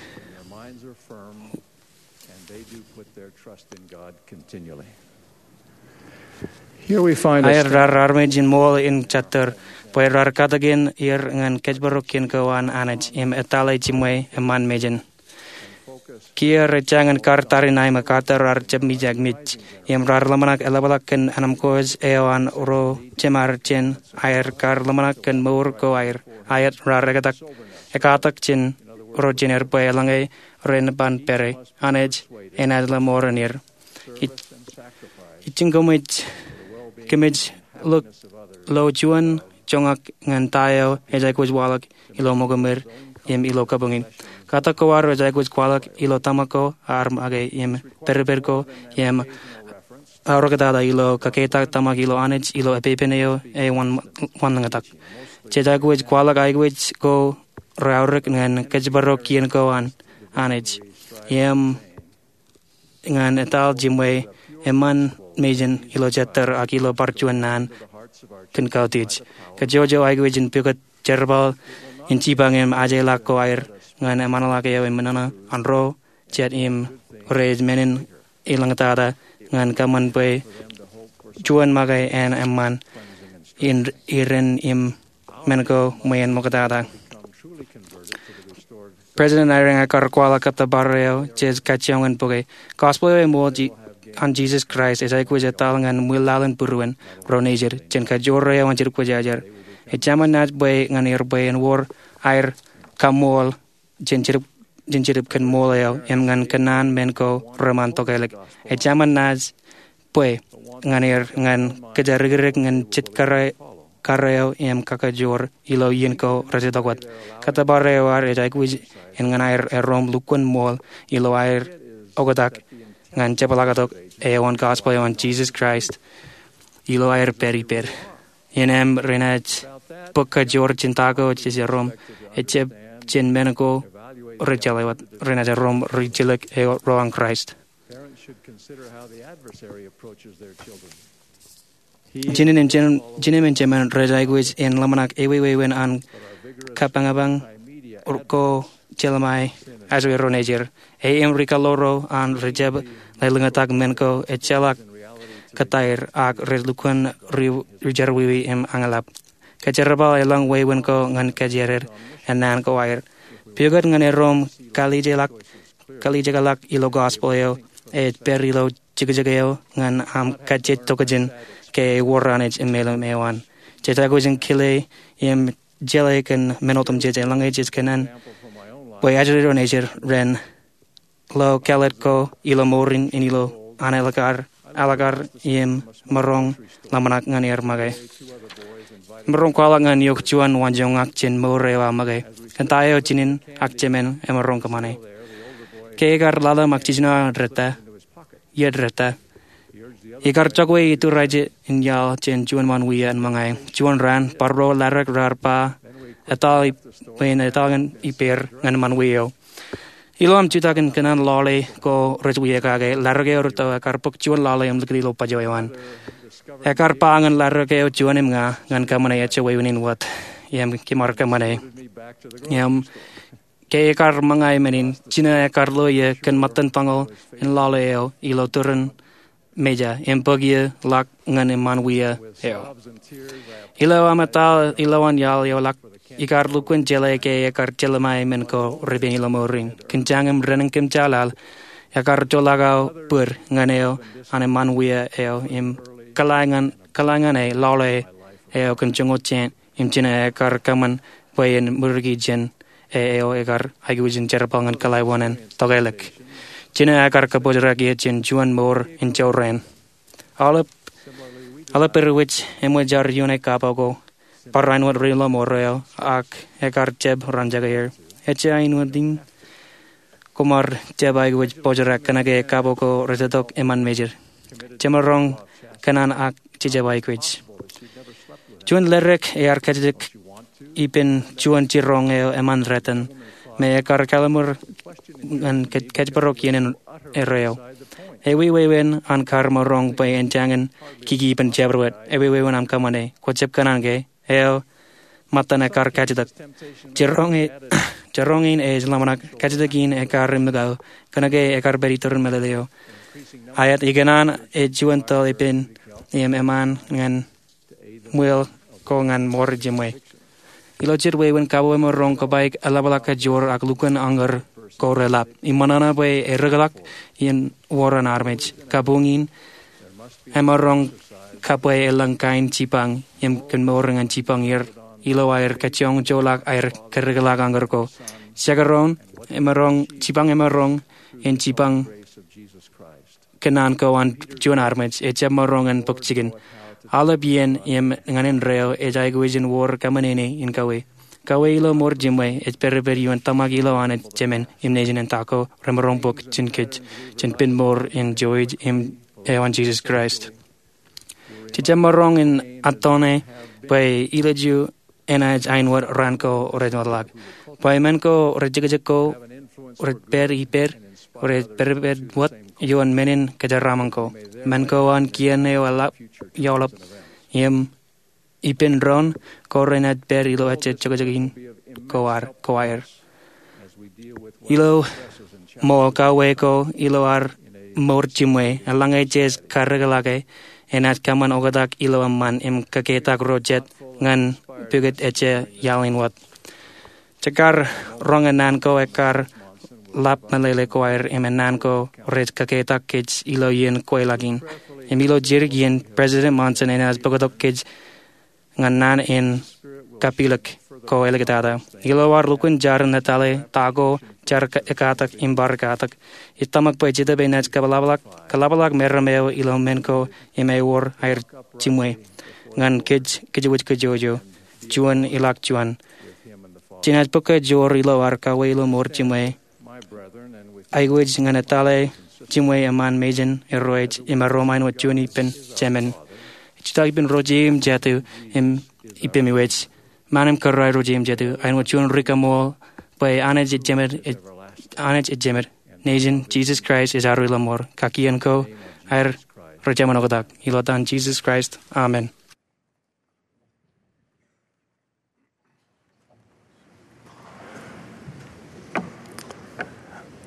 Aer raar armej in ṃool in jatōr bwe raar katakin er ñan kōjparok kien ko an Anij im etale jiṃwe eṃṃan mejān. Kiiō rej jañin kar tariṇae ṃōk, kōttar raar jab mijak mej im raar ḷōmṇak eḷapḷọk kōn anemkwōj eo an ro jemād jān aer kar ḷōmṇak kōn mour ko aer. Aet raar ekatak jān ro jān er bwe eḷaññe ren ban pere, Anij enaaj ḷōṃoor in er. Ij jiñ kōmij, kōmij lo juon joñak ñan ta eo ej aikuj waḷọk ilo ṃōko ṃweer im ilo kabuñ in. Katak ko ad ej aikuj kwaḷọk ilo tōmak ko, ar make im pedped ko im aorōktata ilo kaketak tōmak ilo Anij ilo epepen eo ej wanlōñtak. Jej aikuj kwaḷọk aikuj ko reaorōk ñan kōjparok kien ko an Anij im ñan etal jiṃwe eṃṃan mejān ilo jatōr ak ilo bar juon naan kōn kautiej. Kajjojo aikuj in pukot jerbal in jipañ im ajeḷọk ko aer ñan eṃṃanḷọk eo eṃōṇōṇō an ro jet im rej men in elōñtata ñan kōṃṃan bwe juon make en eṃṃan iren im men ko ṃweien ṃoktata. President Eyring ekar kwaḷọk kōttōpar eo jej kajjioñ in bōke. Gospel eo eṃool an Jesus Christ ej aikuj etal ñan ṃwilaḷ in būruon ro nejid jān kajoor eo an jet kwōjarjar. Ej jemān naaj bwe ñan er bwe en wōr aer kaṃṃool jān Jetōb kōn ṃool eo im ñan kōnnaan men ko reṃṃan tokālik. Ej jemān naaj bwe ñan er ñan kōjatdikdik ñan jet kar eo im kakajoor ilo iien ko rej itok wōt. Kōttōpar eo ad ej aikuj in ñan aer erom lukkuun ṃool ilo aer oktak ñan jepḷaaktok eo an gospel eo an Jesus Christ ilo aer pād ippād. Innem renaaj bōk kajoor jān ta ko jej erom, ejjab jān men ko rej jeḷā wōt, renaaj erom ri-jilōk eo ro an Kraist. Jined im jemān rej aikuj in ḷōmṇak ewewāween an kapañpañ ko jeḷā ṃae ajoor ro nejid. Ej im ri-kaḷoor ro an rej jab lelōñtak men ko ejjeḷọk kōttar ak rej lukkuun ri-jerọwiwi im añlap. Kōjerbal elōñ wāween ko ñan kōjeraer naan ko aer. Pukot ñan erom kalijekḷọk ilo gospel eo ej pād ilo jekjek eo ñan aṃ kajjitōk jān ke ewōr Anij im meḷeḷe eo an. Jej aikuj in kile im jeḷā kōn men otemjej eḷaññe jej kōṇaan bwe ajri ro nejid ren lo kāālōt ko ilo mour in ilo an ālikin ālikin im maroñ ḷōmṇak ñan er make. Emaroñ kwaḷọk ñan eok juon waanjoñak jān mour eo aō make kōn ta eo jinen ak jemān emaroñ kōṃṃane. Ke ekar ḷalem ak jiljino aō iiō ḷōmṇak, ekar jokwe ituriaje in iaḷ jān juon ṃanwia in ṃōñā. Juon raan, barāinwōt ḷōmṇak raar ba etal bwe en etal ñan ippāer ñan ṃanwia eo. Ilo aṃ jutak in kōṇaan lale ko rej wia kake, ḷōmṇak eo rūtto ekar bōk juon lale im likūt ilo bajjek eo an. Ekar ba ñan ḷōmṇak eo juon im ña ñan kōṃṃane ejja wāween in wōt im kimaroñ kōṃṃane. Im ke ekar ṃōñā men in, jino ekar lo iiō kōn ṃōttan toñoul in lale eo ilo turin meja im bōk iiō ḷọk ñan ṃanwia eo. Ilo aṃ etal ilowaan iaḷ eo ḷọk, ekar lukkuun jeḷā ke ekar jelṃae men ko repen ilo mour in. Kōn jañin im renōn kōmjaaḷaḷ, ekar joḷọk aō bōd ñan eo an ṃanwia eo im kōḷā ñan e lale eo kōn joñoul jān im jino ekar kōṃṃan bwe en ṃuriki jān e eo ekar aikuj in jerbal ñan kōḷā wōṇāān tokālik. Jino ekar kabōjrak iiō jān juon mour in jorrāān. Aolep, aolep ri wōj eṃōj ar ioone kapo ko barāinwōt ri ḷōṃaro ak ekar jab ran jake er. Ejja āinwōt in koṃ ar jab aikuj bōjrak kōnke kapo ko rejetok eṃṃan mejid. Jemaroñ kōṇaan ak jejab aikuj. Juon ḷōmṇak ear kajjitōk ippān juon jiroñ eo eṃṃan ratimjuon me ekar kalimur ñan kōjparok iien in erreo. Ewi wāween an kar maroñ bwe en jañin kiki ippān jabdewōt? Ewi wāween aṃ kōṃṃane? Kwō jab kōṇaan ke? Eo, ṃōttan ekar kajjitōk. Jiroñ in ej ḷōmṇak, kajjitōk in ekar iṃōkao kōnke ekar pād iturin meḷeḷe eo. Aet, ikōṇaan ej juon tōl ippān im eṃṃan ñan ṃweo ko ñan mour jiṃwe. Ilo jet wāween, kapo emaroñ kōpaik eḷapḷọk kajoor ak lukkuun añōr ko reḷap. Im ṃōṇōṇō bwe ereḷọk in wōr an armej. Kabuñ in emaroñ kabwe elōñ kain jipañ im kōn mour ñan jipañ er ilo aer kajjoñjolọk aer kareḷọk añōr ko. Jekdọọn, emaroñ jipañ emaroñ in jipañ kōnnaan ko an juon armej, ejab maroñ in bōk jikin. Aolep iien im ñan indeeo ej aikuj in wōr kōṃṃane in kawe. Kawe ilo mour jiṃwe ej pedped ioon tōmak ilo Anij Jemān im Nejin in ta ko remaroñ bōk jān kōj jān pen mour in jouj im eo an Jisōs Kraist. Jejab maroñ in attone bwe ilju enaaj āinwōt raan ko rej wōtlọk. Bwe men ko rej jekjek ko rej pād ippād, rej pedped wōt ioon men in kōjeraaṃṃan ko. Men ko an kien eo eḷap, eḷap, im ippān doon ko renaaj pād ilo ejja jokjok in ko aer, ko aer. Ilo ṃool kawe ko ilo ad mour jiṃwe, eḷaññe jej kareḷọke, enaaj kōṃṃan oktak ilo eṃṃan im kakeitak ro jet ñan pukot ejja iaḷ in wōt. Jekar roñ naan ko ekkar ḷap meḷeḷe ko aer im naan ko rej kakeitak kōj ilo iien kweilọk in. Im ilo jidik iien, President Monson enaaj bōktok kōj ñan naan in kapilōk ko āliktata. Ilo ad lukkuun jar in etale ta ko jar ekkatak im bar ekkatak, ij tōmak bwe Jetōb enaaj kaḷapḷọk, kaḷapḷọk meram eo ilo men ko im ewōr aer jiṃwe ñan kōj kōjwōj kōjwōj, juon ilọk juon. Jenaaj bōk kōj joor ilo ad kawe ilo mour jiṃwe. Aikuj ñan etale jiṃwe eṃṃan mejān, erro ej, im erom āinwōt juon ippān Jemān. Jutak ippān ro jeim jatū im ippemi wōj. Ṃaan im kōrā ro jeim jatū, āinwōt juon ri kaṃool bwe Anij ej Jemān, Anij ej Jemān. Nejin, Jisōs Kraist ej ad ri ḷōṃaro. Kakien ko aer rej jemān oktak. Ilo etan Jisōs Kraist, amen.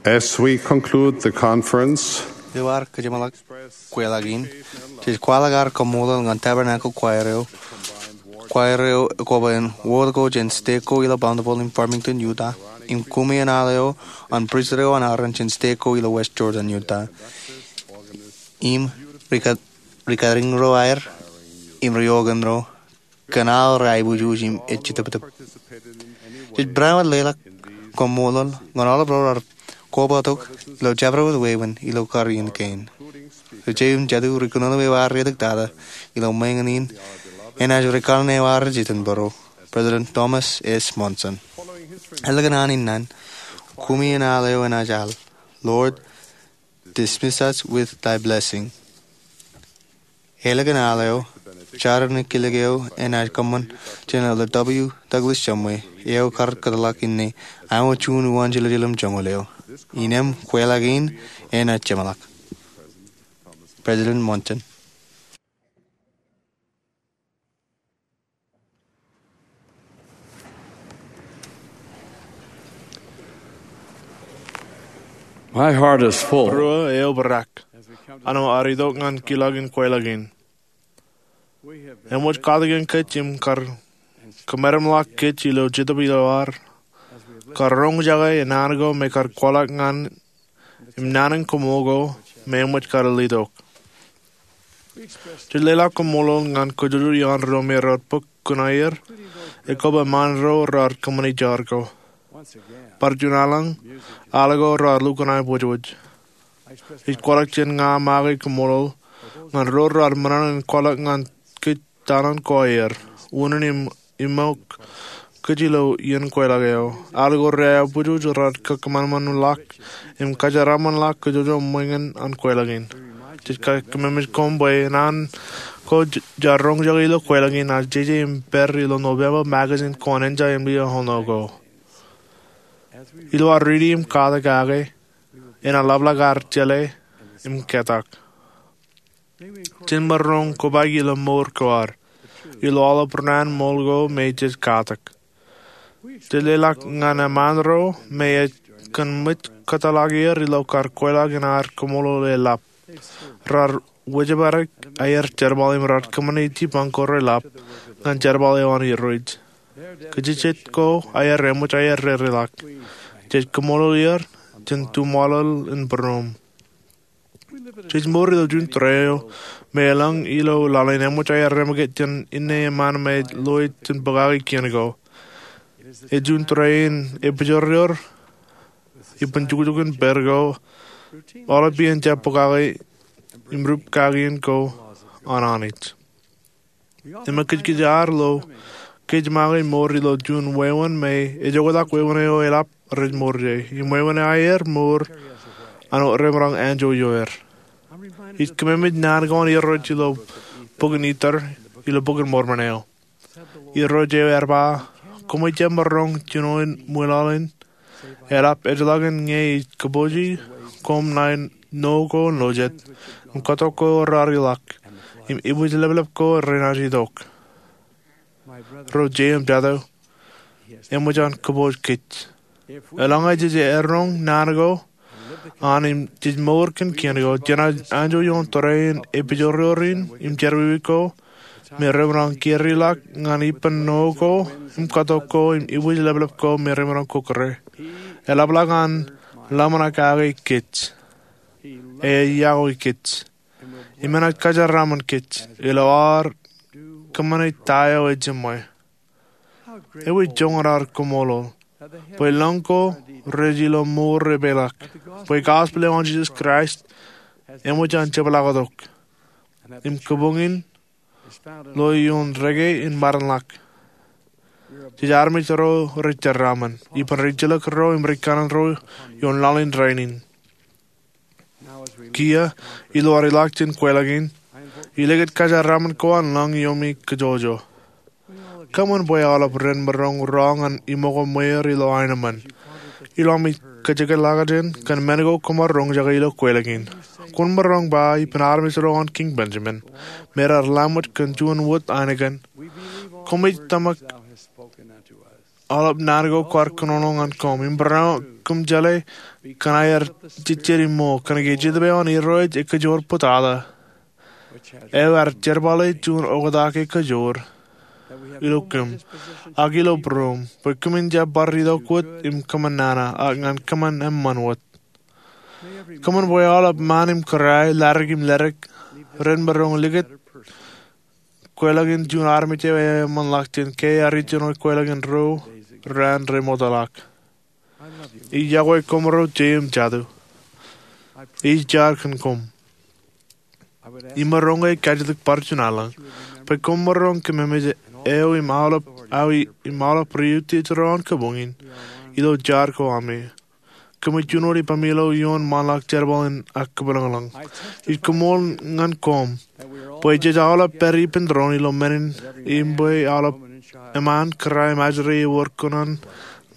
As we conclude the conference, ilo ad kōjeṃḷọk kweilọk in, jej kwaḷọk ad kaṃṃoolol ñan Tabernacle Choir eo, choir eo ekwe bwe en wōt ko jān stek ko ilo Bountiful in Farmington, Utah, im koṃeañ al eo an pristut eo an Aaron jān stek ko ilo West Jordan, Utah. Im rika rikaring ro aer im ri-okan ro kōn aō rej aiboojoj im ej jitōptōp. Jej barāinwōt leḷọk kaṃṃoolol ñan aolep ro raar kobatok ilo jabdewōt wāween ilo kar iien kein. Ri-jeje im jatū ri kōnono eo ar reitok tata ilo ṃōñā in enaaj ri kanaan eo ar rej itok bōro, President Thomas S. Monson. Ālikin an in naan, koṃi in al eo enaaj al, Lord, dismiss us with thy blessing. Ālikin al eo, jar in kilōk eo enaaj kōṃṃan jān Elder W. Douglas Shumway, eo kar kōtḷọk inne, aṃ juon uwaan jelōjel im joñoul eo. Innem kweilọk in enaaj jeṃḷọk. President Monson. My heart is full. Ruo eobrak an aō itok ñan kilọk in kweilọk in. Eṃōj katak in kōj im kar kōmeramḷọk kōj ilo Jetōb ilo ad, kar roñjake naan ko me kar kwaḷọk ñan im naan in koṃṃool ko me eṃōj kar letok. Jej leḷọk kaṃṃoolol ñan kōjojoj ioon ro me raar bōk kuṇaer, ekwe ṃaan ro raar kōṃṃane jar ko. Bar juon alen, al ko raar lukkuun aiboojoj. Ij kwaḷọk jān ña make kaṃṃoolol ñan ro raar ṃōṇōṇō in kwaḷọk ñan kōj taṇan ko aer, unin im iṃōk kōj ilo iien kweilọk eo. Al ko rej aiboojoj raar kōkōṃanṃanḷọk im kōjeraaṃṃanḷọk kōjwōj ṃōñā an kweilọk in. Jej kōmmeṃōj koṃ bwe naan ko jaar roñjake ilo kweilọk in enaaj jeje im pād ilo Nōveṃba magazine ko an Enja Emily Ohno ko. Ilo ad riiti im katak kake, enaaj ḷapḷọk ad jeḷā im ketak. Jen maroñ kobaik ilo mour ko ad, ilo aolep raan ṃool ko me jej katak. Jej leḷọk ñan eṃṃaan ro me ej kōn ṃōj kōtḷọk er ilo kar kweilọk in ad kaṃṃoolol eḷap. Raar wōjepād aer jerbal im raar kōṃṃane jipañ ko reḷap ñan jerbal eo an Irooj. Kajjitōk ko aer eṃōj aer rereḷọk. Jej kaṃṃoolol er jān tuṃool in būruōm. Jej mour ilo juon tōre eo me elōñ ilo laḷ in eṃōj aer remake jān inne eṃṃaan me ej loe jān pokake kien ko. Ej juon tōre in epijorjor ippān jukjuk in pād ko, aolep iien jab pokake im rup kakien ko an Anij. Im ekōjkōj ad lo kōj make mour ilo juon wāween me ej oktak wāween eo eḷap rej mour ie. Im wāween eo aer mour an remaroñ anjọ ioer. Ij kōmmeṃōj naan ko an Irooj ilo bokin Ether, ilo Bokin Mormon eo. Irooj eo ear ba, koṃij jab maroñ jinoin ṃwilaḷ in, eḷap ejjeḷọkin ñe ij kōpooji koṃ ṇae nō ko ṇo jet, im katok ko raar ilọk, im ibwijleplep ko renaaj itok. Ro jeje im jatū, eṃōj an kōpooj kōj. Eḷaññe jej eroñ naan ko an im jej mour kōn kien ko, jenaaj anjọ ioon tōre in epijorjor in im jerọwiwi ko me remaroñ kūrḷọk ñan ippān nō ko im katok ko im ibwijleplep ko me remaroñ kōkōrā. Eḷapḷọk an ḷōmṇak kake kōj. Ej iọkwe kōj im enaaj kōjeraaṃṃan kōj ilo ad kōṃṃane ta eo ejiṃwe. Ewi joñan ad kaṃṃoolol bwe lōñ ko rej ilo mour epeḷḷọk, bwe gospel eo an Jisōs Kraist eṃōj an jepḷaaktok, im kabuñ in lo ioon reke in māroñḷọk. Jej armej ro rej jeraaṃṃan ippān rijjelōk ro im rikanaan ro ioon laḷ in rainin. Kiiō, ilo ad ilọk jān kweilọk in, ilikūt kōjeraaṃṃan ko an lōñ iomi kajjojo. Kōṃṃan bwe aolep ren maroñ rọọl ñan iṃōko ṃweer ilo aenōṃṃan ilo ami kōjekḷọkjeṇ kōn men ko koṃ ar roñjake ilo kweilọk in. Kwōn maroñ ba ippān armej ro an Kiiñ Benjamin me raar laṃōj kōn juon wōt ainikien, koṃij tōmak aolep naan ko kwaar kōnono ñan koṃ im barāinwōt kōm jeḷā kōn aer jejjet im ṃool kōnke Jetōb eo an Irooj ekajoor bōtata, eo ear jerbale juon oktak ekajoor ilo kōm ak ilo būruōm bwe kōmin jab bar itok wōt im kōṃṃan nana ak ñan kōṃṃan eṃṃan wōt. Kōṃṃan bwe aolep ṃaan im kōrā, ladik im ledik, ren maroñ likūt kweilọk in juon armej eo eṃṃanḷọk jān ke ear ijeṇe kweilọk in ro raan remootḷọk. Ij iọkwe koṃro jeiū im jatū. Ij jar kōn koṃ. Imaroñ ke ij kajjitōk bar juon alen bwe koṃ maroñ kōmemej eo im aolep, aolep ri-utiej ro an kōpoñ in ilo jar ko ami. Kōmij jino ippaṃ ilo ioon ṃaanḷọk jerbal in ak kōpeḷḷọk. Ij koṃṃool ñan koṃ bwe jej aolep pād ippān doon ilo men in im bwe aolep eṃṃan, kōrā im ajri ewōr kōṇaan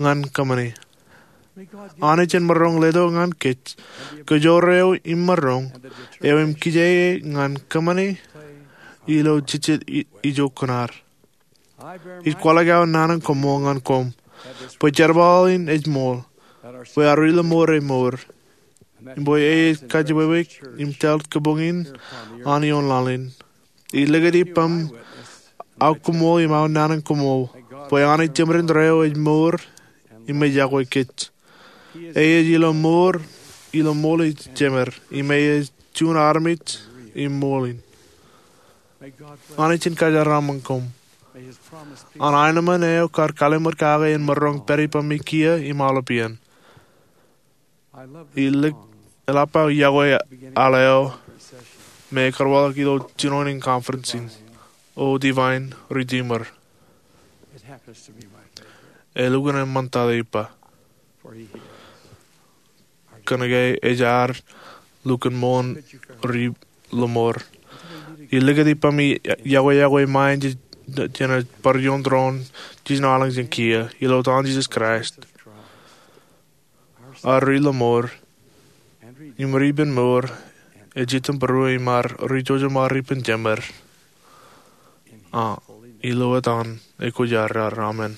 ñan kōṃṃani. Anij en maroñ letok ñan kōj kōjoor eo imaroñ eo im kijeek ñan kōṃṃani ilo jejjet i-, ijo kōṇaan. Ij kwaḷọk aō naan in koṃṃool ñan koṃ bwe jerbal in ej ṃool, bwe ad ri-lọmọọr emour, im bwe ej kajjookwe im tōl kōpoñ in an ioon laḷ in. Ij likūt ippaṃ aō koṃṃool im aō naan in koṃṃool bwe Anij Jemedinōn eo ej mour im ej iọkwe kōj. Ej ilo mour, ilo ṃool ej jemed, im ej juon armej im ṃool in. Anij en kōjeraaṃṃan koṃ. An aenōṃṃan eo kar kalliṃur kake en maroñ pād ippaṃ kiiō im aolep iien. Ij lik eḷap aō iọkwe al eo me karuwaḷọk ilo jinoin in conference in, O Divine Redeemer. Elukkuun eṃṃan tata ippa. Kōnke ej ad lukkuun ṃool ri-lọmọọr. Ij likūt ippaṃ iọkwe, iọkwe ṃae jān bar ioon tōre in jino alen jān kiiō ilo etan Jisōs Kraist. Ad ri-lọmọọr im ri-ippān mour, ej itok būruō im ad ri-jouj im ad ri-ippān jemed. A, ilo etan Ekwe Jeraar, amen.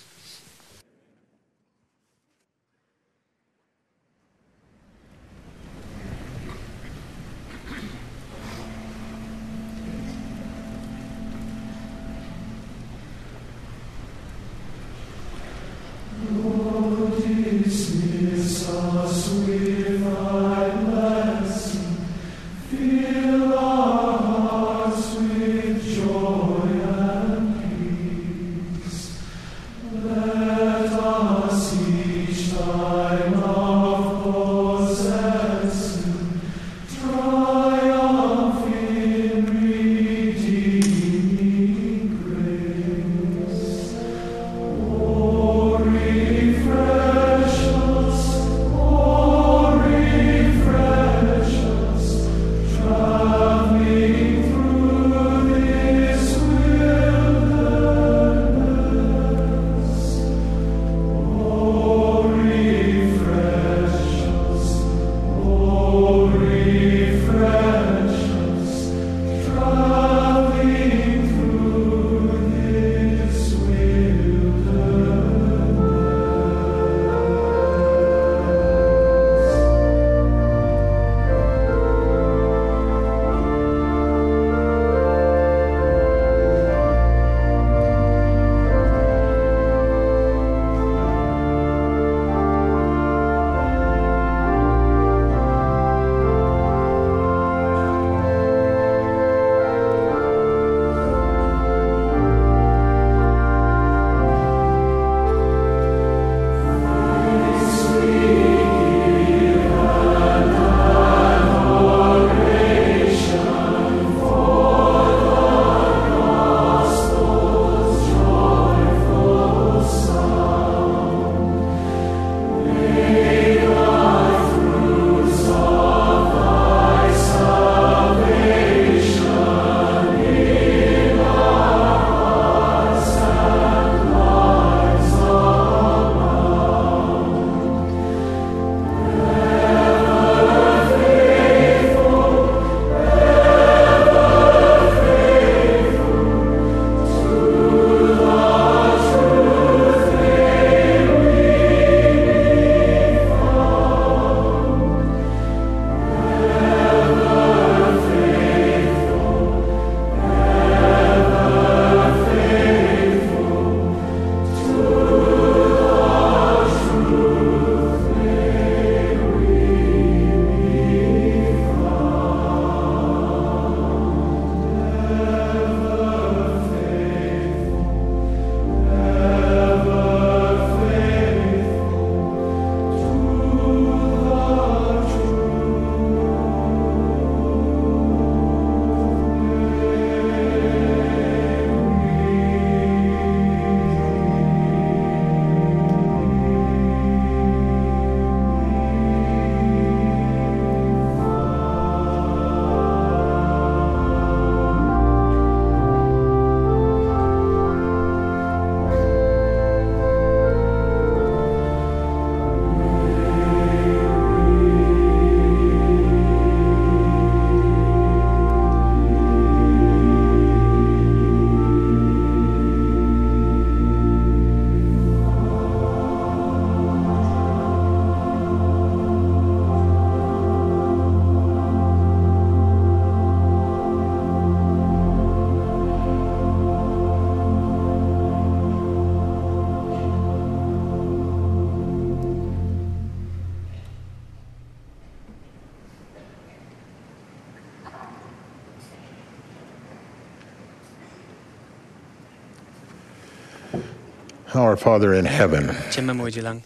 Our Father in heaven, Jemem eo ej ilañ,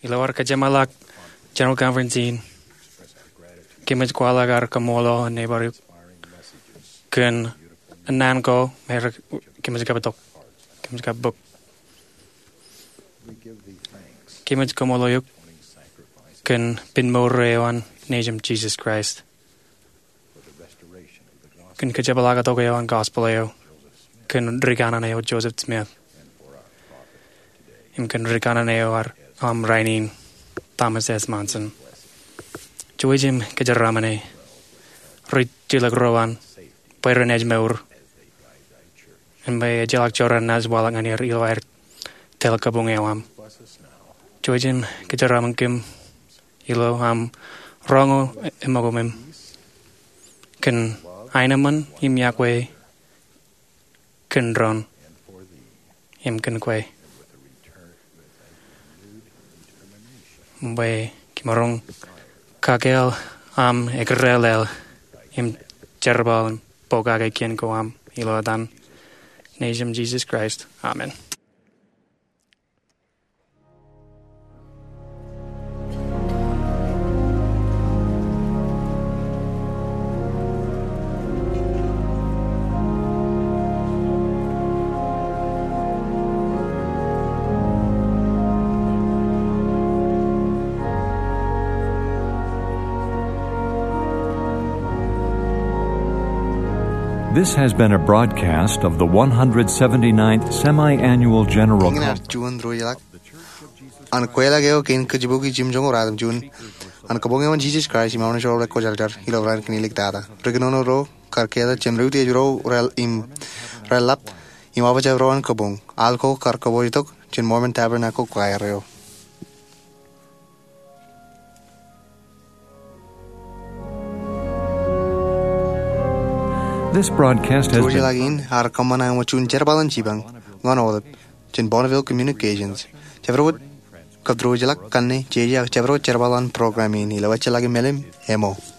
ilo ad kōjeṃḷọk General Conference in, kōmij kwaḷọk ad kaṃṃoolol neighbor eok kōn naan ko me kōmij kab tok, kōmij kab bōk. Kōmij kaṃṃoolol eok kōn pen mour eo an Nejūṃ Jesus Christ, kōn kōjeṃḷọktok eo an gospel eo, kōn rikanaan eo Joseph Smith, im kōn rikanaan eo ad aṃ rainin, Thomas S. Monson. Jouj im kōjeraaṃṃan e ri jilkinḷọk ro an bwe ren ej mour im bwe ejjeḷọk jorrāān naaj waḷọk ñan er ilo aer tōl kabuñ eo aṃ. Jouj im kōjeraaṃṃan kōm ilo aṃ roñoul eṃōkōmem kōn aenōṃṃan im iọkwe kōn doon im kōn kwe, bwe kimaroñ kakāāl aṃ ekdālel im jerbal im pokake kien ko aṃ ilo etan Nejūṃ Jesus Christ. Amen. This has been a broadcast of the one hundred seventy-ninth Semi-Annual General Eñin ear Conference. Juon ruo ḷọk an kweilọk eo kein kōjparok im joñoul ruatimjuon an kabuñ eo an Jesus Christ im Aolepen Ro Rekwōjarjar ilo raan kein iliktata. Ri kōnono ro kar ketak jān ri utiej ro im raelap im office ro an kabuñ. Al ko kar kōpooj tok jān Mormon Tabernacle Choir eo. This broadcast has been Ruo ḷọk in ear kōṃṃan ilo juon jerbal in jipañ ñan aolep jān Bonneville Communications. Jabdewōt kab ruo ḷọk kanne jeje ak jabdewōt jerbal an program in ilo ejjeḷọk im elōñ ṃōk.